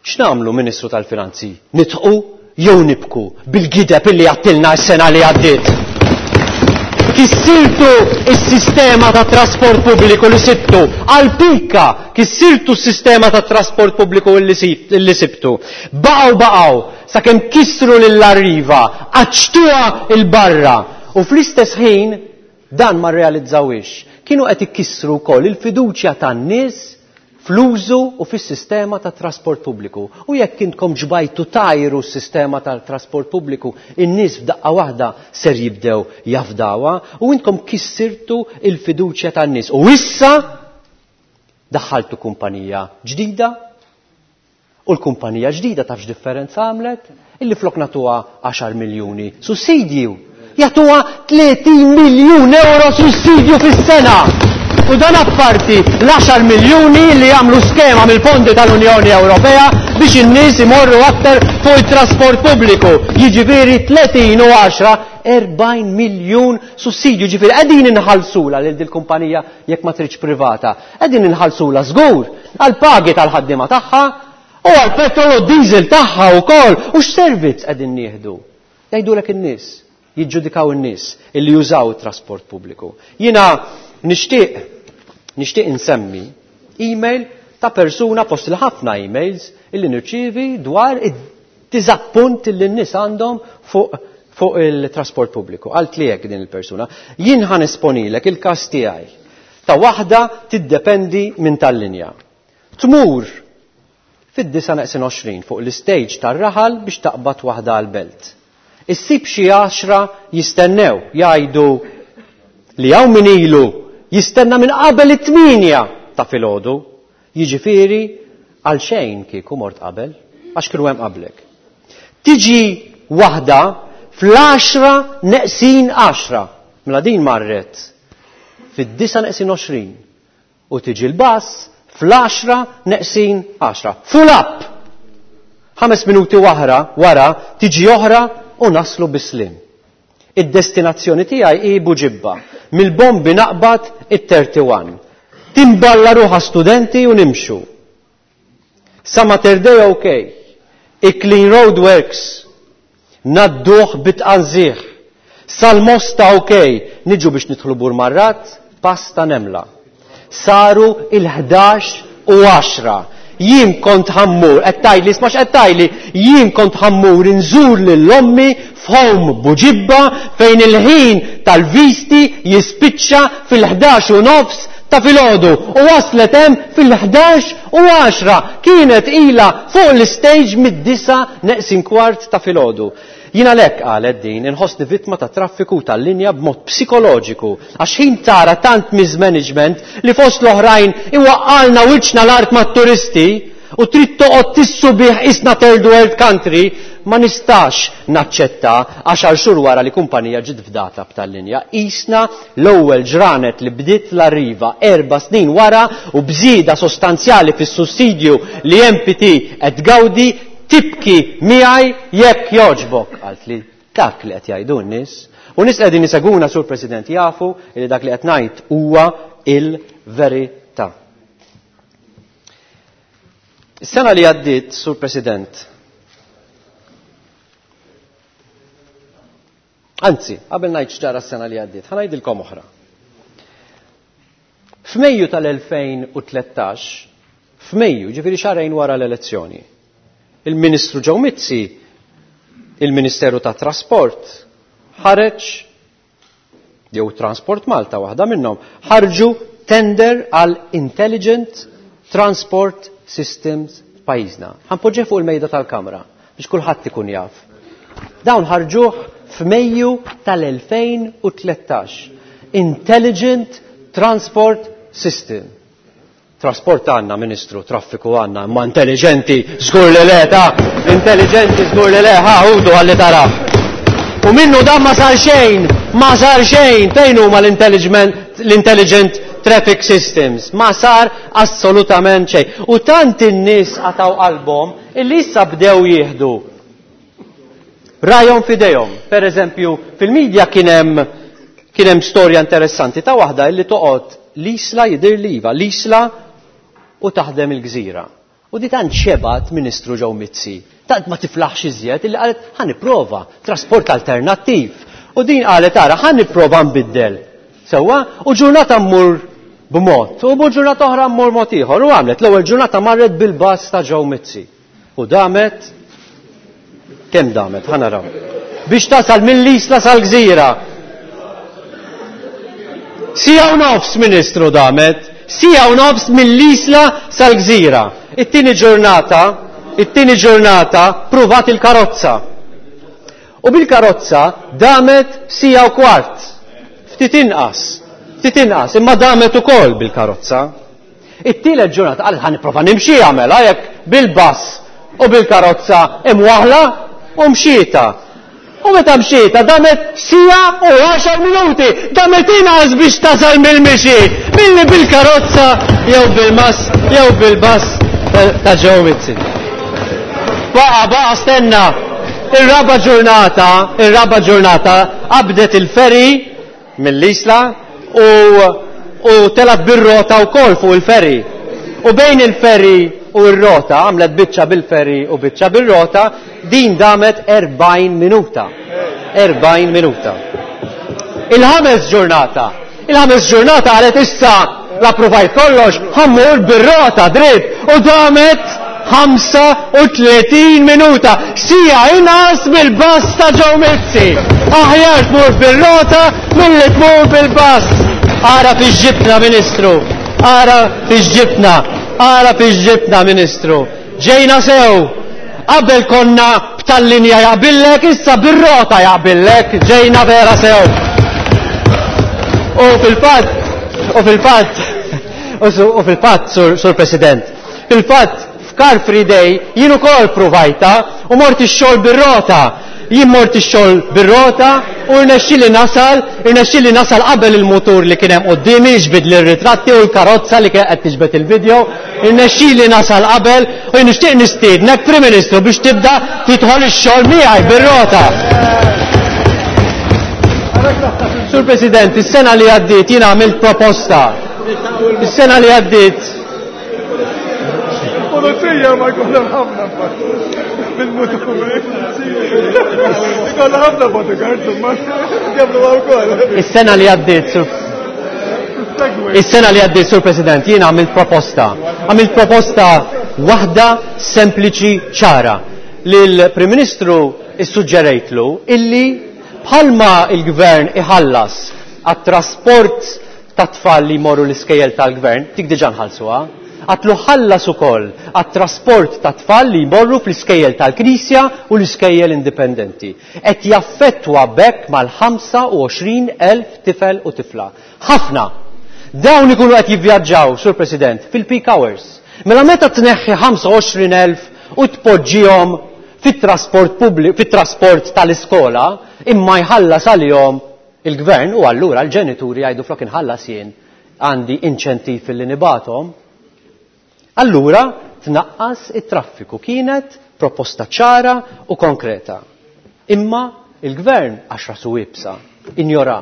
X'nagħmlu, Ministru tal-Finanzi? Nidħqu jew nibku bil-gideb illi għattilna s-sena li għaddiet? Kissirtu s-sistema ta' trasport pubbliku li sibtu. Għal pika kissirtu s-sistema ta' trasport pubbliku li sibtu. Baqgħu baqgħu sakemm kissru lill-Arriva, qaċċtuha 'l barra. U fl-istess ħin dan ma rrealizzawhiex. Kienu qed ikissru wkoll il-fiduċja tan-nies fl-użu u fis-sistema ta' trasport pubbliku. U jekk intkom ġbajtu tajru s-sistema tal-trasport pubbliku, in-nies f'daqqa waħda ser jibdew jafdawha u intkom kissirtu il-fiduċja tan-nies. U issa daħħaltu kumpanija ġdida u l-kumpanija ġdida taf x'differenza għamlet? Illi flok nagħtuha 10 miljuni sussidju, jagħtuha 30 miljun euro sussidju fis-sena. U dan apparti l-10 miljuni li jagħmlu skema mill-fondi tal-Unjoni Ewropea biex in-nies imorru aktar fuq it-trasport pubbliku. Jiġifieri 30 u 10, 40 miljun sussidju. Jiġifieri qegħdin inħallsula lil dil-kumpanija jekk ma tridx privata. Qegħdin inħallsula żgur għall-pagi tal-ħaddiema tagħha u għall-petrol u d-diesel tagħha wkoll. U x'servizz qegħdin nieħdu? Jgħidulek in-nies, jiġġudikaw in-nies illi jużaw it-trasport pubbliku. Jiena nixtieq nixtieq insemmi email ta' persuna fost il-ħafna emails illi nirċievi dwar id-diżappunt illi n-nies għandhom fuq fuq il-trasport pubbliku. Għalt li hekk din il-persuna. Jien ħa nesponilek il-każ tiegħi ta' waħda tiddependi minn tal-linja. Tmur fid-disa' neqsin 20 fuq l-istage tar-raħal biex taqbad waħda għall-belt. Issib xi għaxra jistennew, jgħidu li hawn min ilu jistenna minn qabel it-8 ta' filgħodu, jiġifieri għal xejn kieku mort qabel, għax kienu hemm qablek. Tiġi waħda fl-għaxra neqsin għaxra, mela din marret fid-disa' neqsin 20 u tiġi l-bus fl-għaxra neqsin għaxra. Full up! 5 minuti wara, wara tiġi oħra u naslu bis-slim. Id-destinazzjoni tiegħi hi Buġibba. Mill-bombi naqbad it-31. Timballa ruħha studenti u nimxu. Sa Mater Dei ok. I-clean road works. Nadduh bit-tqanżih. Sal-Mosta ok. Niġu biex nidħlu Burmarrat, pass ta' nemla. Saru il-ħdax u għaxra. Jien kont ħammur, qed tgħidli, isma' x'qed tgħidli, jien kont ħammur inżur lil ommi f'home Buġibba fejn il-ħin tal-visti jispiċċa fil-ħdax u nofs ta' filgħodu u waslet hemm fil-ħdax u għaxra. Kienet ilha fuq l-istage mid-disgħa neqsin kwart ta' filgħodu. Jien għalhekk, qalet din, inħossni vittma tat-traffiku u tal-linja b'mod psikoloġiku għax ħin tara tant mismanagement li fost l-oħrajn iwaqqagħlna wiċċna l-art mat-turisti u trid toqgħod tissubih qisna third world country, ma nistax naċċetta għaxar xhur wara li kumpanija ġiet fdata b'tal-linja qisna l-ewwel ġranet li bdiet l-Arriva erba' snin wara u b'żieda sostanzjali fis-sussidju li MPT qed tgawdi. Tibki miegħi jekk jogħġbok, qaltli. Dak li qed jgħidu n-nies. U nies li qegħdin isegwuna, Sur President, jafu li dak li qed ngħid huwa il-verità. Is-sena li għaddiet, Sur President, anzi, qabel ngħid x'ġara s-sena li għaddiet, ħa ngħidilkom oħra. F'Mejju tal-2013, f'Mejju, ġifieri xahrejn wara l-elezzjoni, il-Ministru Joe Mizzi, il-Ministeru tat-Trasport, ħareġ, jew Transport Malta waħda minnhom, ħarġu tender għal Intelligent Transport Systems f'pajjiżna. Ħanpoġġih fuq il-mejda tal-Kamra biex kulħadd ikun jaf. Dawn ħarġuh f'Mejju tal-2013. Intelligent Transport System. Trasport għandna, Ministru, traffiku għandna, imma intelligenti żgur li le, ta' intelligenti żgur li le, ħa, ħudu ħalli taraħ. U minnu dan ma sar xejn, ma sar xejn, fejn huma l-intelligent traffic systems? Ma sar assolutament xejn. U tant in-nies qatgħu qalbhom illi issa bdew jieħdu rajhom f'idejhom. Per eżempju, fil-medja kien hemm kien hemm storja interessanti ta' waħda illi toqgħod l-Isla jidhirli iva, l-Isla u taħdem il-gżira. U di tant xebgħet Ministru Joe Mizzi, tant ma tiflaħx iżjed illi qalet ħa nipprova trasport alternattiv. U din qalet ara ħa nipprova nbiddel. Sewwa, u ġurnata mmur b'mod, u ġurnata oħra mmur mod ieħor. U għamlet l-ewwel ġurnata marret bil-bus ta' Joe Mizzi. U damet kemm damet, ħa naraw. Biex tasal mill-Isla sal-Gżira. Siegħa u nofs, Ministru, damet. Siegħa u nofs mill-Isla sal-Gżira. It-tieni ġurnata, it-tieni ġurnata pruvat il-karozza. U bil-karozza damet siegħa u kwart. Ftit inqas, ftit inqas, imma damet ukoll bil-karozza. It-tielet ġurnata qalet ħa nipprova nimxiha mela jekk bil-bus u bil-karozza imwaħħla u mxietha. U meta mxietha damet siegħa u għaxar minuti, damet inqas biex tasal mill-mixi milli bil-karozza jew bil-mas jew bil-bus ta' Joe Mizzi. Baqa' baqa' stenna. Ir-raba' ġurnata, ir-raba' ġurnata qabdet il-ferry mill-Isla u u telgħet bir-rota wkoll fuq il-ferry. U bejn il-ferry u r-rota, għamlet biċċa bil-ferry u biċċa bir-rota, din damet 40 minuta. 40 minuta. Il-ħames ġurnata, il-ħames ġurnata qalet issa l-approvajt kollox, ħammur bir-rota dritt u damet 35 minuta, siegħa inqas mill-bus ta' Joe Mizzi. Aħjar tmur bir-rota milli tmur bil-bus. Ara fiex ġibtna, Ministru. Ara fiex ġibtna. Ara fiex ġibtna, Ministru. Ġejna sew. Qabel konna b'tal-linja jaqbillek, issa bir-rota jaqbillek. Ġejna vera sew. U fil-fatt, u fil-fatt, u fil-fatt, Sur President, fil-fatt, f'Car Free Day jien ukoll pruvajtha u mort ix-xogħol bir-rota. Jien mort ix-xogħol bir-rota u rnexxieli nasal, irnexxieli nasal qabel il-mutur li kien hemm quddiemi jiġbidli r-ritratti u l-karozza li kienet qed tiġbed il-video. Irnexxieli nasal qabel u jien nixtieq nistiednek Prim Ministru biex tibda tidħol ix-xogħol miegħi bir-rota. Sur President, is-sena li għaddiet jien għamilt proposta. Is-sena li għaddiet Pulizija ma jkollhom ħafna bil-muturi. Jkollhom ħafna bodyguards imma jagħmlu wkoll. Is-sena li għaddiet, Sur Is-sena li għaddiet, Sur President, jiena għamilt proposta. Għamilt proposta waħda sempliċi ċara Lill-Prim Ministru issuġġerejtlu illi bħalma il-Gvern iħallas għat-trasport tat-tfal li jmorru l-iskejjel tal-Gvern, dik diġà nħallsuha, għadtlu ħallas ukoll għat-trasport tat-tfal li jmorru fl-iskejjel tal-Knisja u l-iskejjel indipendenti. Qed jaffettwa b'hekk mal-25,000 tifel u tifla. Ħafna! Dawn ikunu qed jivvjaġġaw, Sur President, fil-peak hours. Mela meta tneħħi 25,000 u tpoġġihom fit-trasport pubbliku, fit-trasport tal-iskola, imma jħallas għalihom Il-Gvern u allura l-ġenituri jgħidu flok inħallas jien għandi inċentiv illi nibgħathom. Allura tnaqqas it-traffiku. Kienet proposta ċara u konkreta. Imma il-Gvern għax rasu iebsa, injora.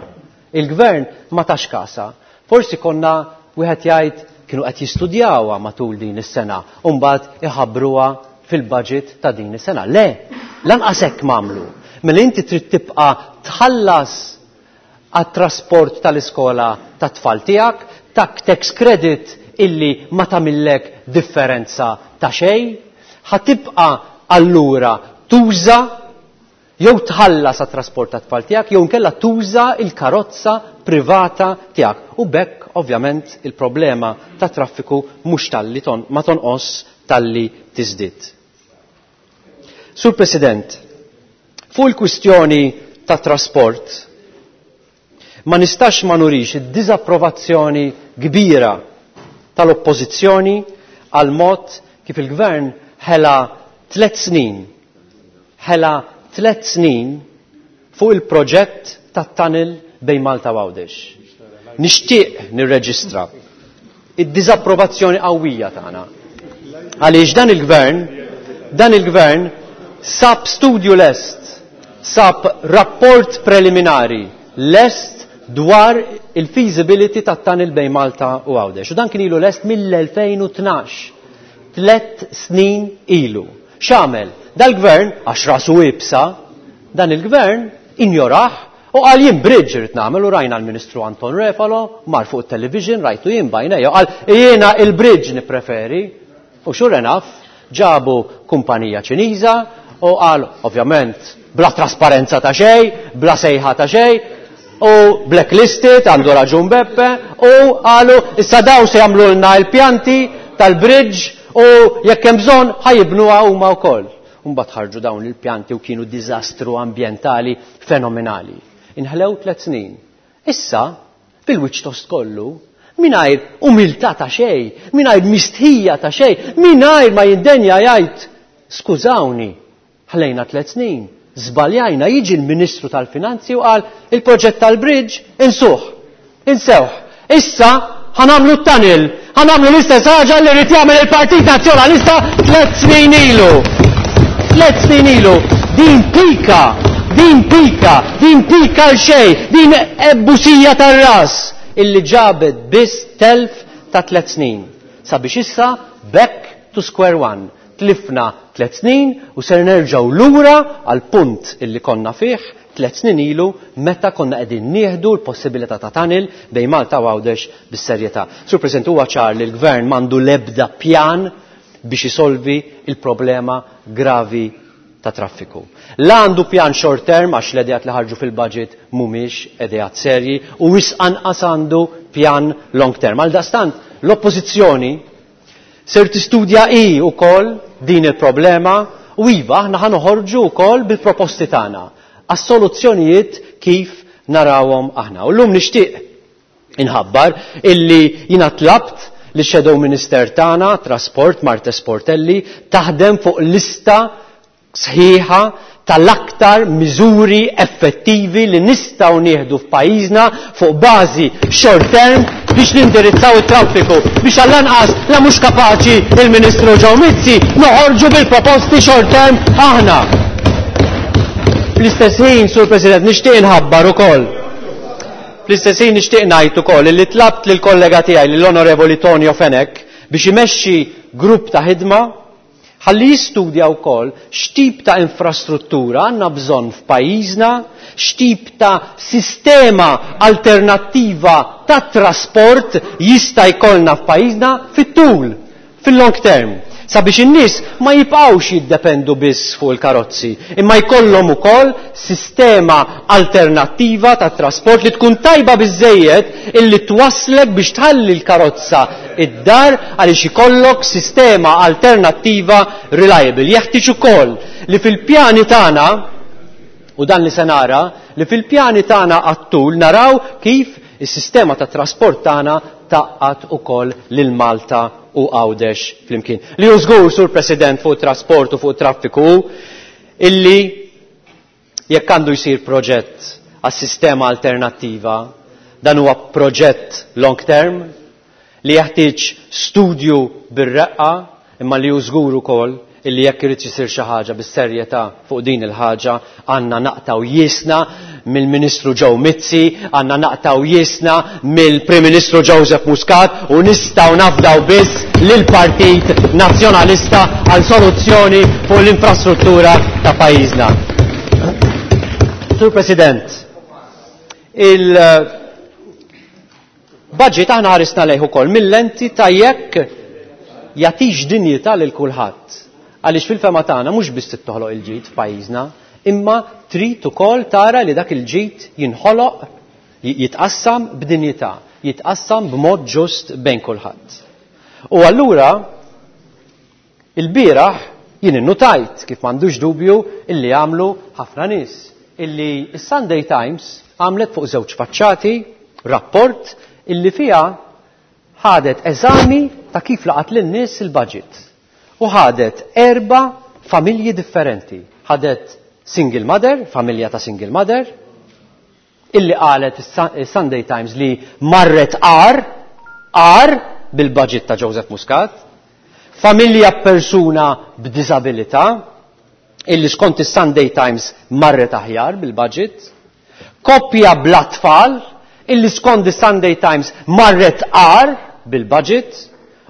Il-Gvern ma tax kasha. Forsi konna wieħed jgħid kienu qed jistudjawha matul din is-sena u mbagħad iħabbruha fil-budget ta' din is-sena. Le, lanqas hekk m'għamlu. Mela inti trid tibqa' tħallas għat-trasport tal-iskola tat-tfal tiegħek, tak tax credit illi ma tagħmillek differenza ta' xejn, ħa tibqa' allura tuża jew tħallas għat-trasport tat-tfal tiegħek jew inkella tuża l-karozza privata tiegħek. U b'hekk ovvjament il-problema tat-traffiku mhux talli ma tonqos talli tiżdied. Sur President, fuq il-kwistjoni tat-trasport, ma nistax ma nurix id-diżapprovazzjoni kbira tal-Oppożizzjoni għall-mod kif il-Gvern ħela tlett snin, ħela tlett snin fuq il-proġett tat-tunnel bejn Malta u Għawdex. Nixtieq nirreġistra id-diżapprovazzjoni qawwija tagħna għaliex dan il-Gvern dan il-Gvern sab studju lest, sab rapport preliminari lest dwar il-feasibility tat-tunnel bejn Malta u Għawdex. U dan kien ilu lest mill-2012, tlett snin ilu. X'għamel? Dal-Gvern, għax rasu iebsa, dan il-Gvern injorah. U qal jien bridge irrid nagħmel u rajna l-Ministru Anton Refalo mar fuq it-television rajtu jien bajnejja qal jiena il-bridge nippreferi. U sure enough ġabu kumpanija Ċiniża u qal ovvjament bla trasparenza ta' xejn, bla sejħa ta' xejn, u blacklisted, għandu raġun Beppe, u qalu issa daw se jagħmlulna l-pjanti tal-bridge u jekk hemm bżonn ħa jibnuha huma wkoll. U mbagħad ħarġu dawn il-pjanti u kienu diżastru ambjentali fenomenali. Inħlew tlet snin. Issa, bil-wiċċ tost kollu, mingħajr umiltà ta' xejn, mingħajr mistħija ta' xejn, mingħajr ma jindenja jgħid skużawni, ħlejna tlet snin, żbaljajna, jiġi l-Ministru tal-Finanzi u qal il-proġett tal-bridge insuh, insewh. Issa ħa nagħmlu t-tunnel, ħa nagħmlu l-istess ħaġa li ried jagħmel il-Partit Nazzjonalista tlet snin ilu. Tlet snin ilu. Din pika, din pika, din pika għal xejn, din ebbusija tar-ras illi ġabet biss telf ta' tlet snin. Sabiex issa back to square one. Tlifna tlet snin u ser nerġgħu lura għall-punt illi konna fih tlet snin ilu meta konna qegħdin nieħdu l-possibilità ta' tunnel bejn Malta u Għawdex bis-serjetà. Sur President, huwa ċar li l-Gvern m'għandu l-ebda pjan biex isolvi l-problema gravi ta' traffiku. La għandu pjan short term għax l-ideat li ħarġu fil-budget mhumiex ideat serji u wisq anqas għandu pjan long term. Għaldaqstant l-Oppożizzjoni Ser tistudja hi wkoll din il-problema u iva aħna ħa noħorġu wkoll bil-proposti tagħna għas-soluzzjonijiet kif narawhom aħna. U llum nixtieq inħabbar illi jiena tlabt li shadow minister tagħna trasport Martes Sportelli taħdem fuq lista sħiħa tal-aktar miżuri effettivi li nistgħu nieħdu f'pajjiżna fuq bażi short term biex nindirizzaw it-traffiku, biex għall-anqas la mhux kapaċi il-Ministru Joe Mizzi noħorġu bil-proposti short term aħna. Fl-istess ħin, Sur President, nixtieq inħabbar ukoll. Fl-istess ħin nixtieq ngħid ukoll li tlabt lill-kollega tiegħi lill-Onorevoli Tonio Fenech biex imexxi grupp ta' ħidma Ħalli jistudja wkoll x'tip ta' infrastruttura għandna bżonn f'pajjiżna, x'tip ta' sistema alternattiva ta' trasport jista' jkollna f'pajjiżna fit-tul, fil-long term, sabiex in-nies ma jibqgħux jiddependu biss fuq il-karozzi, imma jkollhom ukoll sistema alternattiva ta' trasport li tkun tajba biżżejjed illi twasslek biex tħalli l-karozza id-dar għaliex ikollok sistema alternattiva reliable. Jeħtieġ ukoll li fil-pjani tagħna, u dan li se nara, li fil-pjani tagħna għat-tul naraw kif is-sistema ta' trasport tagħna tgħaqqad ukoll lil Malta u Għawdex flimkien. Li hu żgur, Sur President, fuq it-trasport u fuq it-traffiku hu illi Jekk għandu jsir proġett għas-sistema alternattiva, dan huwa proġett long term li jeħtieġ studju bir-reqqa imma li hu żgur ukoll illi jekk irid isir xi ħaġa bis-serjetà fuq din il-ħaġa għandna naqtgħu jiesna mill-Ministru Joe Mizzi, għandna naqtgħu jiesna mill-Prim Ministru Joseph Muscat u nistgħu nafdaw biss lill-Partit Nazzjonalista għal soluzzjoni fuq l-infrastruttura ta' pajjiżna. Sur President, il-budget aħna ħarisna lejh ukoll mill-lenti ta' jekk jagħtix dinjità lil kulħadd. Għaliex fil-fema tagħna mhux biss trid toħloq il-ġid f'pajjiżna, imma trid ukoll tara li dak il-ġid jinħoloq, jitqassam b'dinjità, jitqassam b'mod ġust bejn kulħadd. U allura ilbieraħ jien innutajt, kif m'għandux dubju illi għamlu ħafna nies, illi s-Sunday Times għamlet fuq żewġ faċċati rapport illi fiha ħadet eżami ta' kif laqat lin-nies il-budget. U ħadet erba' familji differenti. Ħadet single mother, familja ta' single mother, illi qalet is-Sunday Times li marret agħar, agħar bil-budget ta' Joseph Muscat, familja b'persuna b'diżabilità, illi skont is-Sunday Times marret aħjar bil-budget, koppja bla tfal, illi skont is-Sunday Times marret agħar bil-budget,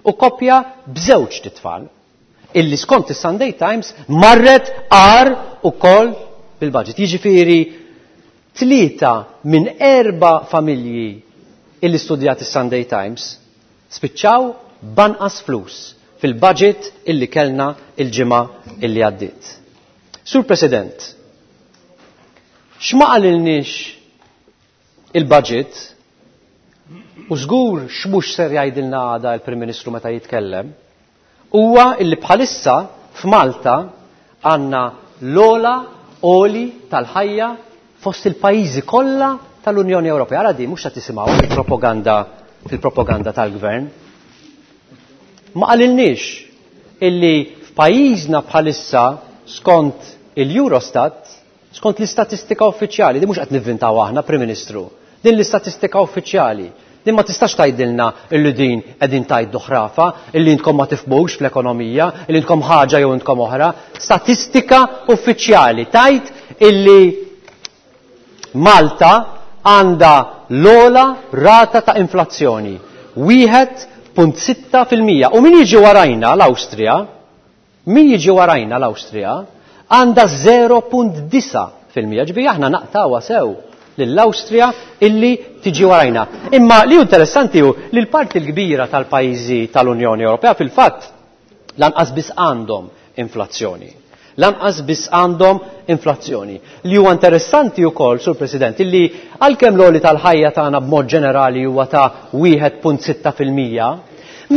u koppja b'żewġt itfal, illi skont is-Sunday Times marret agħar ukoll bil-budget. Jiġifieri, Tlieta minn erba' familji illi studjat is-Sunday Times spiċċaw b'anqas flus fil-budget illi kellna il-ġimgħa illi għaddiet. Sur President, x'ma qalilniex il-budget u żgur x'mhux ser jgħidilna għada l-Prim Ministru meta jitkellem, huwa illi bħalissa f'Malta għandna l-ogħla għoli tal-ħajja fost il-pajjiżi kollha tal-Unjoni Ewropea. Ara di mhux qed tisimgħu fil-propaganda fil-propaganda tal-gvern. Ma qalilniex illi f'pajjiżna bħalissa skont il-Eurostat, skont l-istatistika uffiċjali, di mhux qed nivvintaw aħna, Prim Ministru, din l-istatistika uffiċjali. Din ma tistax tgħidilna illi din qegħdin tgħidu ħrafa, illi intkom ma tifhmux fl-ekonomija, illi intkom ħaġa jew intkom oħra. Statistika uffiċjali tgħid illi Malta għandha l-ogħla rata ta' inflazzjoni, 1.6%. U min jiġi warajna l-Awstrija, min jiġi warajna l-Awstrija, għandha 0.9%. Ġifieri aħna naqtgħuha sew lill-Awstrija illi tiġi warajna. Imma li hu interessanti hu li l-parti l-kbira tal-pajjiżi tal-Unjoni Ewropea fil-fatt lanqas biss għandhom inflazzjoni. Lanqas biss għandhom inflazzjoni. Li huwa interessanti wkoll, Sur President, illi għalkemm l-għoli tal-ħajja tagħna b'mod ġenerali huwa ta' 1.6%,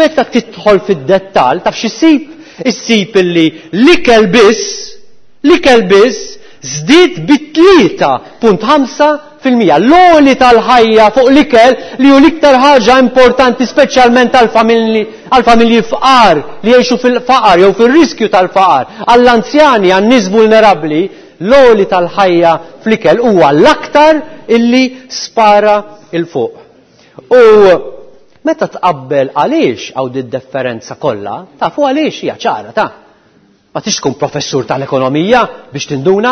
meta tidħol fid-dettall taf x'issib? Issib illi l-ikel biss, l-ikel biss żdied bi 3.5%. L-għoli tal-ħajja fuq l-ikel li hu l-iktar ħaġa importanti speċjalment għall-familji fqar li jgħixu fil-faqar jew fir-riskju tal-faqar, għall-anzjani, għan-nies vulnerabbli, l-għoli tal-ħajja fl-ikel huwa l-aktar illi spara 'l fuq. U meta tqabbel għaliex hawn did-differenza kollha, tafu għaliex hija ċara ta'. Ma tix tkun professur tal-ekonomija biex tinduna.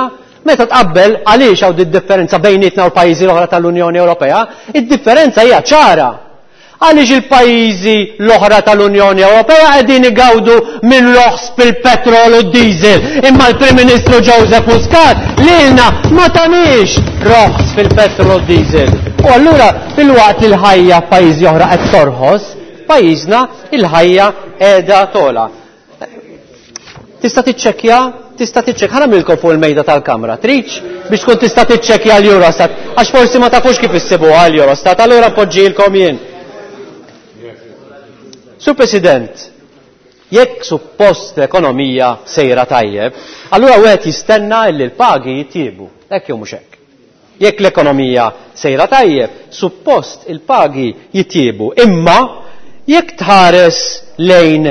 Meta tqabbel għaliex hawn did-differenza bejnietna u l-pajjiżi l-oħra tal-Unjoni Ewropea, id-differenza hija ċara. Għaliex il-pajjiżi l-oħra tal-Unjoni Ewropea qegħdin igawdu minn roħs fil-petrol u d-diesel, imma l-Prim Ministru Joseph Muscat lilna ma taniex roħs fil-petrol u d-diesel. U allura filwaqt li l-ħajja f'pajjiżi oħra qed torħos, f'pajjiżna il-ħajja qiegħda togħla. Tista' tiċċekkja, tista' tiċċekkja, ħa nagħmlilkom fuq il-mejda tal-kamra, tridx? Biex tkun tista' tiċċekkja l-Eurostat, għax forsi ma tafux kif issibuha l-Eurostat, allura npoġġilkom jien. Sur President, jekk suppost l-ekonomija sejra tajjeb, allura wieħed jistenna li l-pagi jitjiebu, hekk jew mhux hekk. Jekk l-ekonomija sejra tajjeb, suppost il-pagi jitjiebu. Imma jekk tħares lejn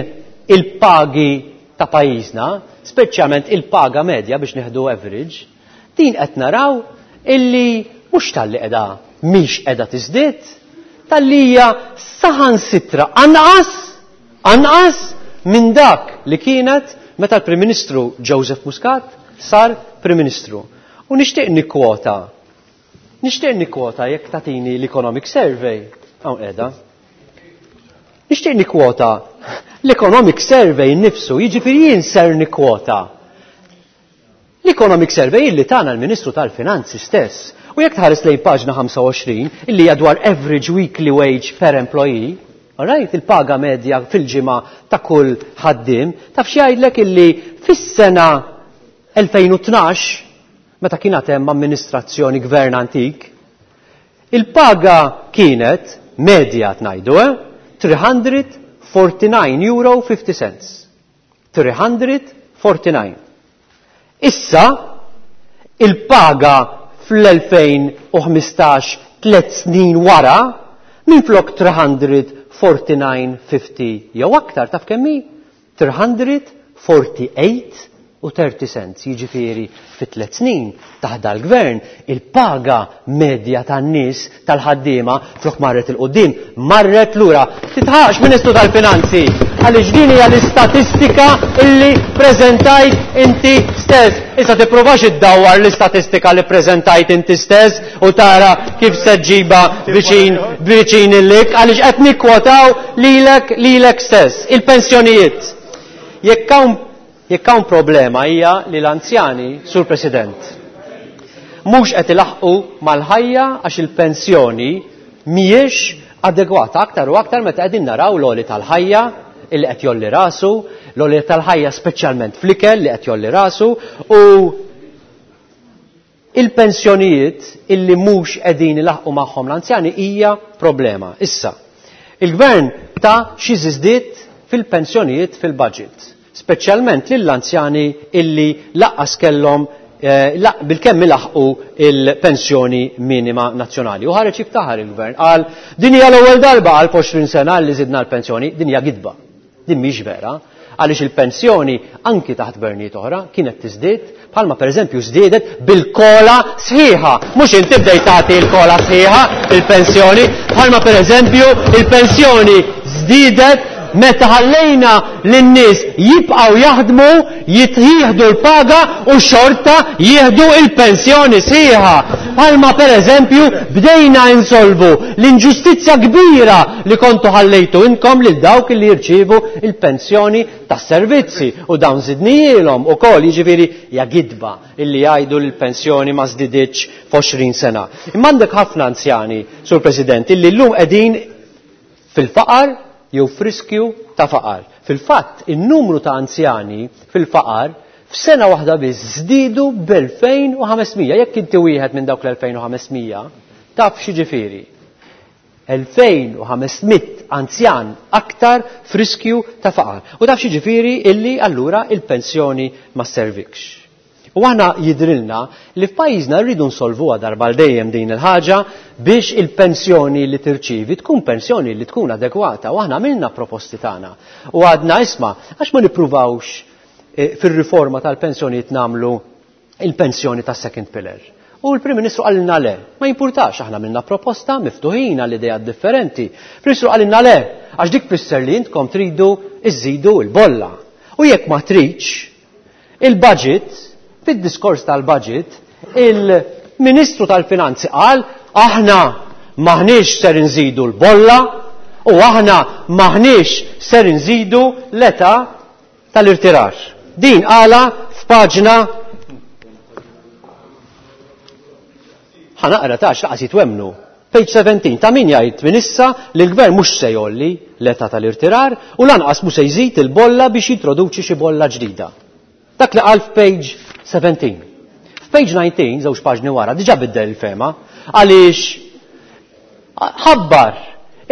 il-pagi ta' pajjiżna, speċjalment il-paga medja biex nieħdu average, din qed naraw illi mhux talli qiegħda mhix qiegħda tiżdied, talli hija saħansitra anqas anqas minn dak li kienet meta l-Prim Ministru Joseph Muscat sar Prim Ministru. U nixtieq nikkwota, nixtieq nikkwota jekk tagħtini l-Economic Survey, hawn qiegħda. Nixtieq nikkwota l-Economic Survey nnifsu, jiġifieri jien ser nikkwota l-Economic Survey illi tana l-Ministru tal-Finanzi stess. U jekk tħares lejn paġna 25 illi hija dwar average weekly wage per employee, all right, il-paga medja fil-ġimgħa ta' kull ħaddiem, taf x'jgħidlek illi fis-sena 2012, meta kien għad hemm amministrazzjoni gvern antik, il-paga kienet medja tnajdu, 349 euro 50 cents. 349. Issa, il-paga fl-2015, 3 snin wara, minflok 349.50 jew aktar, taf kemm hi? 348 u 30 cents. Jiġifieri fi 3 snin taħt dal-gvern il-paga medja tan-nies tal-ħaddiema flok marret il-qudiem, marret lura. Titħax Ministru tal-Finanzi, għaliex din hija l-istatistika illi preżentajt inti stess. Issa tippruvax iddawwar l-istatistika li preżentajt inti stess u tara kif se ġġibha viċin viċin illik, għaliex qed nikkwotaw lilek lilek stess. Il-pensjonijiet. Jekk hawn Jekk hawn problema hija li l-anzjani, Sur President, Mhux qed ilaħħqu mal-ħajja għax il-pensjoni mhijiex adegwata aktar u aktar meta qegħdin naraw l-għoli tal-ħajja illi qed jolli rasu, l-għoli tal-ħajja speċjalment fl-ikel li qed jolli rasu u il-pensjonijiet illi mhux qegħdin ilaħħqu magħhom l-anzjani hija problema. Issa, il-gvern ta xi żidiet fil-pensjonijiet fil-budget, speċjalment lill-anzjani illi laqqas kellhom bil-kemm ilaħqu il-pensjoni minima nazzjonali. U ħareġ jiftaħar il-gvern qal din hija l-ewwel darba għal 20 sena li żidna l-pensjoni, din hija gidba. Din mhix vera, għaliex il-pensjoni anki taħt gvernijiet oħra kienet tiżdied bħalma pereżempju żdiedet bil-kola sħiħa. Mhux inti bdejt tagħti l-kola sħiħa il-pensjoni, bħalma pereżempju il-pensjoni żdiedet meta ħallejna lin-nies jibqgħu jaħdmu, jieħdu l-paga u xorta jieħdu il-pensjoni sħiħa. Bħalma pereżempju bdejna insolvu l-inġustizzja kbira li kontu ħallejtu inkom lil dawk li jirċievu il-pensjoni tas-servizzi u dawn żidnijielhom ukoll, jiġifieri hija gidba illi jgħidu li l-pensjoni ma żdiditx f'20 sena. Imma għandek ħafna anzjani, Sur President, illi llum qegħdin fil-faqar jew f'riskju ta' faqar. Fil-fatt, in-numru ta' anzjani fil-faqar f'sena waħda biss żdiedu b'2500. Jekk inti wieħed minn dawk l-2500, taf x'jiġifieri. 2500 anzjan aktar f'riskju ta' faqar. U taf x'jiġifieri illi allura il-pensjoni ma sservikx. U aħna jidrilna li f'pajjiżna rridu nsolvuha darba għal dejjem din il-ħaġa biex il-pensjoni li tirċievi tkun pensjoni li tkun adegwata. U aħna għamilna proposti tagħna. U għadna isma' għax ma nippruvawx fir-riforma tal-pensjonijiet nagħmlu il-pensjoni tas second pillar. U l-Prim Ministru qalilna le, ma jimpurtax, aħna għamilna proposta miftuħin għal ideat differenti. Prim Ministru qalilna le, għax dik tfisser li intkom tridu iżidu l-bolla. U jekk ma tridx, il-budget, fid-diskors tal-budget, il-Ministru tal-Finanzi qal aħna maħniex ser inżidu l-bolla u aħna maħniex ser inżidu l-età tal-irtirar. Din qala f'paġna ħanaqra tax laqas jitwemnu. Page 17, ta' min jgħid minn issa li l-gvern mhux se jolli l-età tal-irtirar u lanqas mhux se jżid il-bolla biex jintroduċi xi bolla ġdida. Dak li qal f'page 17. F'page 19, żewġ paġni wara, diġà biddel il-fema, għaliex ħabbar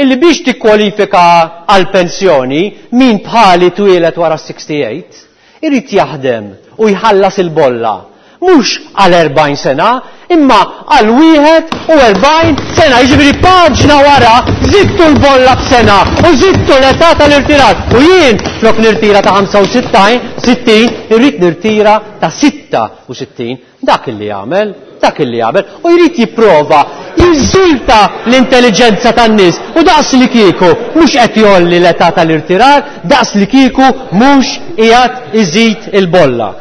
illi biex tikkwalifika għal pensjoni min bħali twieled wara 68 irid jaħdem u jħallas il-bolla. Mhux għal 40 sena, imma għal 41 sena. Jiġifieri paġna wara żidtu l-bolla b'sena u żidtu l-età tal-irtirar. U jien flok nirtira ta' 65, 60, irrid nirtira ta' 66. Dak illi jagħmel, dak illi jagħmel. U jrid jipprova jinsulta l-intelligenza tan-nies u daqs li kieku mhux qed jolli l-età tal-irtirar, daqs li kieku mhux qiegħed iżid il-bolla.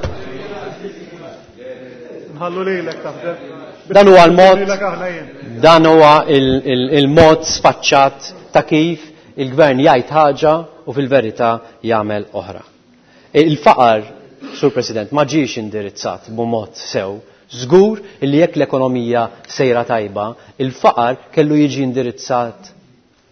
Nħallu lilek taħdem. Dan huwa l-mod, Lilek aħna jien. dan huwa il-mod sfaċċat ta' kif il-gvern jgħid ħaġa u fil-verità jagħmel oħra. Il-faqar, Sur President, ma ġiex indirizzat b'mod sew. Żgur li jekk l-ekonomija sejra tajba, il-faqar kellu jiġi indirizzat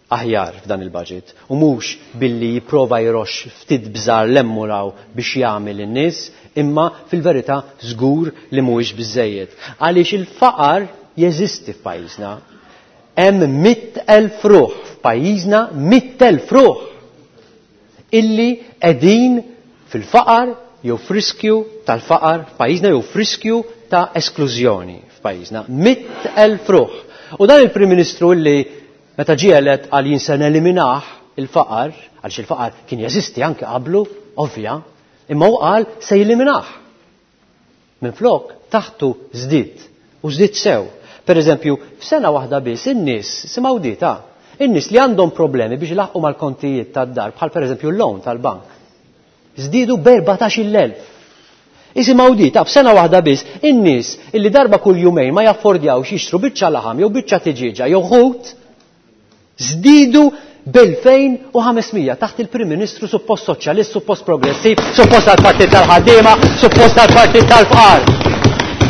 aħjar f'dan il-budget u mhux billi jipprova jroxx ftit bżar lemmuraw biex jagħmel in-nies, imma fil-verità żgur li mhuwiex biżejjed. Għaliex il-faqar jeżisti f'pajjiżna. Hemm 100,000 ruħ f'pajjiżna, 100,000 ruħ illi qegħdin fil-faqar jew f'riskju tal-faqar f'pajjiżna jew f'riskju ta' esklużjoni f'pajjiżna. 100,000 ruħ. U dan il-Prim Ministru illi meta ġie elett qal jien se neliminah il-faqar, għaliex il-faqar kien jeżisti anke qablu, ovvja, imma hu qal se jeliminah. Minflok taħtu żdied u żdied sew. Per eżempju, f'sena waħda biss in-nies simgħu dita, in-nies li għandhom problemi biex ilaħqu mal-kontijiet tad-dar, bħal per eżempju l-loan tal-bank, żdiedu b'erbatax-il elf. Isimgħu dita, f'sena waħda biss in-nies illi darba kull jumejn ma jaffordjawx jixtru biċċa laħam jew biċċa tiġieġa jew ħut, żdiedu b'elfejn u ħamesmija taħt il-Prim Ministru suppost soċjalist, suppost progressiv, suppost għall-Partit tal-Ħaddiema, suppost għall-Partit tal-Fqar.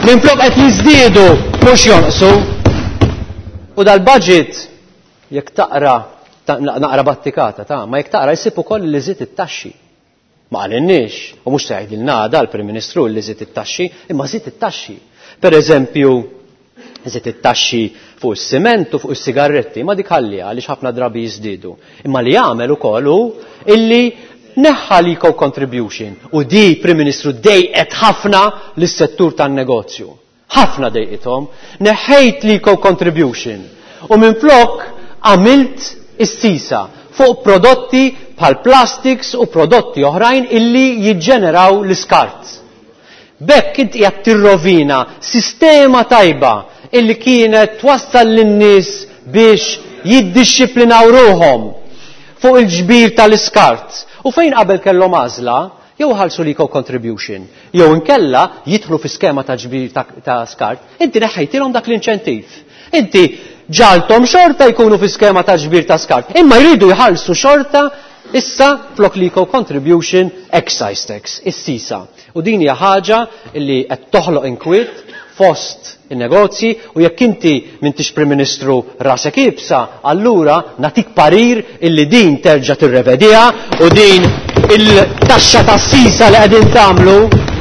Minflok qed jiżdiedu mhux jonqsu. U dal-budget jekk taqra naqra battikata ta' ma jekk taqra jsib ukoll li żied it-taxxi. Ma qalilniex, u mhux se jgħidilna għada l-Prim Ministru li żied it-taxxi, imma żied it-taxxi. Per eżempju, żied it-taxxi fuq is-siment u fuq is-sigarretti, ma dik ħalliha għaliex ħafna drabi jiżdiedu. Imma li għamel ukoll hu illi neħħa l-eco contribution u di Prim Ministru dejqet ħafna lis-settur tan-negozju. Ħafna dejqithom. Neħħejt l-eco contribution u minflok għamilt is-sisa fuq prodotti bħal plastics u prodotti oħrajn illi jiġġeneraw l-iskart. B'hekk int qiegħed tirrovina sistema tajba illi kienet twassal lin-nies biex jiddixxiplinaw ruħhom fuq il-ġbir tal-iskart. U fejn qabel kellhom għażla, jew iħallsu l-eco contribution, jew inkella jidħlu fi skema ta' ġbir ta' skart, inti neħħejtilhom dak l-inċentiv. Inti ġaltom xorta jkunu fi skema ta' ġbir ta' skart, imma jridu jħallsu xorta issa flok l-eco contribution excise tax, is-sisa. U din hija ħaġa li qed toħloq inkwiet fost in-negozji u jekk inti m'intix Prim Ministru rasek iebsa, allura nagħtik parir illi din terġa' tirrevediha u din il-taxxa tas-sisa li qegħdin tagħmlu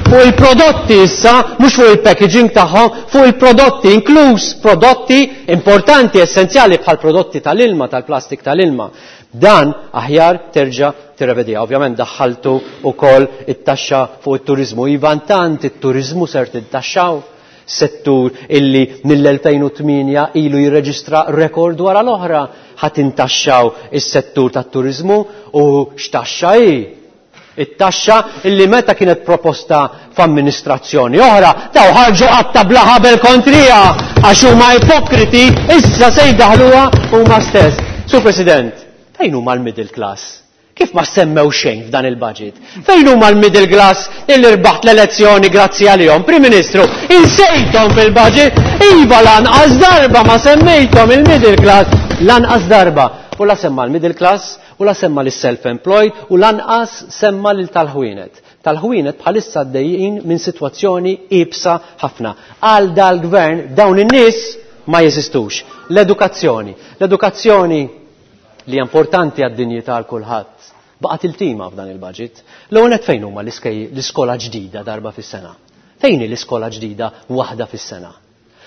fuq il-prodotti issa, mhux fuq il-packaging tagħhom, fuq il-prodotti, inkluż prodotti importanti, essenzjali bħal prodotti tal-ilma, tal-plastik tal-ilma. Dan aħjar terġa' tirrevediha. Ovvjament daħħaltu wkoll it-taxxa fuq it-turiżmu. Iva intant it-turiżmu ser tintaxxaw, settur illi mill-2008 ilu jirreġistra rekord wara l-oħra. Ħa tintaxxaw is-settur tat-turiżmu u x'taxxa hi? It-taxxa illi meta kienet proposta f'amministrazzjoni oħra, daw ħarġu qatta bla ħabel kontriha għax huma ipokriti, issa se jdaħluha huma stess. Sur President, fejn huma l-middle class? Kif ma semmew xejn f'dan il-budget? Fejn huma l-middle class illi rbaħt l-elezzjoni grazzi għalihom? Prim Ministru, insejthom fil-budget? Iva lanqas darba ma semmejthom il-middle class. Lanqas darba. U la semma l-middle class, u la semma lis-self-employed, u lanqas semma lil tal-ħwienet. Tal-ħwienet bħalissa għaddejjin minn sitwazzjoni iebsa ħafna. Għal dal-gvern dawn in-nies ma jeżistux. L-edukazzjoni. L-edukazzjoni li hija importanti għad-dinjità għal kulħadd, baqgħet iltima f'dan il-budget. L-ewwel nett fejn huma l-iskola ġdida darba fis-sena? Fejn hi l-iskola ġdida waħda fis-sena?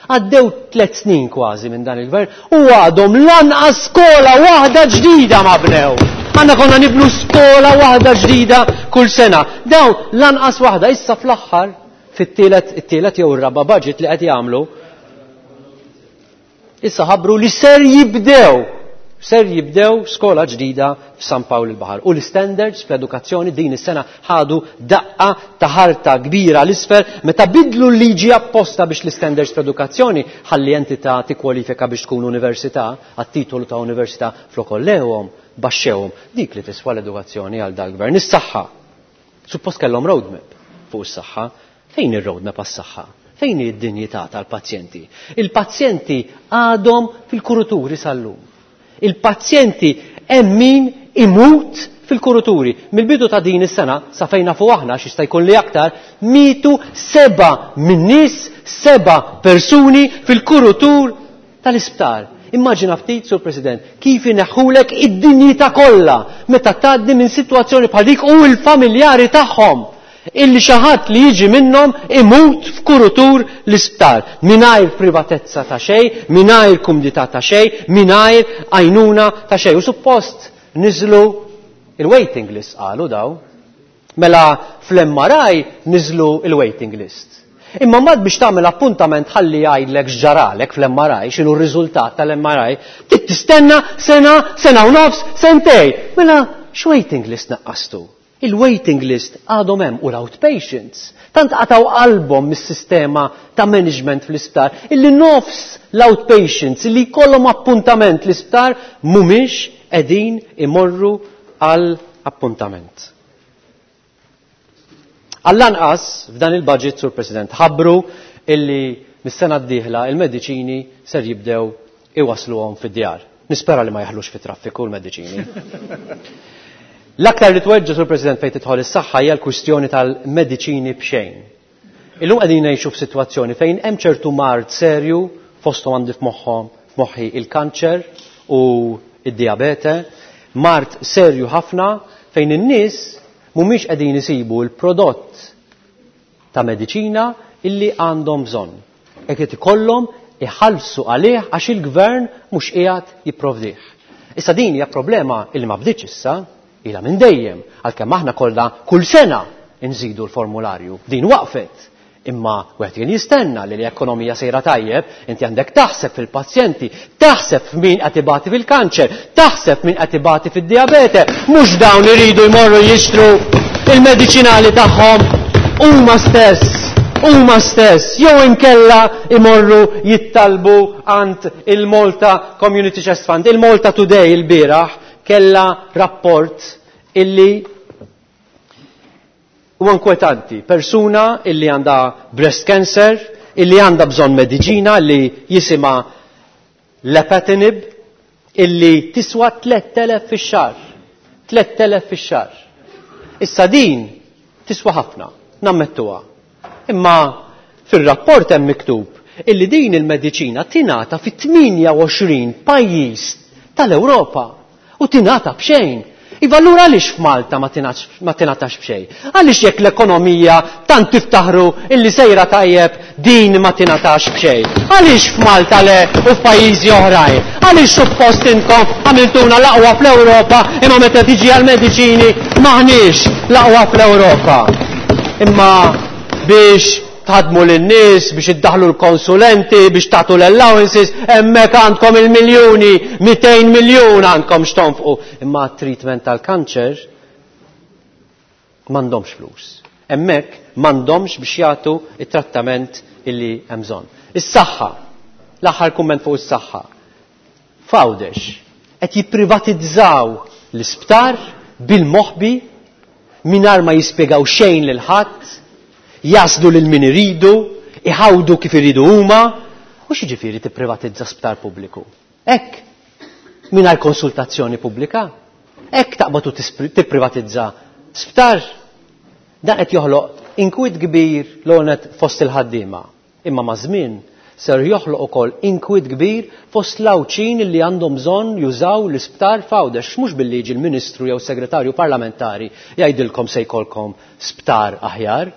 Għaddew tliet snin kważi minn dan il-gvern u għadhom lanqas skola waħda ġdida ma bnew. Aħna konna nibnu skola waħda ġdida kull sena. Dawn lanqas waħda issa fl-aħħar fit-tielet it-tielet jew ir-raba' budget li qed jagħmlu Issa ħabbru li ser jibdew ser jibdew skola ġdida f'San Pawl il-Baħar. U l-standards fl-edukazzjoni din is-sena ħadu daqqa ta' ħarta kbira l-isfel meta bidlu l-liġi apposta biex l-standards fl-edukazzjoni ħalli entità tikkwalifika biex tkun università għat-titolu ta' università flok ollewhom, baxxewhom. Dik li tiswa l-edukazzjoni għal dal-gvern. Is-saħħa. Suppost kellhom roadmap fuq is-saħħa. Fejn hi r-roadmap għas-saħħa? Fejn hi d-dinjità tal-pazjenti? Il-pazjenti għadhom fil-kuruturi sal-lum. Il-pazjenti hemm min imut fil-kuruturi. Mill-bidu ta' din is-sena, sa fejn nafu aħna, għax jista' jkun li aktar, mietu seba' min-nies, seba' persuni fil-kurutur tal-isptar. Immaġina ftit, Sur President, kif ineħħulek id-dinjità kollha meta tgħaddi minn sitwazzjoni bħal dik u l-familjari tagħhom illi xi ħadd li jiġi minnhom imut f'kurutur l-isptar mingħajr privatezza ta' xejn, mingħajr kumdità ta' xejn, mingħajr għajnuna ta' xejn. U suppost niżlu il-waiting list qalu daw. Mela fl-MRI niżlu il-waiting list. Imma mbagħad biex tagħmel appuntament ħalli jgħidlek x'ġaralek fl-MRI, x'inhu r-riżultat tal-MRI, trid tistenna sena, sena u nofs, sentej. Mela x'waiting list naqqastu? Il-waiting list għadhom hemm u l-outpatients. Tant qatgħu qalbhom mis-sistema ta' management fl-isptar illi nofs l-outpatients illi jkollhom appuntament l-isptar mhumiex qegħdin imorru għal appuntament. Għall-anqas f'dan il-budget, Sur President, ħabbru illi mis-sena d-dieħla il-mediċini ser jibdew iwasluhom fid-djar. Nispera li ma jaħlux fit-traffiku l-mediċini. L-aktar li tweġġa', Sur President, fejn tidħol is-saħħa hija l-kwistjoni tal-mediċini b'xejn. Illum qegħdin ngħixu f'sitwazzjoni fejn hemm ċertu mard serju fosthom għandi f'moħħhom f'moħħi il-kanċer u id-diabete, mard serju ħafna fejn in-nies mhumiex qegħdin isibu l-prodott ta' mediċina illi għandhom bżonn. Hekk qed ikollhom iħallsu għalih għax il-gvern mhux qiegħed jipprovdih. Issa din hija problema illi ma bdietx issa, ilha minn dejjem, għalkemm aħna kollha kull sena nżidu l-formularju. Din waqfet. Imma wieħed kien jistenna li l-ekonomija sejra tajjeb, inti għandek taħseb fil-pazjenti, taħseb f'min qed ibati fil-kanċer, taħseb min qed ibati fid-diabete, mhux dawn iridu jmorru jixtru il-mediċinali tagħhom huma stess, huma stess, jew inkella imorru jittalbu għand il-Malta Community Chest Fund. Il-Malta Today il-bieraħ kella rapport illi huwa inkwetanti. Persuna illi għandha breast cancer, illi għandha bżonn mediċina li jisimha lapatinib, illi tiswa 3000 fix-xahar. 3000 fix-xahar. Issa din tiswa ħafna, nammettuha. Imma fir-rapport hemm miktub illi din il-mediċina tingħata fi 28 pajjiż tal-Ewropa u tingħata b'xejn. Iva allura għaliex f'Malta ma tingħatax b'xejn? Għaliex jekk l-ekonomija tant tiftaħru illi sejra tajjeb din ma tingħatax b'xejn? Għaliex f'Malta le u f'pajjiżi oħrajn? Għaliex suppost intom għamiltuna l-aqwa fl-Ewropa imma meta tiġi għall-mediċini m'aħniex l-aqwa fl-Ewropa? Imma biex tħadmu lin-nies, biex iddaħlu l-konsulenti, biex tagħtu l-allowances, hemmhekk għandkom il-miljuni, 200 miljun għandkom x'tonfqu. Imma treatment tal-kanċer m'għandhomx flus. Hemmhekk m'għandhomx biex jagħtu it-trattament illi hemm bżonn. Is-saħħa, l-aħħar kumment fuq is-saħħa. F'Għawdex qed jipprivatizzaw l-isptar bil-moħbi mingħajr ma jispjegaw xejn lil ħadd, jaslu lil min iridu, iħawdu kif iridu huma, u x'jiġifieri tipprivatizza sptar pubbliku? Hekk, mingħajr konsultazzjoni pubblika, hekk taqbad u tipprivatizza sptar. Dan qed joħloq inkwiet kbir l-għonet fost il-ħaddiema. Imma maż-żmien ser joħloq ukoll inkwiet kbir fost l-Għawdxin li għandhom bżonn jużaw l-isptar f'Għawdex. Mhux billi jiġi l-Ministru jew Segretarju Parlamentari jgħidilkom se jkollkom sptar aħjar.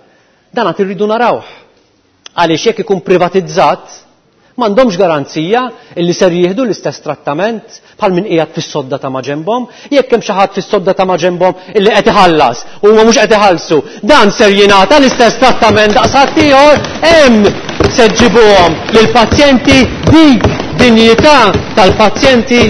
Dan għad irridu narawh. Għaliex jekk ikun privatizzat, m'għandhomx garanzija illi ser jieħdu l-istess trattament bħal min qiegħed fis-sodda ta' maġenbhom. Jekk hemm xi ħadd fis-sodda ta' maġenbhom illi qed iħallas u huma mhux qed iħallsu, dan ser jingħata l-istess trattament daqs ħaddieħor, hemm se ġġibuhom lill-pazjenti dik dinjità tal-pazjenti.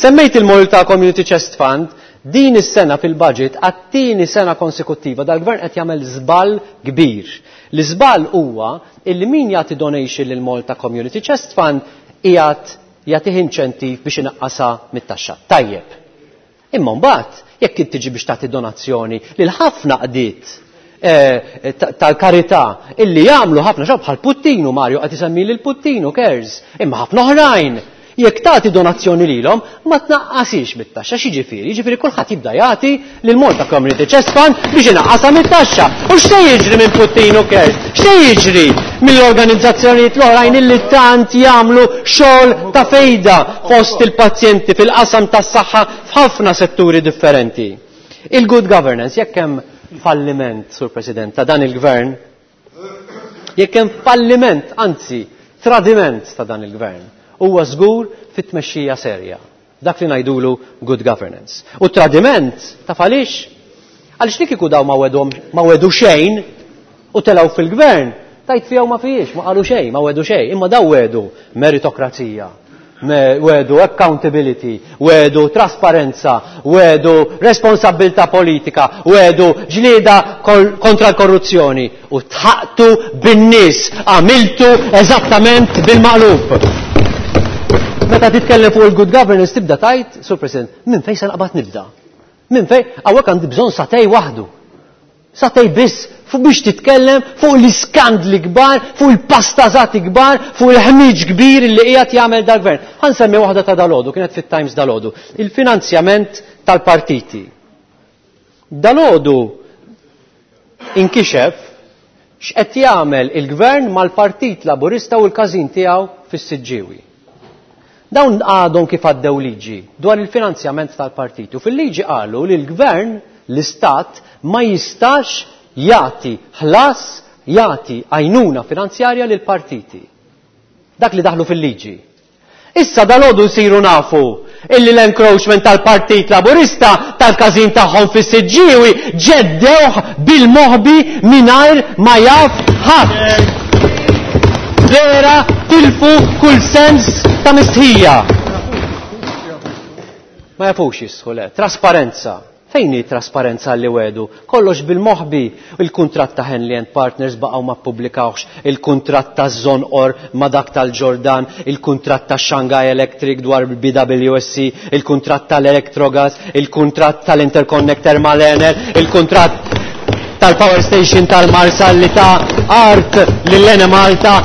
Semmejt il-Malta Community Chest Fund, din is-sena fil-budget għat-tieni sena konsekuttiva dal-gvern qed jagħmel żball kbir. L-iżball huwa illi min jagħti donation lil Malta Community Chest Fund qiegħed jagħtih inċentiv biex inaqqasha mit-taxxa. Tajjeb. Imma mbagħad jekk int tiġi biex tagħti donazzjoni lil ħafna qdiet eh, tal-karità illi jagħmlu ħafna xogħol bħal Puttinu Mario qed isemmi lil Puttinu cares, imma ħafna oħrajn. Jekk tagħti donazzjoni lilhom ma tnaqqasix mit-taxxa, x'jiġifieri? Jiġifieri kulħadd jibda jagħti lil Malta Community Chest Fund biex inaqqasha mit-taxxa. U x'se jiġri minn Puttinu Cares? X'se jiġri mill-organizzazzjonijiet l-oħrajn illi tant jagħmlu xogħol ta' fejda fost il-pazjenti fil-qasam tas-saħħa f'ħafna setturi differenti? Il-good governance, jekk hemm falliment, Sur President, ta' dan il-gvern, jekk hemm falliment, anzi, tradiment ta' dan il-gvern, huwa żgur fit-tmexxija serja. Dak li ngħidulu good governance. U tradiment, taf għaliex? Għaliex li kieku daw ma wedhom ma wedu xejn u telgħu fil-gvern, tajt fiha u ma fihiex, ma qalu xejn, ma wedu xejn, imma daw wedu meritokrazija, wedu accountability, wedu trasparenza, wedu responsabilità politika, wedu ġlieda kontra l-korruzzjoni u tħaqtu bin-nies, għamiltu eżattament bil-maqlub. Meta titkellem fuq il-good governance tibda tajt, Sur President, minn fejn se naqbad nibda? Minn fejn? Hawnhekk għandi bżonn satej waħdu. Satej biss fuq biex titkellem fuq l-iskandli kbar, fuq il-pastażati kbar, fuq il-ħmiġ kbir li qiegħed jagħmel dal-gvern. Ħa nsemmi waħda ta' dalodu, kienet fit-Times dalodu, il-finanzjament tal-partiti. Dalodu inkixef X'qed jagħmel il-Gvern mal-Partit Laburista u l-każin tiegħu fis-Siġġiewi. Dawn għadhom kif għaddew liġi dwar il-finanzjament tal-partit u fil-liġi qalu li l-Gvern, l-Istat, ma jistax jagħti ħlas, jagħti għajnuna finanzjarja lill-partiti. Dak li daħlu fil-liġi. Issa dalgħodu nsiru nafu illi l-encroachment tal-Partit Laburista tal-każin tagħhom fis-Siġġiewi ġeddewh bil-moħbi mingħajr ma jaf ħadd. Vera tilfu kull sens ta' mistħija. Ma jafux jistħu le. Trasparenza. Fejn hi t-trasparenza li wegħdu? Kollox bil-moħbi. Il-kuntratt ta' Henley and Partners baqgħu ma ppubblikawhx, il-kuntratt ta' Zonqor ma' dak tal-Ġordan, il-kuntratt ta' Shanghai Electric dwar il-BWSC, il-kuntratt tal-Electrogas, il-kuntratt tal-interconnector mal-Enel, il-kuntratt tal-power station tal-Marsa li ta art lill-Enemalta,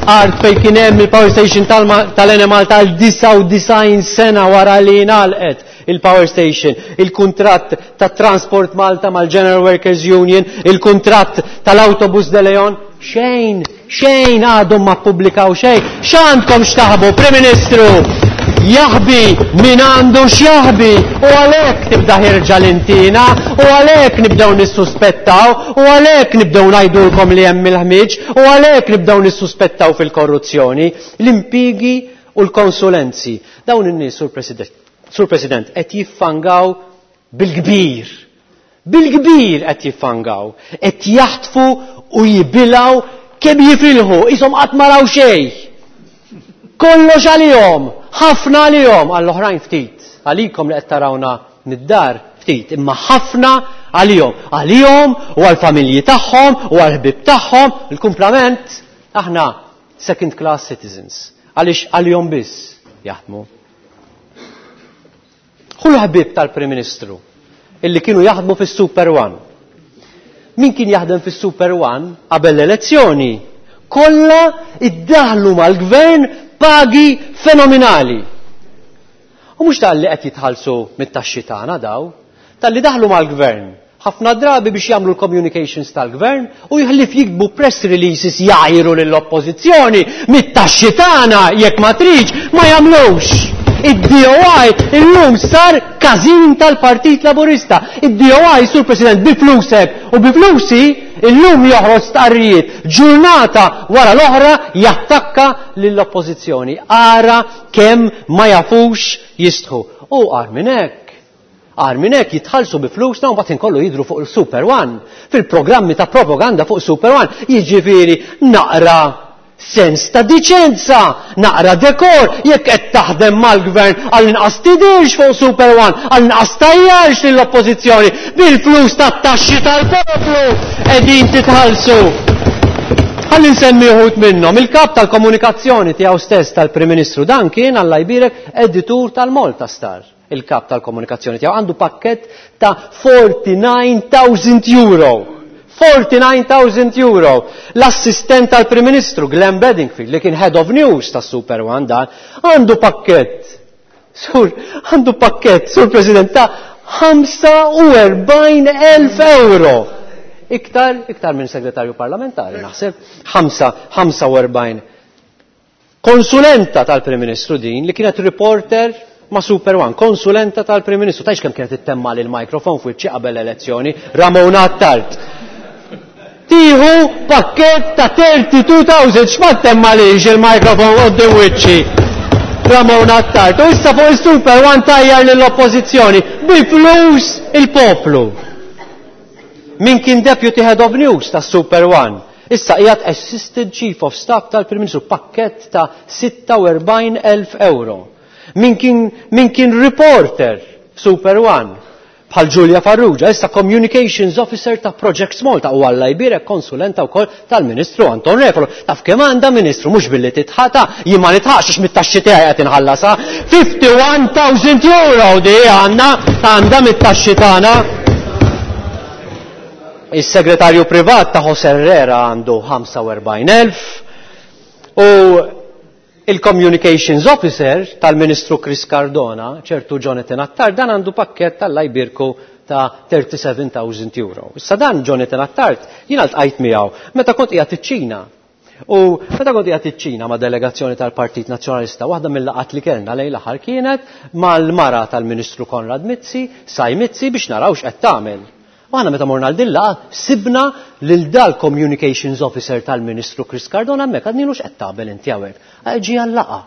art fejn kien hemm il-power station tal-Enemalta għal 99 sena wara li ngħalqet. il-power station, il-kuntratt ta' Transport Malta mal-General Workers Union, il-kuntratt tal-Autobus de Leon, xejn, xejn għadhom ma ppubblikaw xejn. X'għandkom x'taħbu, Prim Ministru? Jaħbi min għandu x'jaħbi u għalhekk tibda ħirġa l-intina u għalhekk nibdew nissuspettaw u għalhekk nibdew ngħidulkom li hemm il-ħmieġ u għalhekk nibdew nissuspettaw fil-korruzzjoni, l-impjiegi u l-konsulenzi. Dawn in-nies, Sur President, Sur President, qed jiffangaw bil-kbir. Bil-kbir qed jiffangaw. Qed jaħtfu u jibilgħu kemm jifilħu, qishom qatt ma raw xejn. Kollox għalihom, ħafna għalihom, għall-oħrajn ftit. Għalikom li qed tarawna mid-dar ftit, imma ħafna għalihom. Għalihom u għall-familji tagħhom u għall-ħbieb tagħhom, il-kumplament aħna second class citizens. Għaliex għalihom biss jaħdmu. Hu l-ħbieb tal-Prim Ministru illi kienu jaħdmu fis-Super One. Min kien jaħdem fis-Super One qabel l-elezzjoni kollha iddaħlu mal-gvern pagi fenomenali. U mhux talli qed jitħallsu mit-taxxi tagħna daw, talli daħlu mal-gvern ħafna drabi biex jagħmlu l-communications tal-gvern u jħlif jiktbu press releases jgħajru lill-oppożizzjoni mit-taxxi tagħna jekk ma tridx ma jagħmlux. Id-DOI illum sar każin tal-Partit Laburista. Id-DOI, Sur President, bi flusek u bi flusi illum joħroġ stqarrijiet ġurnata wara l-oħra jattakka lill-oppożizzjoni. Ara kemm ma jafux jistħu. U agħar minn hekk, Agħar minn hekk jitħallsu bi flusna u mbagħad inkollu jidhru fuq il-Super One, fil-programmi ta' propaganda fuq Super One, jiġifieri naqra sens ta' diċenza, naqra dekor, jekk qed taħdem mal-gvern għall-inqas tidhirx fuq Super One, għall-inqas tgħajjarx lill-Oppożizzjoni bil-flus tat-taxxi tal-poplu qegħdin titħallsu. Ħalli nsemmi uħud minnhom, il-kap tal-komunikazzjoni tiegħu stess tal-Prim Ministru dan kien Alla jbierek editur tal-Malta Star. Il-kap tal-komunikazzjoni tiegħu għandu pakkett ta' 49,000 euro. 49,000 euro. L-assistent tal-Prim Ministru Glenn Bedingfield li kien Head of News tas Super One dan għandu pakkett. Sur, għandu pakkett, Sur President, ta' 45,000 euro. Iktar, iktar minn segretarju parlamentari, naħseb, 45 Konsulenta tal-Prim Ministru din li kienet reporter ma' Super One, konsulenta tal-Prim Ministru. Tgħidx kemm kienet ittemma' l-mikrofon f'wiċċi qabel l-elezzjoni, Ramona Attard. Tieħu pakkett ta' 32,000 x'ma ttemmalix il-mikrofon quddiem wiċċi. Ramona Attard. U issa fuq il-Super One tajjar lill-Oppożizzjoni bi flus il-poplu. Min kien Deputy Head of News tas-Super One Issa qiegħed Assistant Chief of Staff tal-Prim Ministru, pakkett ta' 46,000 euro. Min kien, min kien reporter f'Super One, bħal Julia Farrugia, issa Communications Officer ta' Projects Malta u Alla jbierek konsulenta wkoll tal-Ministru Anton Refalo. Taf kemm għandha Ministru mhux billi titħata, jien ma nitħax għax mit-taxxi tiegħi qed inħallasha. 51,000 euro di għandna għandha mit-taxxi tagħna. Is-segretarju privat ta' José Herrera għandu 45,000 u il-communications officer tal-Ministru Chris Cardona, ċertu Jonathan Attard, dan għandu pakkett tal jbirku ta' 37,000 euro. Issa dan Jonathan Attard jiena ltqajt miegħu meta kont qiegħed iċ-Ċina. U meta kont qiegħed iċ-Ċina ma' delegazzjoni tal-Partit Nazzjonalista, waħda mill-laqgħat li kellna lejn l-aħħar kienet mal-mara tal-Ministru Konrad Mizzi, Sai Mizzi, biex naraw x'qed tagħmel. U aħna meta morna għal din laqgħa sibna lil dal-Communications Officer tal-Ministru Chris Cardona hemmhekk għadnilu x'qed tagħmel inti hawnhekk. Ġie għal-laqgħa.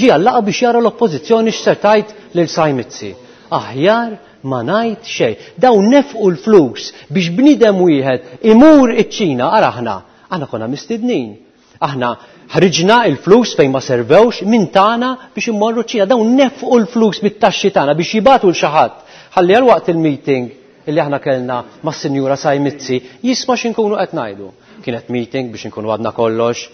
Ġie għal-laqgħa biex jara l-Oppożizzjoni x'ser tgħid lil Sai Mizzi. Aħjar ma ngħid xejn. Dawn nefqu l-flus biex bniedem wieħed imur iċ-Ċina, ara aħna, aħna konna mistednin. Aħna ħriġna l-flus fejn ma servewx minn tagħna biex immorru ċ-Ċina. Dawn nefqu l-flus mit-taxxi tagħna biex jibagħtu l xi ħadd. Ħalli għal waqt il-meeting illi aħna kellna mas-Sinjura Sai Mizzi jisma' x'inkunu qed ngħidu. Kienet meeting biex inkunu għadna kollox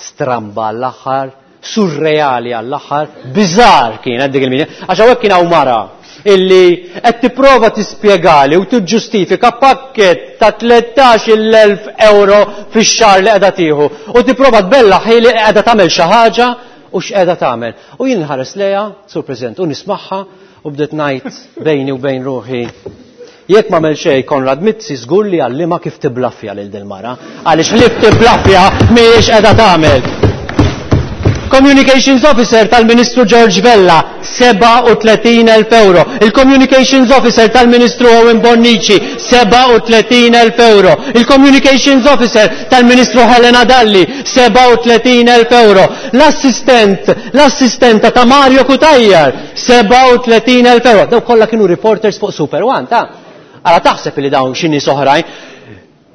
stramba għall-aħħar, surreali għall-aħħar, biżar kienet dik il-meeting. Għax hawnhekk kien hawn mara illi qed tipprova tispjegali u tiġġustifika pakkett ta' 13,000 euro fix-xahar li qiegħda tieħu u tipprova tbellaħ hi li qiegħda tagħmel xi ħaġa u x'qiegħda tagħmel. U jien nħares lejha, Sur President, u nismagħha u bdiet ngħid bejni u bejn ruħi jekk m'għamel xejn Konrad Mizzi żgur li għallimha kif tiblaffja lil din mara, għaliex ħlief tiblaffja mhijiex qiegħda tagħmel. Communications Officer tal-Ministru George Vella, 37,000 euro. Il-Communications Officer tal-Ministru Owen Bonnici, 37,000 euro. Il-Communications Officer tal-Ministru Helena Dalli, 37,000 euro. L-assistent, l-assistenta ta' Mario Cutajar, 37,000 euro. Daw kollha kienu reporters fuq Super One, ta' Ara taħseb li dawn xi nies oħrajn.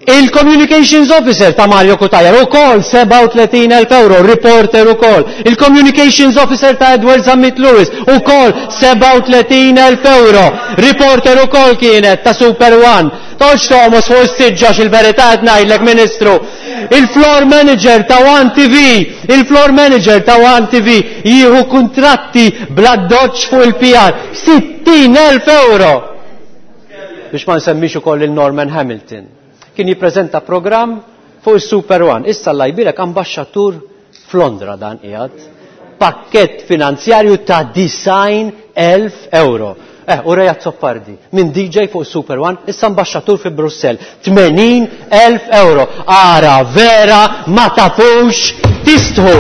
Il-Communications Officer ta' Mario Cutajar ukoll 37,000 euro, reporter ukoll. Il-Communications Officer ta' Edward Zammit Lewis ukoll 37,000 euro, reporter ukoll kienet ta' Super One. Toqgħodx toqmos fuq is-siġġa x'il-verità qed ngħidlek, Ministru. Il-floor manager ta' One TV, il-floor manager ta' One TV jieħu kuntratti bl-addoċċ fuq il-PR, 60,000 euro. Biex ma nsemmix ukoll lil Norman Hamilton. Kien jippreżenta programm fuq is-Super One. Issa Alla jbierek ambaxxatur f'Londra dan qiegħed. Pakkett finanzjarju ta' 90,000 euro. U Ray Azzopardi, minn DJ fuq Super One, issa ambaxxatur fi Brussell, 80,000 euro. Ara vera ma tafux tistħu.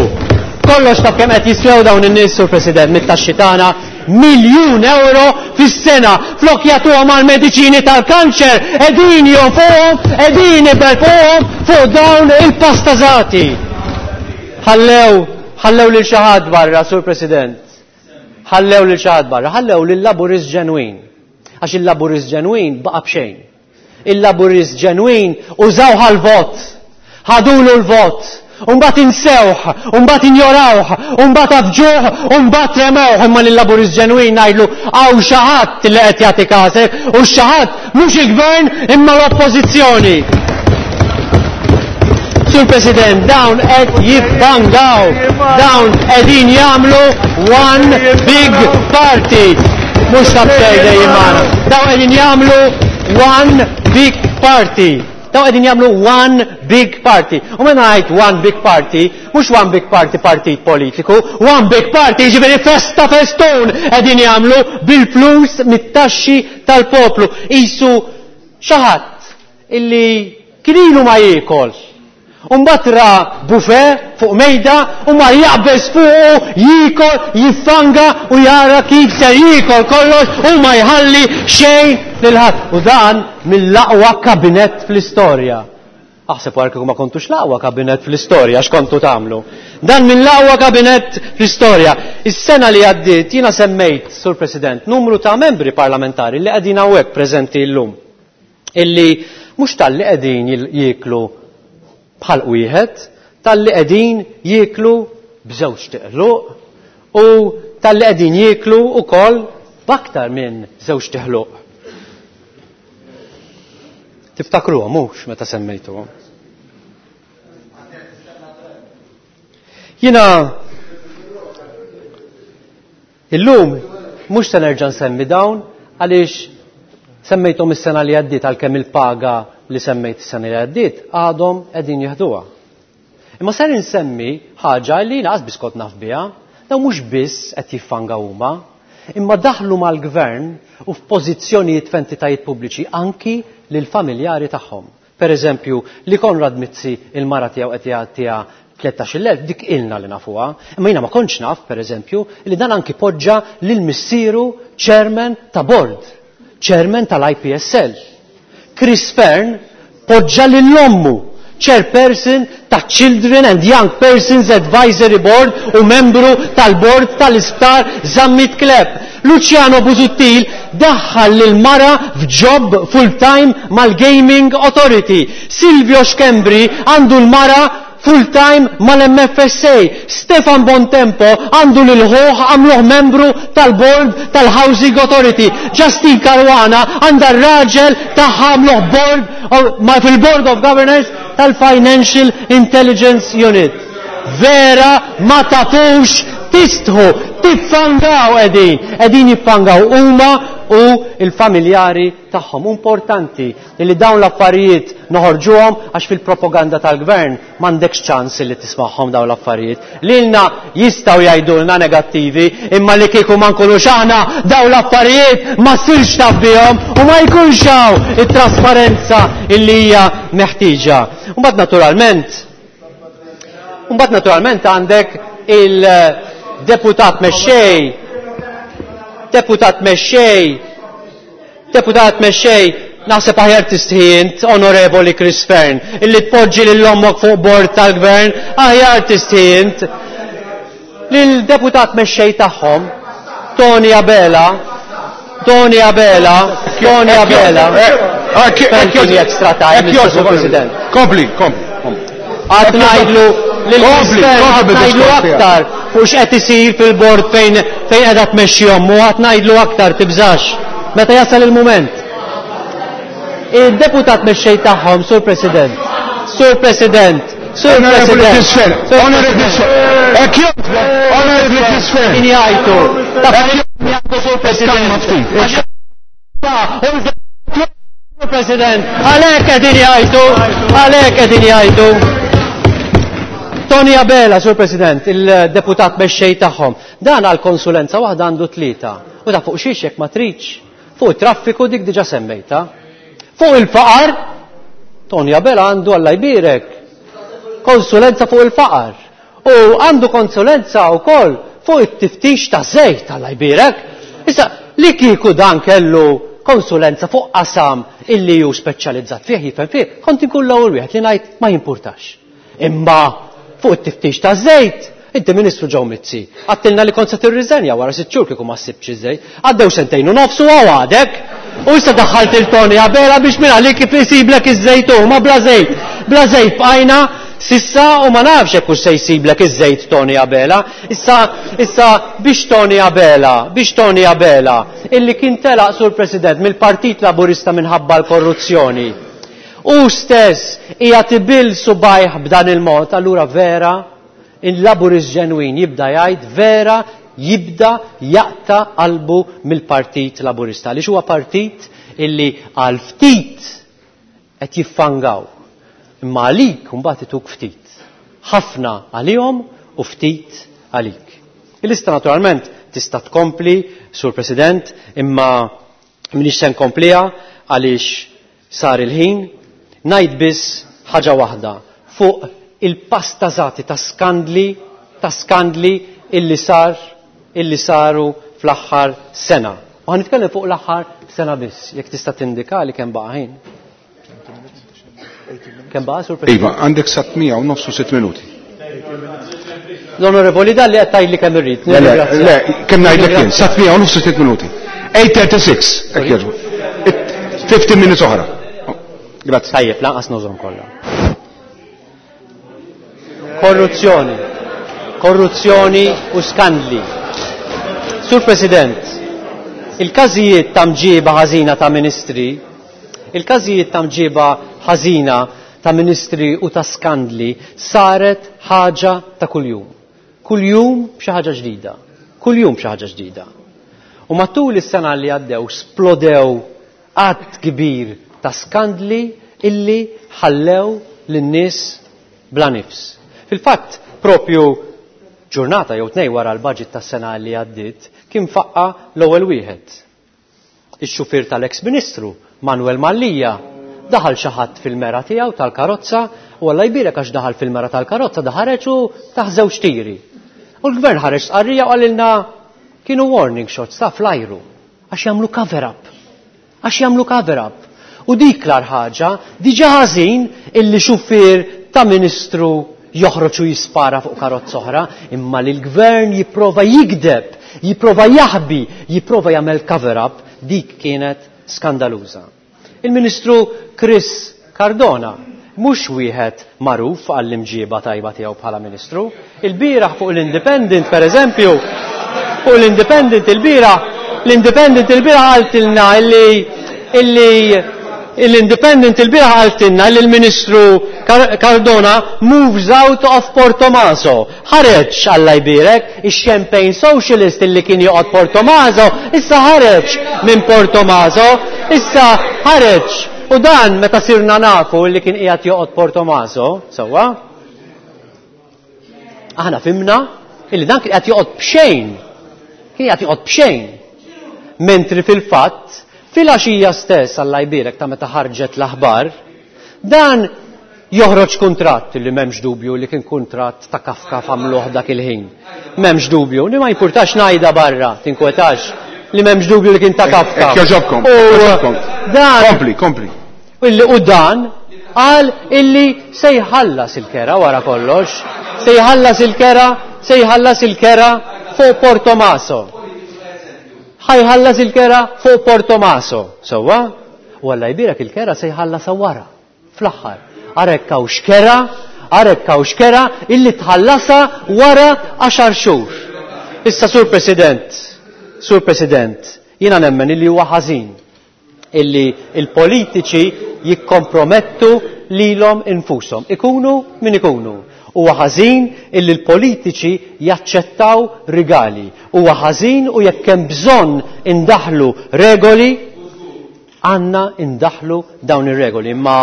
Kollox taf kemm qed jiswew dawn in-nies, Sur President, mit-taxxi tagħna, miljun euro fis-sena. Flok jagħtuhom għall-mediċini tal-kanċer, qegħdin jonfuhom, qegħdin iberfuhom fuq dawn il-pastażati. Ħallew, ħallew lil xi ħadd barra, Sur President. Ħallew lil xi ħadd barra, ħallew lil laburist ġenwin. Għax il-laburist ġenwin baqa' b'xejn. Il-laburist ġenwin użawh għall-vot. Ħadulu l-vot. U mbagħad insewh, u mbagħad injorawh, u mbagħad afġuh, u mbagħad remewh. Imma lil-laburist ġenwin ngħidlu hawn xi ħadd li qed jagħti kasek, u xi ħadd mhux il-gvern imma l-oppożizzjoni. Sur President, dawn qed jiffangaw, dawn qegħdin jagħmlu one big party. Mhux ta' bxejn dejjem magħna. Dawn qegħdin jagħmlu one big party. Dawn qegħdin jagħmlu one big party. U meta ngħid one big party, mhux one big party partit politiku, one big party jiġifieri festa festun qegħdin jagħmlu bil-flus mit-taxxi tal-poplu. Qisu xi ħadd illi kien ilu ma jiekol. U mbagħad ra buffet fuq mejda u mar jaqbeż fuqu, jiekol, jiffanga u jara kif ser jiekol kollox u ma jħalli xejn lil ħadd. U dan mill-aqwa kabinett fl-istorja. Aħseb wara kieku ma kontux l-aqwa kabinett fl-istorja x'kontu tagħmlu. Dan mill-aqwa kabinett fl-istorja. Is-sena li għaddiet jiena semmejt, Sur President, numru ta' membri parlamentari li qegħdin hawnhekk preżenti llum. Illi mhux talli qegħdin jieklu bħalq wieħed, talli qegħdin jieklu b'żewġ tiqluq u talli qegħdin jieklu wkoll b'aktar minn żewġ tiħluq. Tiftakruhom mhux meta semmejtuhom. Jiena Illum mhux se nerġa' nsemmi dawn għaliex semmejthom is-sena li għaddiet għalkemm il-paga li semmejt is-sena li għaddiet għadhom qegħdin jeħduha. Imma ser insemmi ħaġa li lanqas biss kont naf biha, dawn mhux biss qed jiffangaw huma. Imma daħlu mal-gvern u f'pożizzjonijiet f'entitajiet pubbliċi anki lill-familjari tagħhom. Per eżempju, li Konrad Mizzi il-mara tiegħu qed jagħtiha 13,000 dik ilna li nafuha, imma jiena ma kontx naf, per eżempju, li dan anki poġġa lil missieru chairman ta' board, chairman tal-IPSL. Chris Fearne poġġa lil ommu chairperson ta' Children and Young Persons Advisory Board u membru tal-board tal-isptar Zammit Klepp. Luciano Busuttil daħħal lil mara f'job full-time mal-Gaming Authority. Silvio Schembri għandu l-mara full-time mal-MFSA. Stefan Bontempo għandu lil ħuh għamluh membru tal-board tal-Housing Authority. Justyne Caruana għandha r-raġel tagħha għamluh board ma fil-Board of Governors tal-Financial Intelligence Unit. Vera ma tafux tistħu, tiffangaw qegħdin, qegħdin jiffangaw huma u il-familjari tagħhom. Importanti li dawn l-affarijiet noħorġuhom għax fil-propaganda tal-gvern m'għandekx ċans li tismagħhom dawn l-affarijiet. Lilna jistgħu jgħidulna negattivi, imma li kieku ma nkunux aħna dawn l-affarijiet ma ssirx taf bihom u ma jkunx hawn it-trasparenza illi hija meħtieġa. Mbagħad naturalment għandek il-deputat mexxej, deputat mexxej, deputat mexxej, naħseb aħjar tistħi int, Onorevoli Chris Fearne, illi tpoġġi lil ommok fuq bord tal-gvern, aħjar tistħi int. Lil-deputat mexxej tagħhom, Tony Abela, Tony Abela, Tony Abela. Thank you, extra time, Mr. President. Kompli, kompli, kompli. Għad ngħidlu lil Kompli, Chris Fearne, kompli għad ngħidlu bid-diskors tiegħek. aktar fuq x'qed isir fil-bord fejn qiegħda tmexxi ommu, għad ngħidlu aktar, tibżax. Meta jasal il-mument. Il-deputat mexxej tagħhom, Sur President, Sur President, Sur Honorable President, Chris Fearne, Sur Honorable President. Chris Fearne. Hekk jogħġbok, Honorable Chris Fearne. Min jgħidu? Ta' fejn jgħidu, Sur President? Sur President, għalhekk qegħdin jgħidu, għalhekk qegħdin jgħidu. Tony Abela, Sur President, il-deputat mexxej tagħhom, dan għal konsulenza waħda għandu 3. U ta' fuq xiex jekk ma tridx. Fuq it-traffiku dik diġà semmejta. Fuq il-faqar, Tony Abela għandu Alla jbierek konsulenza fuq il-faqar. U għandu konsulenza wkoll fuq it-tiftix ta' żejt, Alla jbierek. Issa, li kieku dan kellu konsulenza fuq qasam illi ju speċjalizzat fih, jifhem fih, kont inkun l-ewwel wieħed li ngħid ma jimpurtax. Imma fuq it-tiftix ta' żejt, inti Ministru Joe Mizzi, għattilna li kont se tirriżenja wara 6 xhur kieku ma ssibx iż-żejt. Għaddew sentejn u nofs u hawn għadek. U issa daħħalt il-Tony Abela biex minn għalik kif isiblek iż-żejt hu, ma bla żejt. Bla żejt bqajna sissa u ma nafx jekk hux se jsiblek iż-żejt Tony Abela. Issa, issa biex Tony Abela, biex Tony Abela, illi kien telaq Sur President mill-Partit Laburista minħabba l-korruzzjoni. U stess hija tibil subajh b'dan il-mod, allura vera il-Laburist ġenwin jibda jgħid vera jibda jaqta qalbu mill-Partit Laburista. Għaliex huwa partit illi għal ftit qed jiffangaw. Imma għalik mbagħad ituk ftit. Ħafna għalihom u ftit għalik. Il-lista naturalment tista' tkompli, Sur President, imma m'iniex se nkompliha għaliex sar il-ħin. Ngħid biss ħaġa waħda fuq il-pastażati ta' skandli, ta' skandli illi sar, illi saru fl-aħħar sena. U ħa nitkellem fuq l-aħħar sena biss, jekk tista' tindika li kemm baqa' ħin. Kemm baqa', Sur President? Iva, għandek sa tmija u nofsu 6 minuti. L-Onorevoli Dalli qed tgħidli kemm irrid. Le, le, Nirringrazzja. le, kemm ngħidlek jien, sa tmija u nofsu 6 minuti. 8:36, hekk jogħġbok. 15 minutes oħra. Grazzi. Tajjeb, lanqas nużhom kollha. Korruzzjoni. Korruzzjoni u skandli. Sur President, il-każijiet ta' mġiba ħażina ta' ministri, il-każijiet ta' mġiba ħażina ta' ministri u ta' skandli saret ħaġa ta' kuljum. Kuljum b'xi ħaġa ġdida. Kuljum b'xi ħaġa ġdida. U matul is-sena li għaddew splodew għadd kbir ta' skandli illi ħallew lin-nies bla nifs. Fil-fatt, propju ġurnata jew tnej wara l-budget tas-sena li għaddiet, kien faqqa l-ewwel wieħed. Ix-xufier tal-eks Ministru, Manuel Mallia, daħal xi ħadd fil-mera tiegħu tal-karozza u Alla jbierek għax daħal fil-mera tal-karozza da ħareġ u tah żewġ tiri. U l-gvern ħareġ stqarrija u qalilna kienu warning shots ta' fl-ajru għax jagħmlu cover up. Għax jagħmlu cover up. U dik l-agħar ħaġa, diġà ħażin illi xufier ta' ministru joħroġ u jispara fuq karozza oħra, imma li l-gvern jipprova jigdeb, jipprova jaħbi, jipprova jagħmel cover up, dik kienet skandaluża. Il-Ministru Chris Cardona mhux wieħed magħruf għall-imġieba tajba tiegħu bħala Ministru. Il-bieraħ fuq l-Independent, per eżempju, fuq l-Independent il-bieraħ, l-Independent il-bieraħ qaltilna illi illi l-Independent il-bieraħ qaltilna li l-Ministru Cardona moves out of Portomaso. Ħareġ, Alla jbierek, ix-Champagne Socialist illi kien joqgħod Portomaso, issa ħareġ minn Portomaso, issa ħareġ. U dan meta sirna nafu li kien qiegħed joqgħod Portomaso, sewwa? Aħna fimna illi dan kien qiegħed joqgħod b'xejn. Kien qiegħed joqgħod b'xejn. Mentri fil-fatt, fil-għaxija stess, Alla jbierek ta' meta ħarġet l-aħbar, dan joħroġ kuntratt li m'hemmx dubju li kien kuntratt ta' kafka f'għamluh dak il-ħin. M'hemmx dubju, li ma jimpurtax ngħidha barra, tinkwetax, li m'hemmx dubju li kien ta' kafka. Hekk jogħġobkom, hekk jogħġobkom. Dan Kompli, kompli. Illi u dan qal illi se jħallas il-kera wara kollox, se jħallas il-kera, se jħallas il-kera fuq Portomaso. Ħa jħallas il-kera fuq Portomaso, sewwa? U Alla jbierek il-kera se jħallasha wara. Fl-aħħar, ara hekk hawn x'kera, ara hekk hawn x'kera illi tħallasha wara għaxar xhur. Issa Sur President, Sur President, jiena nemmen illi huwa ħażin illi l-politiċi jikkompromettu lilhom infushom, ikunu min ikunu. Huwa ħażin illi l-politiċi jaċċettaw rigali. Huwa ħażin u jekk hemm bżonn indaħħlu regoli, Għandna indaħħlu dawn ir-regoli, imma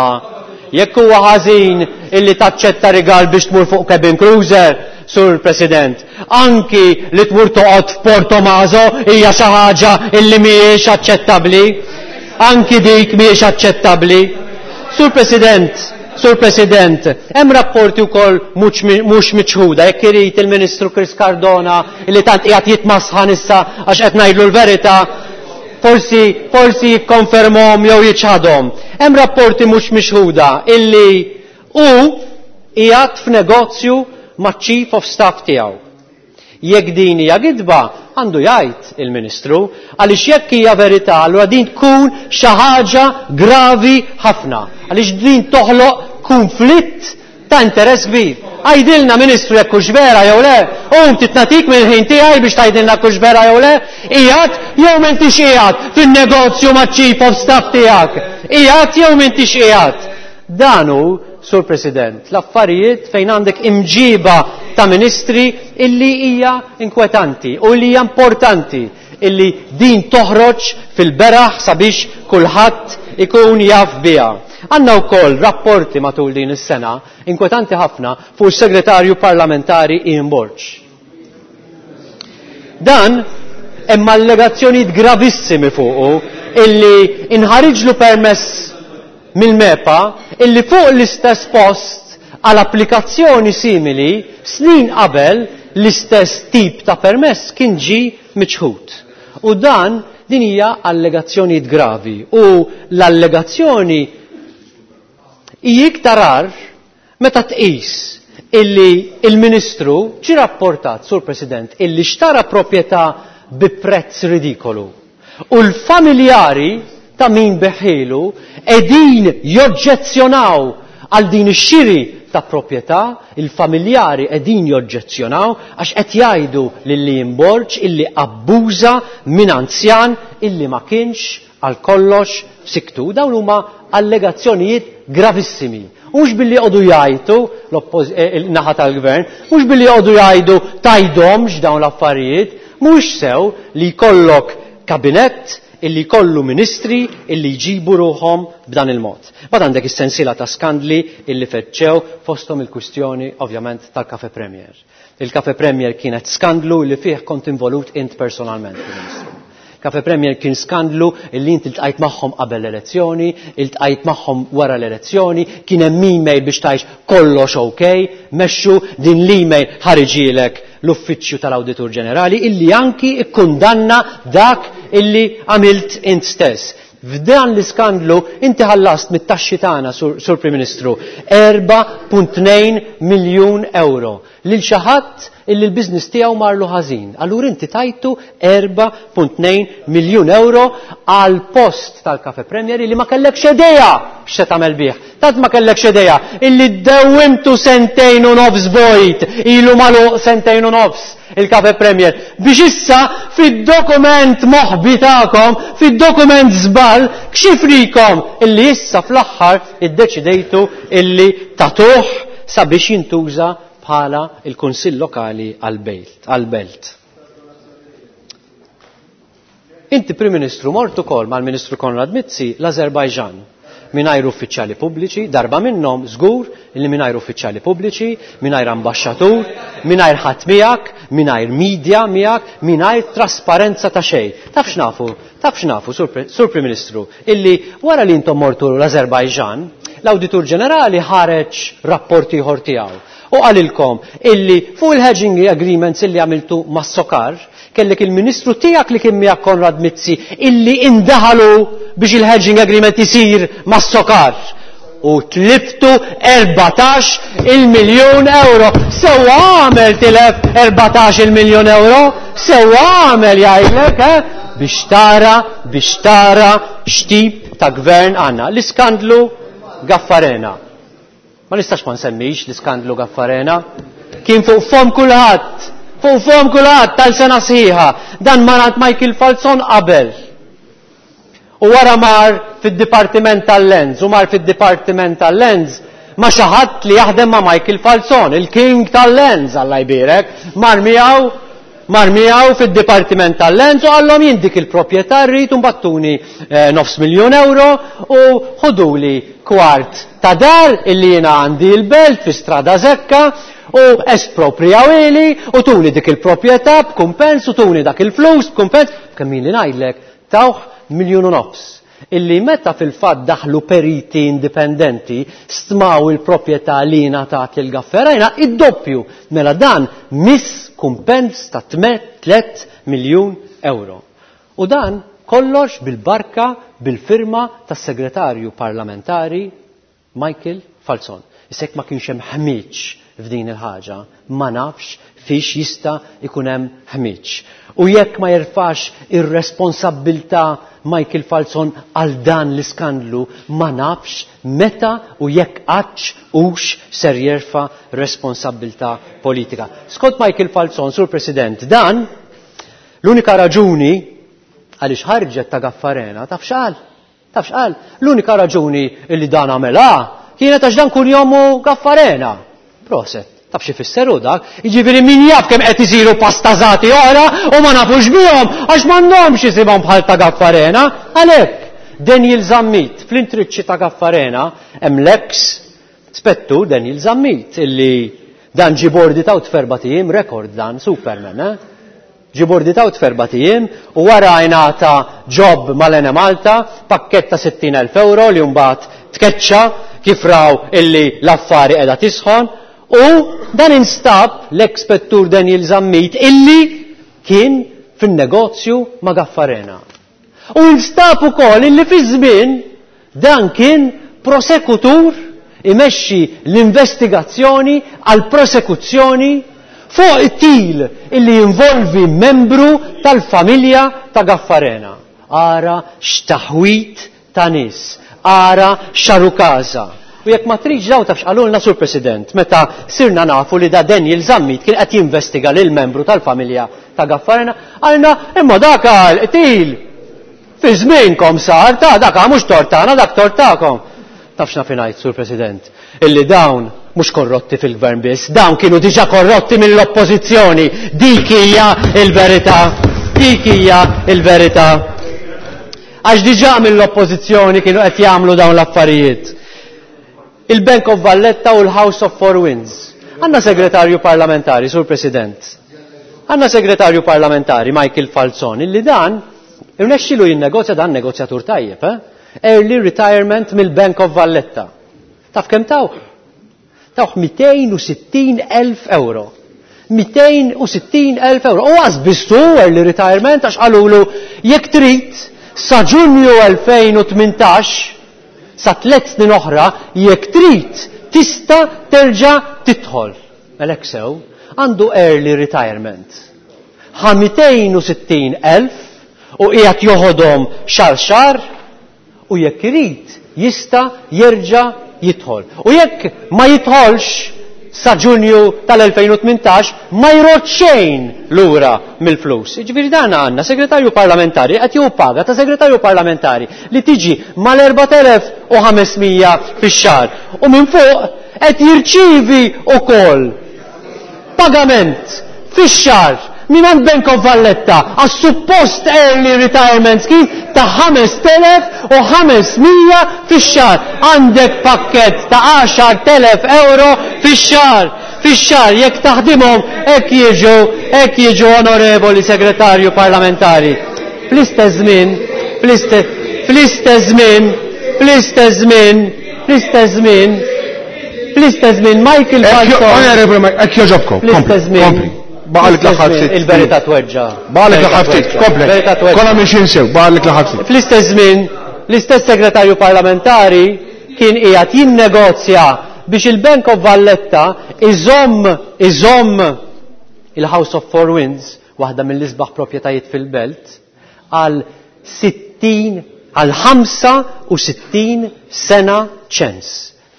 jekk huwa ħażin illi taċċetta rigal biex tmur fuq cabin cruiser, Sur President, anki li tmur toqgħod f'Portomaso hija xi ħaġa illi mhijiex aċċettabbli. Anki dik mhijiex aċċettabbli. Sur President, Sur President, hemm rapporti wkoll mhux miċħuda, jekk irid il-Ministru Chris Cardona li tant qiegħed jitmasħan issa għax qed ngħidlu l-verità, Forsi, forsi jikkonfermhom jew jiċħadhom. Hemm rapporti mhux mixħuda illi hu qiegħed f'negozju maċ-Chief of Staff tiegħu. Jekk din hija gidba, għandu jgħid il-Ministru, għaliex jekk hija verità, allura din tkun xi ħaġa gravi ħafna, għaliex din toħloq kunflitt ta' interess kbir. Għidilna Ministru jekk hux vera jew le. Qum ftit nagħtik mill-ħin tiegħi biex tgħidilna jekk hux vera jew le. Qiegħed jew m'intix qiegħed fin-negozju maċ-Chief of Staff tiegħek? Qiegħed jew m'intix qiegħed? Dan hu, Sur President, l-affarijiet fejn għandek imġiba ta' ministri illi hija inkwetanti u li hija importanti illi din toħroġ fil-beraħ sabiex kulħadd ikun jaf biha. Għandna wkoll rapporti matul din is-sena inkwetanti ħafna fuq is-Segretarju Parlamentari Ian Borg. Dan hemm allegazzjonijiet gravissimi fuqu illi inħariġlu permess mill-MEPA illi fuq l-istess post għal applikazzjoni simili snin qabel l-istess tip ta' permess kien ġie miċħud. U dan din hija allegazzjonijiet gravi u l-allegazzjoni hi iktar agħar meta tqis illi il-Ministru ġie rapportat, Sur President, illi xtara proprjetà bi prezz ridikolu u l-familjari ta' min beħielu qegħdin joġġezzjonaw għal din ix-xiri ta' proprjetà, il-familjari qegħdin joġġezzjonaw għax qed jgħidu lil Ian Borg illi abbuża minn anzjan illi ma kienx għal kollox f'siktu. Dawn huma allegazzjonijiet gravissimi. U mhux billi joqogħdu jgħajtu l-naħa tal-gvern, mhux billi joqogħdu jgħidu tgħidhomx dawn l-affarijiet, mhux sew li jkollok kabinett illi jkollu ministri illi jġibu ruħhom b'dan il-mod. Mbagħad għandek is-sensiela ta' skandli illi feġġew fosthom il-kwistjoni ovvjament tal-Cafe Premier. Il-Cafe Premier kienet skandlu li fih kont involut int personalment, Prim Ministru. Cafe Premier kien skandlu illi inti iltqajt magħhom qabel l-elezzjoni, iltqajt magħhom wara l-elezzjoni, kien hemm email biex tgħix kollox ok, mexxu din l-email ħariġielek l-Uffiċċju tal-Awditur Ġenerali illi anki ikkundanna dak illi għamilt int stess. F'dan l-iskandlu inti ħallast mit-taxxi tagħna, Sur Prim Ministru, 4.2 miljun euro lil xi ħadd illi l-business tiegħu marlu ħażin. Allura inti tajtu 4.2 miljun euro għal post tal-Cafe Premier illi ma kellekx idea x'se tagħmel bih. Tant ma kellekx idea illi ddewwimtu sentejn u nofs vojt, ilu magħluq sentejn u nofs il-Cafe Premier, biex issa fid-dokument moħbi tagħkom, fid-dokument żball, kxifrikom illi issa fl-aħħar iddeċidejtu illi tagħtuh sabiex jintuża bħala il-Kunsill Lokali għall-Belt. Inti Prim Ministru mort ukoll mal-Ministru Konrad Mizzi l-Azerbajġan mingħajr uffiċjali pubbliċi, darba minnhom żgur li mingħajr uffiċjali pubbliċi, mingħajr ambaxxatur, mingħajr ħadd miegħek, mingħajr media miegħek, mingħajr trasparenza ta' xejn. Taf x'nafu? Taf x'nafu, Sur Prim Ministru, illi wara li intom mortu l-Azerbajġan, l-Awditur Ġenerali ħareġ rapport ieħor tiegħu u qalilkom illi fuq il-hedging agreements illi għamiltu mas-Sokar, kellek il-Ministru tiegħek li kien miegħek Konrad Mizzi illi indaħalu biex il-hedging agreement isir mas-Sokar. U tliftu 14 il-miljun euro. Sewwa għamel tilef 14 il-miljun euro, sewwa għamel jgħidlek, eh? Biex tara, biex tara x'tip ta' gvern għandna. L-iskandlu Gaffarena. Ma nistax ma nsemmix l-iskandlu Gaffarena. Kien fuq fom kulħadd, fuq fom kulħadd tal-sena sħiħa. Dan marat Michael Falzon qabel. U wara mar fid-Dipartiment tal-Lens, u mar fid-Dipartiment tal-Lens ma xi ħadd li jaħdem ma' Michael Falzon, il-King tal-Lens, Alla jbierek, mar miegħu mar miegħu fid-Dipartiment tal-Lens u qallhom jien dik il-proprjetà rrid u mbattuni eh, nofs miljun euro u ħuduli kwart ta' dar illi jiena għandi l-belt fi Strada Zekka u esproprijawili u tuni dik il-proprjetà b'kumpens u tuni dak il-flus b'kumpens kemm ili ngħidlek tawh miljun u nofs illi meta fil-fatt daħlu periti indipendenti stmaw il-proprjetà li ngħatat lil Gafferajna id-doppju mela dan miss kumpens ta' 3 miljun euro. U dan kollox bil-barka bil-firma tas-segretarju parlamentari Michael Falzon. Issa jekk ma kienx hemm ħmieġ f'din il-ħaġa, ma nafx fiex jista' jkun hemm ħmieġ. U jekk ma jerfax ir-responsabbiltà Michael Falzon għal dan l-iskandlu, ma nafx meta u jekk qattx hux ser jerfa' responsabbiltà politika. Skont Michael Falzon, Sur President, dan l-unika raġuni għaliex ħarġet ta' Gaffarena, taf x'qal? Taf x'qal? L-unika raġuni li dan għamela kienet għax dan kunjomu Gaffarena. Proset. Taf xi fisser hu dak? Jiġifieri min jaf kemm qed isiru pastażati oħra u ma nafux bihom għax m'għandhomx isimhom bħal ta' Gaffarena. Għalhekk, Daniel Zammit fl-intriċċi ta' Gaffarena hemm l-eks spettur Daniel Zammit illi dan ġie boarded out f'erbat ijiem, rekord dan, Superman, eh? Ġie boarded out f'erbat ijiem u wara ingħata job mal-Enemalta, pakkett ta' 60,000 ewro li mbagħad tkeċċa kif raw illi l-affari qiegħda tisħon u dan instab l-eks spettur Daniel Zammit illi kien fin-negozju ma' Gaffarena. U instab ukoll illi fi żmien dan kien prosekutur imexxi l-investigazzjoni għal prosekuzzjoni fuq qtil illi jinvolvi membru tal-familja ta' Gaffarena. Ara x'taħwid ta' nies, ara x'għarukaża. U jekk ma tridx dawn taf x'qalulna Sur President meta sirna nafu li da Daniel Zammit kien qed jinvestiga lil membru tal-familja ta' Gaffarena, qalna imma dak qtil fi żmienkom sar ta' dak mhux tort tagħna dak tort tagħkom. Taf x'naf ingħid Sur President, illi dawn mhux korrotti fil-gvern biss, dawn kienu diġà korrotti mill-oppożizzjoni. Dik hija l-verità. Dik hija l-verità. Għax diġà mill-oppożizzjoni kienu qed jagħmlu dawn l-affarijiet. Il-Bank of Valletta u l-House of Four Winds. Għandna segretarju parlamentari, Sur President. Għandna segretarju parlamentari, Michael Falzon, illi dan irnexxilu jinnegozja dan negozjatur tajjeb, eh? Early retirement mill-Bank of Valletta. Taf kemm tawh? Tawh 260,000 euro. 260,000 euro. U għaz bistu early retirement għax qalulu jekk trid sa Ġunju 2018 sa tliet snin oħra jekk trid tista' terġa' tidħol. Mela hekk sew, għandu early retirement. Ħa 260,000 u qiegħed joħodhom xahar xahar u jekk irid jista' jerġa' jidħol. U jekk ma jidħolx sa Ġunju tal-2018 ma jrod xejn lura mill-flus. Jiġifieri dan għandna segretarju parlamentari qed jieħu paga ta' segretarju parlamentari li tiġi mal-4500 fix-xahar u minn fuq qed jirċievi wkoll pagament fix-xahar mingħand Bank of Valletta għas-suppost early retirement scheme ta' 5,500 fix-xahar. Għandek pakkett ta' 10,000 euro fix-xahar. Fix-xahar jekk taħdimhom hekk jiġu, hekk jiġu onorevoli segretarju parlamentari. Fl-istess żmien, fl-istess żmien, fl-istess żmien, fl-istess żmien, fl-istess żmien Michael Falzon. Onorevoli, hekk jogħġobkom. Fl-istess żmien. Kompli. Baqalek l-aħħar ftit. Il-verità tweġġa'. Baqalek l-aħħar ftit, kompli. Verità tweġġa'. Konna minn xi sew, baqalek l-aħħar ftit. Fl-istess żmien, l-istess segretarju parlamentari kien qiegħed jinnegozja biex il-Bank of Valletta iżomm il-House of Four Winds, waħda mill-isbaħ proprjetajiet fil-belt, għal sittin, għal ħamsa u sittin sena ċens.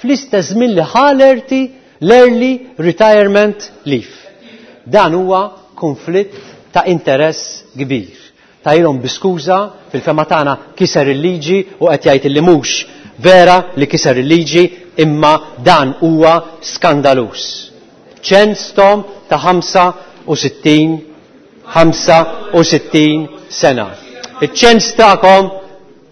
Fl-istess żmien li ħalerti l-early retirement leave. Dan huwa konflitt ta' interess kbir. Tajlhom biskuża fil-fema tagħna kiser il-liġi u qed jgħid li mhux vera li kiser il-liġi imma dan huwa skandalus. Ċens tom ta' 65 sena. Iċ-ċens tagħkom,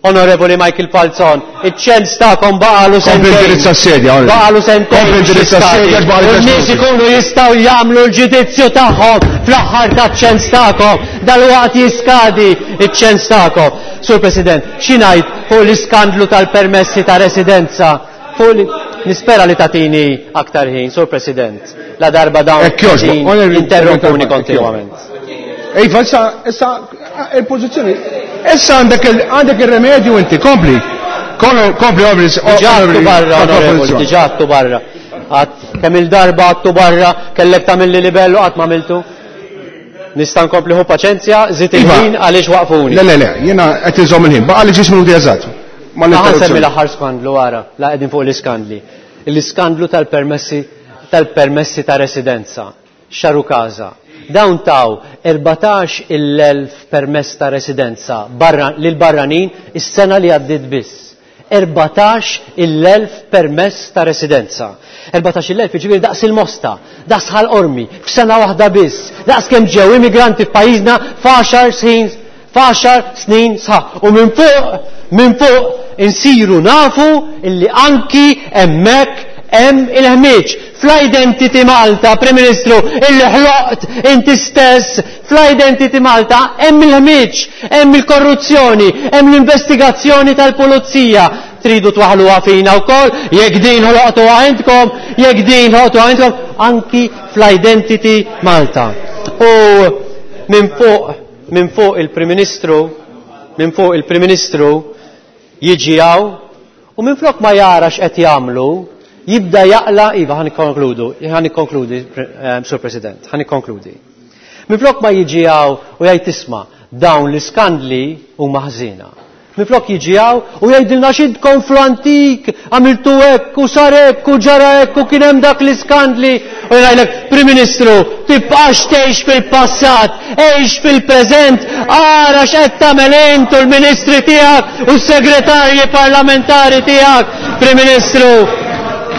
Onorevoli Michael Falzon, iċ-ċens tagħkom baqalu Kompli sentejn. indirizza s-sedja, onorevoli. Baqalu sentejn. Kompli indirizza s-sedja, Xi baqalu U n-nies sentejn. ikunu jistgħu jagħmlu l-ġudizzju tagħhom fl-aħħar taċ-ċens tagħkom. Dalwaqt jiskadi iċ-ċens tagħkom. Sur President, xi ngħid fuq l-iskandlu tal-permessi ta' residenza? Fuq li nispera li tatini aktar ħin, Sur President. La darba dawn Hekk jogħġbok, qegħdin onorevoli, interrompuni onorevoli, kontinwament. Iva, issa, il-pożizzjoni, issa għandek il-remedju inti, kompli. Kompli, onorevoli, Diġà għattu onorevoli, barra, kompli, onorevoli, pożizzjoni. diġà għattu barra. Għat, kemm il-darba għattu barra, kellek tagħmilli libellu qatt ma għamiltu. Nista' nkompli hu paċenzja, żid Iva. il-ħin għaliex waqfuni. Le, le, le, jiena qed inżomm il-ħin, baqa' li ġis minuti eżatt. Ma Ħa nsemmi l-interruzzjoni. l-aħħar skandlu wara, la qegħdin fuq l-iskandli. L-iskandlu tal-permessi ta' residenza, xaru kaza. Dawn taw erbatax il-elf permess ta' residenza lil barranin is-sena li għaddiet biss. Erbatax il-elf permess ta' residenza. Erbatax il-elf jiġifieri daqs il-Mosta, daqs Ħal Qormi, f'sena waħda biss, daqs kemm ġew immigranti f'pajjiżna f'għaxar snin, f'għaxar snin sħaħ. U minn fuq insiru nafu illi anki hemmhekk hemm il-ħmieġ. Fl-Identity Malta, Prim Ministru, illi ħloqt inti stess, fl-Identity Malta hemm il-ħmieġ, hemm il-korruzzjoni, hemm l-investigazzjoni tal-pulizija. Tridu twaħluha fina wkoll, jekk din ħloqtuha intkom, jekk din ħloqtuha intkom, anki fl-Identity Malta. U minn fuq il-Prim Ministru, minn fuq il-Prim Ministru jiġi hawn u minn flok ma jara x'qed jagħmlu, jibda jaqla, iva, ħan ikkonkludu, ħan ikkonkludi, Sur President, ħan ikkonkludi. Minflok ma jiġi hawn u jgħid tisma' dawn l-iskandli huma ħżiena. Minflok jiġi hawn u jgħidilna x'intkom fl-antik, għamiltu hekk u sar hekk u ġara hekk u kien hemm dak l-iskandli. U jgħidlek, Prim Ministru, tibqax tgħix fil-passat, għix fil-preżent, ara x'qed tagħmel int u l-ministri tiegħek u s-segretarji parlamentari tiegħek, Prim Ministru.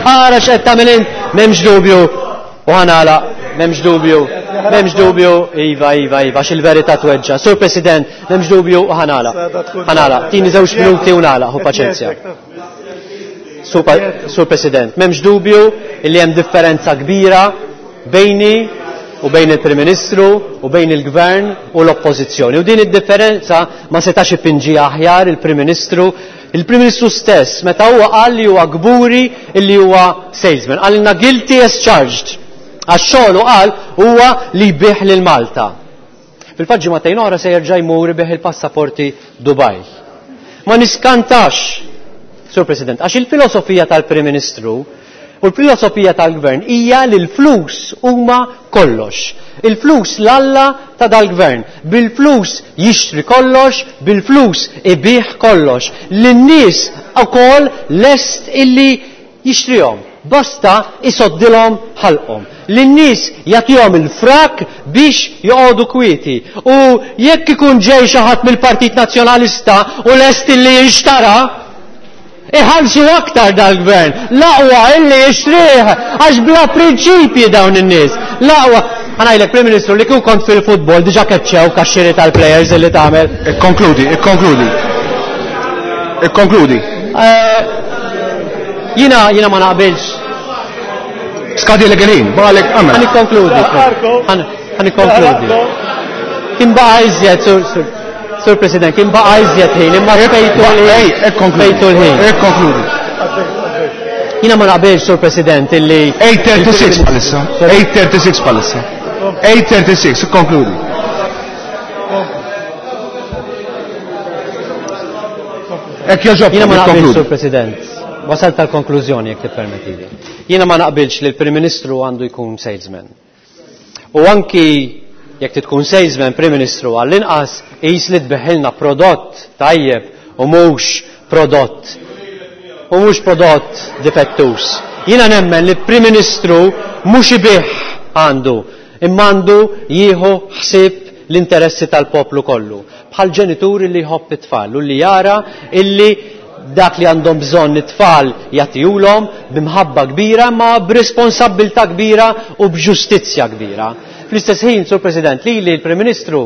Ara x'qed tagħmel int, m'hemmx dubju. U ħanala, m'hemmx dubju, m'hemmx dubju, iva, iva, iva, għax il-verità tweġġa. Sur President, m'hemmx dubju u ħanala. Ħanala, tini żewġ minuti u nagħlaq, hu paċenzja. Sur President, m'hemmx dubju li hemm differenza kbira bejni u bejn il-Prim Ministru u bejn il-Gvern u l-Oppożizzjoni. U din id-differenza ma setax ipinġi aħjar il-Prim Ministru. Il-Prim Ministru stess meta huwa qal li huwa kburi li huwa salesman. Qalilna guilty as charged. Għax xogħlu qal huwa li jbigħ lil Malta. Fil-fatt ġimagħtejn oħra se jerġa' jmur ibigħ il-passaporti Dubai. Ma niskantax, Sur President, għax il-filosofija tal-Prim Ministru u l-filosofija tal-Gvern hija li l-flus huma kollox. Il-flus l-alla ta' dal-Gvern. Bil-flus jixtri kollox, bil-flus ibigħ kollox. Lin-nies ukoll lest illi jixtrihom, basta isoddilhom ħalqhom. Lin-nies jagħtihom il-frak biex joqogħdu kwieti. U jekk ikun ġej xi ħadd mill-Partit Nazzjonalista u lest illi jinxtara, iħallsu aktar dal-gvern. L-aqwa illi jixtrih għax bla prinċipji dawn in-nies. L-aqwa Ħa ngħidlek Prim Ministru li kieku kont fil-futbol diġà keċċewk għax-xiri tal-players illi tagħmel. Ikkonkludi, ikkonkludi. Ikkonkludi. Eh, Jina, jina ma naqbilx. Skadilek il-ħin, baqalek għamel. Ħa nikkonkludi. Ħa nikkonkludi. Kien baqa' iżjed, sur, sur, sur President, kien baqa' iżjed ħin, imma spejtu l-ħin. Spejtu l-ħin. Ikkonkludi. Jina ma naqbilx, Sur President, illi. 8.36 bħalissa. 8.36 bħalissa. 8.36, ikkonkludi. Hekk jogħġobkom, Jiena ma naqbilx, ikkonkludi. Sur President. Wasalt tal-konklużjoni jekk tippermettili. Jiena ma naqbilx li l-Prim Ministru għandu jkun salesman. U anki jekk tkun salesman Prim Ministru għall-inqas qis li tbigħilna prodott tajjeb u mhux prodott u mhux prodott difettuż. Jiena nemmen li Prim Ministru mhux ibigħ għandu imma għandu jieħu ħsieb l-interessi tal-poplu kollu. Bħal ġenituri li jħobb it-tfal u li jara illi dak li għandhom bżonn it-tfal jagħtihulhom b'imħabba kbira ma b'responsabbiltà kbira u b'ġustizzja kbira. Fl-istess ħin, Sur President, lili l-Prim Ministru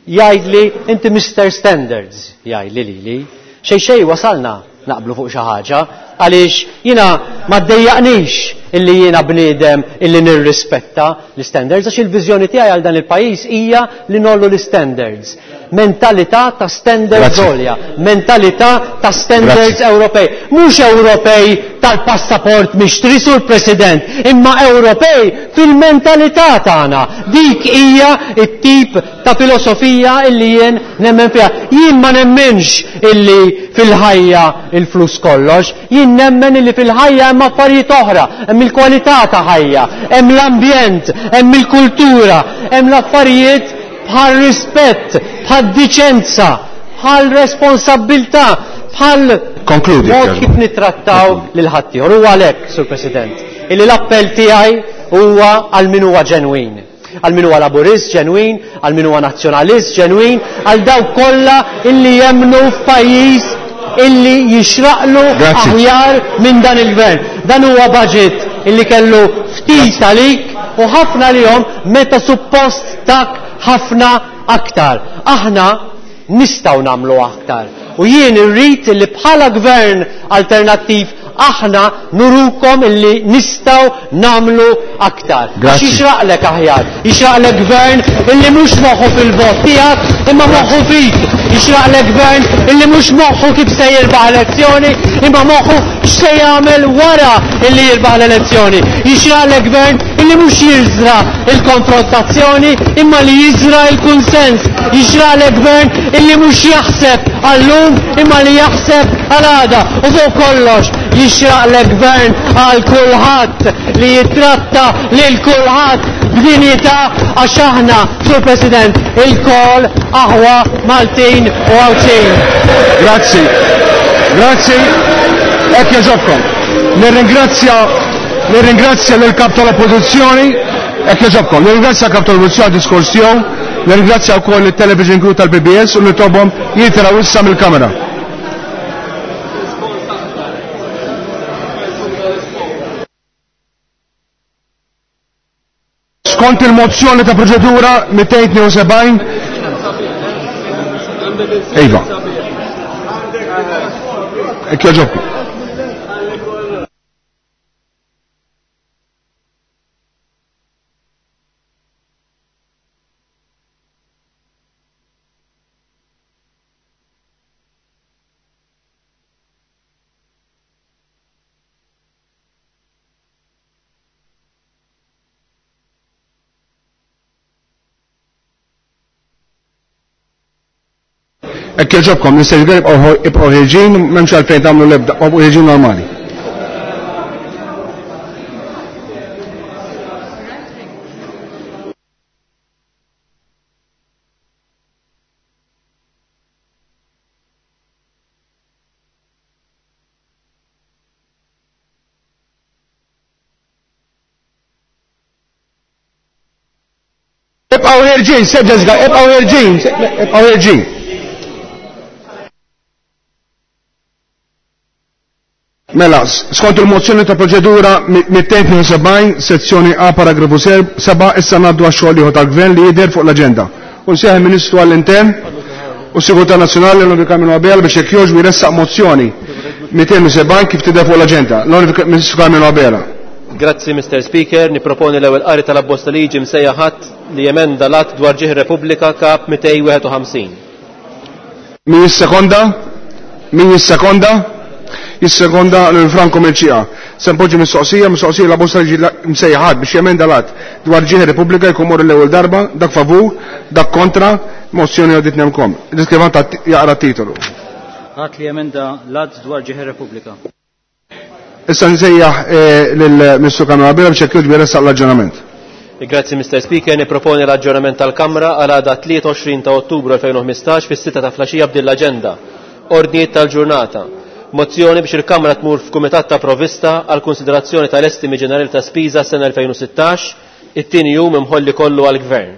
jgħidli inti Mr. Standards, jgħidli lili. Xejn xejn wasalna naqblu fuq xi ħaġa għaliex jiena ma ddejjaqnix illi jiena bniedem illi nirrispetta l-standards għax il-viżjoni tiegħi għal dan il-pajjiż hija li ngħollu l-standards. Mentalità ta' standards Grazzi. għolja, mentalità ta' standards Grazzi. Ewropej. Mhux Ewropej tal-passaport mixtri sur President, imma Ewropej fil-mentalità tagħna. Dik hija t-tip ta' filosofija illi jien nemmen fiha. Jien ma nemminx illi fil-ħajja il-flus kollox, jien nemmen illi fil-ħajja hemm affarijiet oħra, hemm il-kwalità ta' ħajja, hemm l-ambjent, hemm il-kultura, hemm l-affarijiet bħal rispett, bħal diċenza, bħal responsabbiltà, bħal Konkludi, mod Kjarba. kif nittrattaw lil ħaddieħor. U għalhekk, Sur President, illi l-appell tiegħi huwa għal min huwa ġenwin. Għal min huwa laburist ġenwin, għal min huwa nazzjonalist ġenwin, għal dawk kollha illi jemmnu f'pajjiż illi jixraqlu Grazzi. aħjar minn dan il-gvern. Dan huwa budget illi kellu ftit għalik u ħafna lihom meta suppost tak ħafna aktar. Aħna nistgħu nagħmlu aktar. U jien irrid illi bħala gvern alternattiv aħna nurukom illi nistgħu nagħmlu aktar. Grazzi. Għax jixraqlek aħjar, jixraqlek gvern illi mhux moħħu fil-vot tiegħek imma moħħu fik. Jixraqlek gvern illi mhux moħħu kif se jirbaħ elezzjoni imma moħħu x'se jagħmel wara illi jirbaħ l-elezzjoni. Jixraqlek gvern illi mhux jiżra il-konfrontazzjoni imma li jiżra il-kunsens. Jixraqlek gvern illi mhux jaħseb għallum imma li jaħseb għal-għada. U fuq kollox jixraqlek gvern għal kulħadd li jitratta lil kulħadd b'dinjità għax aħna, Sur President, ilkoll aħwa Maltin u Għawdxin. Grazzi. Grazzi. Hekk jogħġobkom. Nirringrazzja nirringrazzja lil kap tal-Oppożizzjoni. Hekk jogħġobkom. Nirringrazzja kap tal-Oppożizzjoni għad-diskors tiegħu. Nirringrazzja wkoll it-television crew tal-PBS u nitolbhom jitilgħu issa mill-kamera. Skont il-mozzjoni ta' proċedura 272. Iva. Hekk jogħġobkom. Hekk jogħġobkom, nistgħu ibqgħu ħirġin, m'hemmx għalfejn tagħmlu l-ebda, ibqgħu ħirġin normali. Ibqgħu ħirġin, seġġa ibqgħu ħirġin, ibqgħu ħirġin. Mela, skont il-mozzjoni ta' proċedura 272, sezzjoni A, paragrafu 7, issa ngħaddu għax-xogħol ieħor tal-Gvern li jidher fuq l-aġenda. U nsejħ il-Ministru għall-Intern u Sigurtà Nazzjonali l-Onorevoli Carmelo Abela biex jekk jogħġbu jressaq mozzjoni 270 kif tidher fuq l-aġenda. L-Onorevoli Ministru Carmelo Abela. Grazzi, Mr. Speaker. Niproponi l-ewwel qari tal-abbozz ta' liġi msejjaħ att li jemenda l-att dwar ġieħ Repubblika Kap 251. Min jissekonda? Min jissekonda? Jissekonda lil Franco Mercieca. Se npoġġi mistoqsija, mistoqsija l-abbozz ta' liġi msejjaħ att biex jemenda l-att dwar ġieħ Repubblika jkun mor l-ewwel darba, dak favur, dak kontra, mozzjoni għaddit nemkom. Il-iskrivant jaqra t-titolu. Att li jemenda l-att dwar ġieħ Repubblika. Issa nsejjaħ lill-Ministru Carmelo Abela biex jekk jogħġbu jressaq l-aġġornament. Grazzi, Mr. Speaker. Niproponi l-aġġornament tal-Kamra għal għada 23 ta' Ottubru 2015 fis-6 ta' flaxija b'din l-aġenda. Ordnijiet tal-ġurnata. Mozzjoni biex il-Kamra tmur f'Kumitat ta' Provvista għal konsiderazzjoni tal-estimi ġenerali ta' spiża sena 2016, it-tieni jum imħolli kollu għall-Gvern.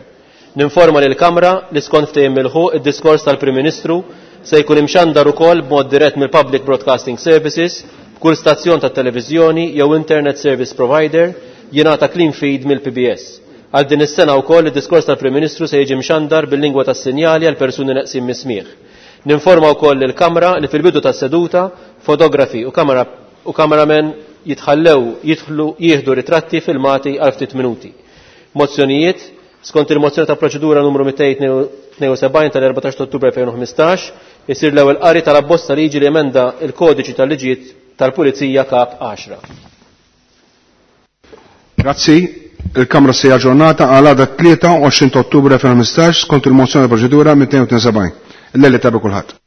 Ninforma lill-Kamra li skont ftehim milħuq id-diskors tal-Prim Ministru se jkun imxandar ukoll b'mod dirett mill-Public Broadcasting Services f'kull stazzjon ta' televiżjoni jew Internet Service Provider jingħata clean feed mill-PBS. Għal din is-sena wkoll id-diskors tal-Prim Ministru se jiġi mxandar bil-lingwa tas-sinjali għal persuni neqsin mis-smigħ. Ninforma wkoll lill-Kamra li fil-bidu tas-seduta fotografi u kamera u cameramen jitħallew jidħlu jieħdu ritratti filmati għal ftit minuti. Mozzjonijiet skont il-mozzjoni ta' proċedura numru 272 tal-14 Ottubru 2015 isir l-ewwel qari tal-abbozz ta' liġi li emenda il-kodiċi tal-liġijiet tal-Pulizija Kap 10. Grazzi. Il-Kamra se aġġornata għal għada 23 Ottubru 2015 skont il-mozzjoni ta' proċedura 272. Il-lejl tajjeb kulħadd.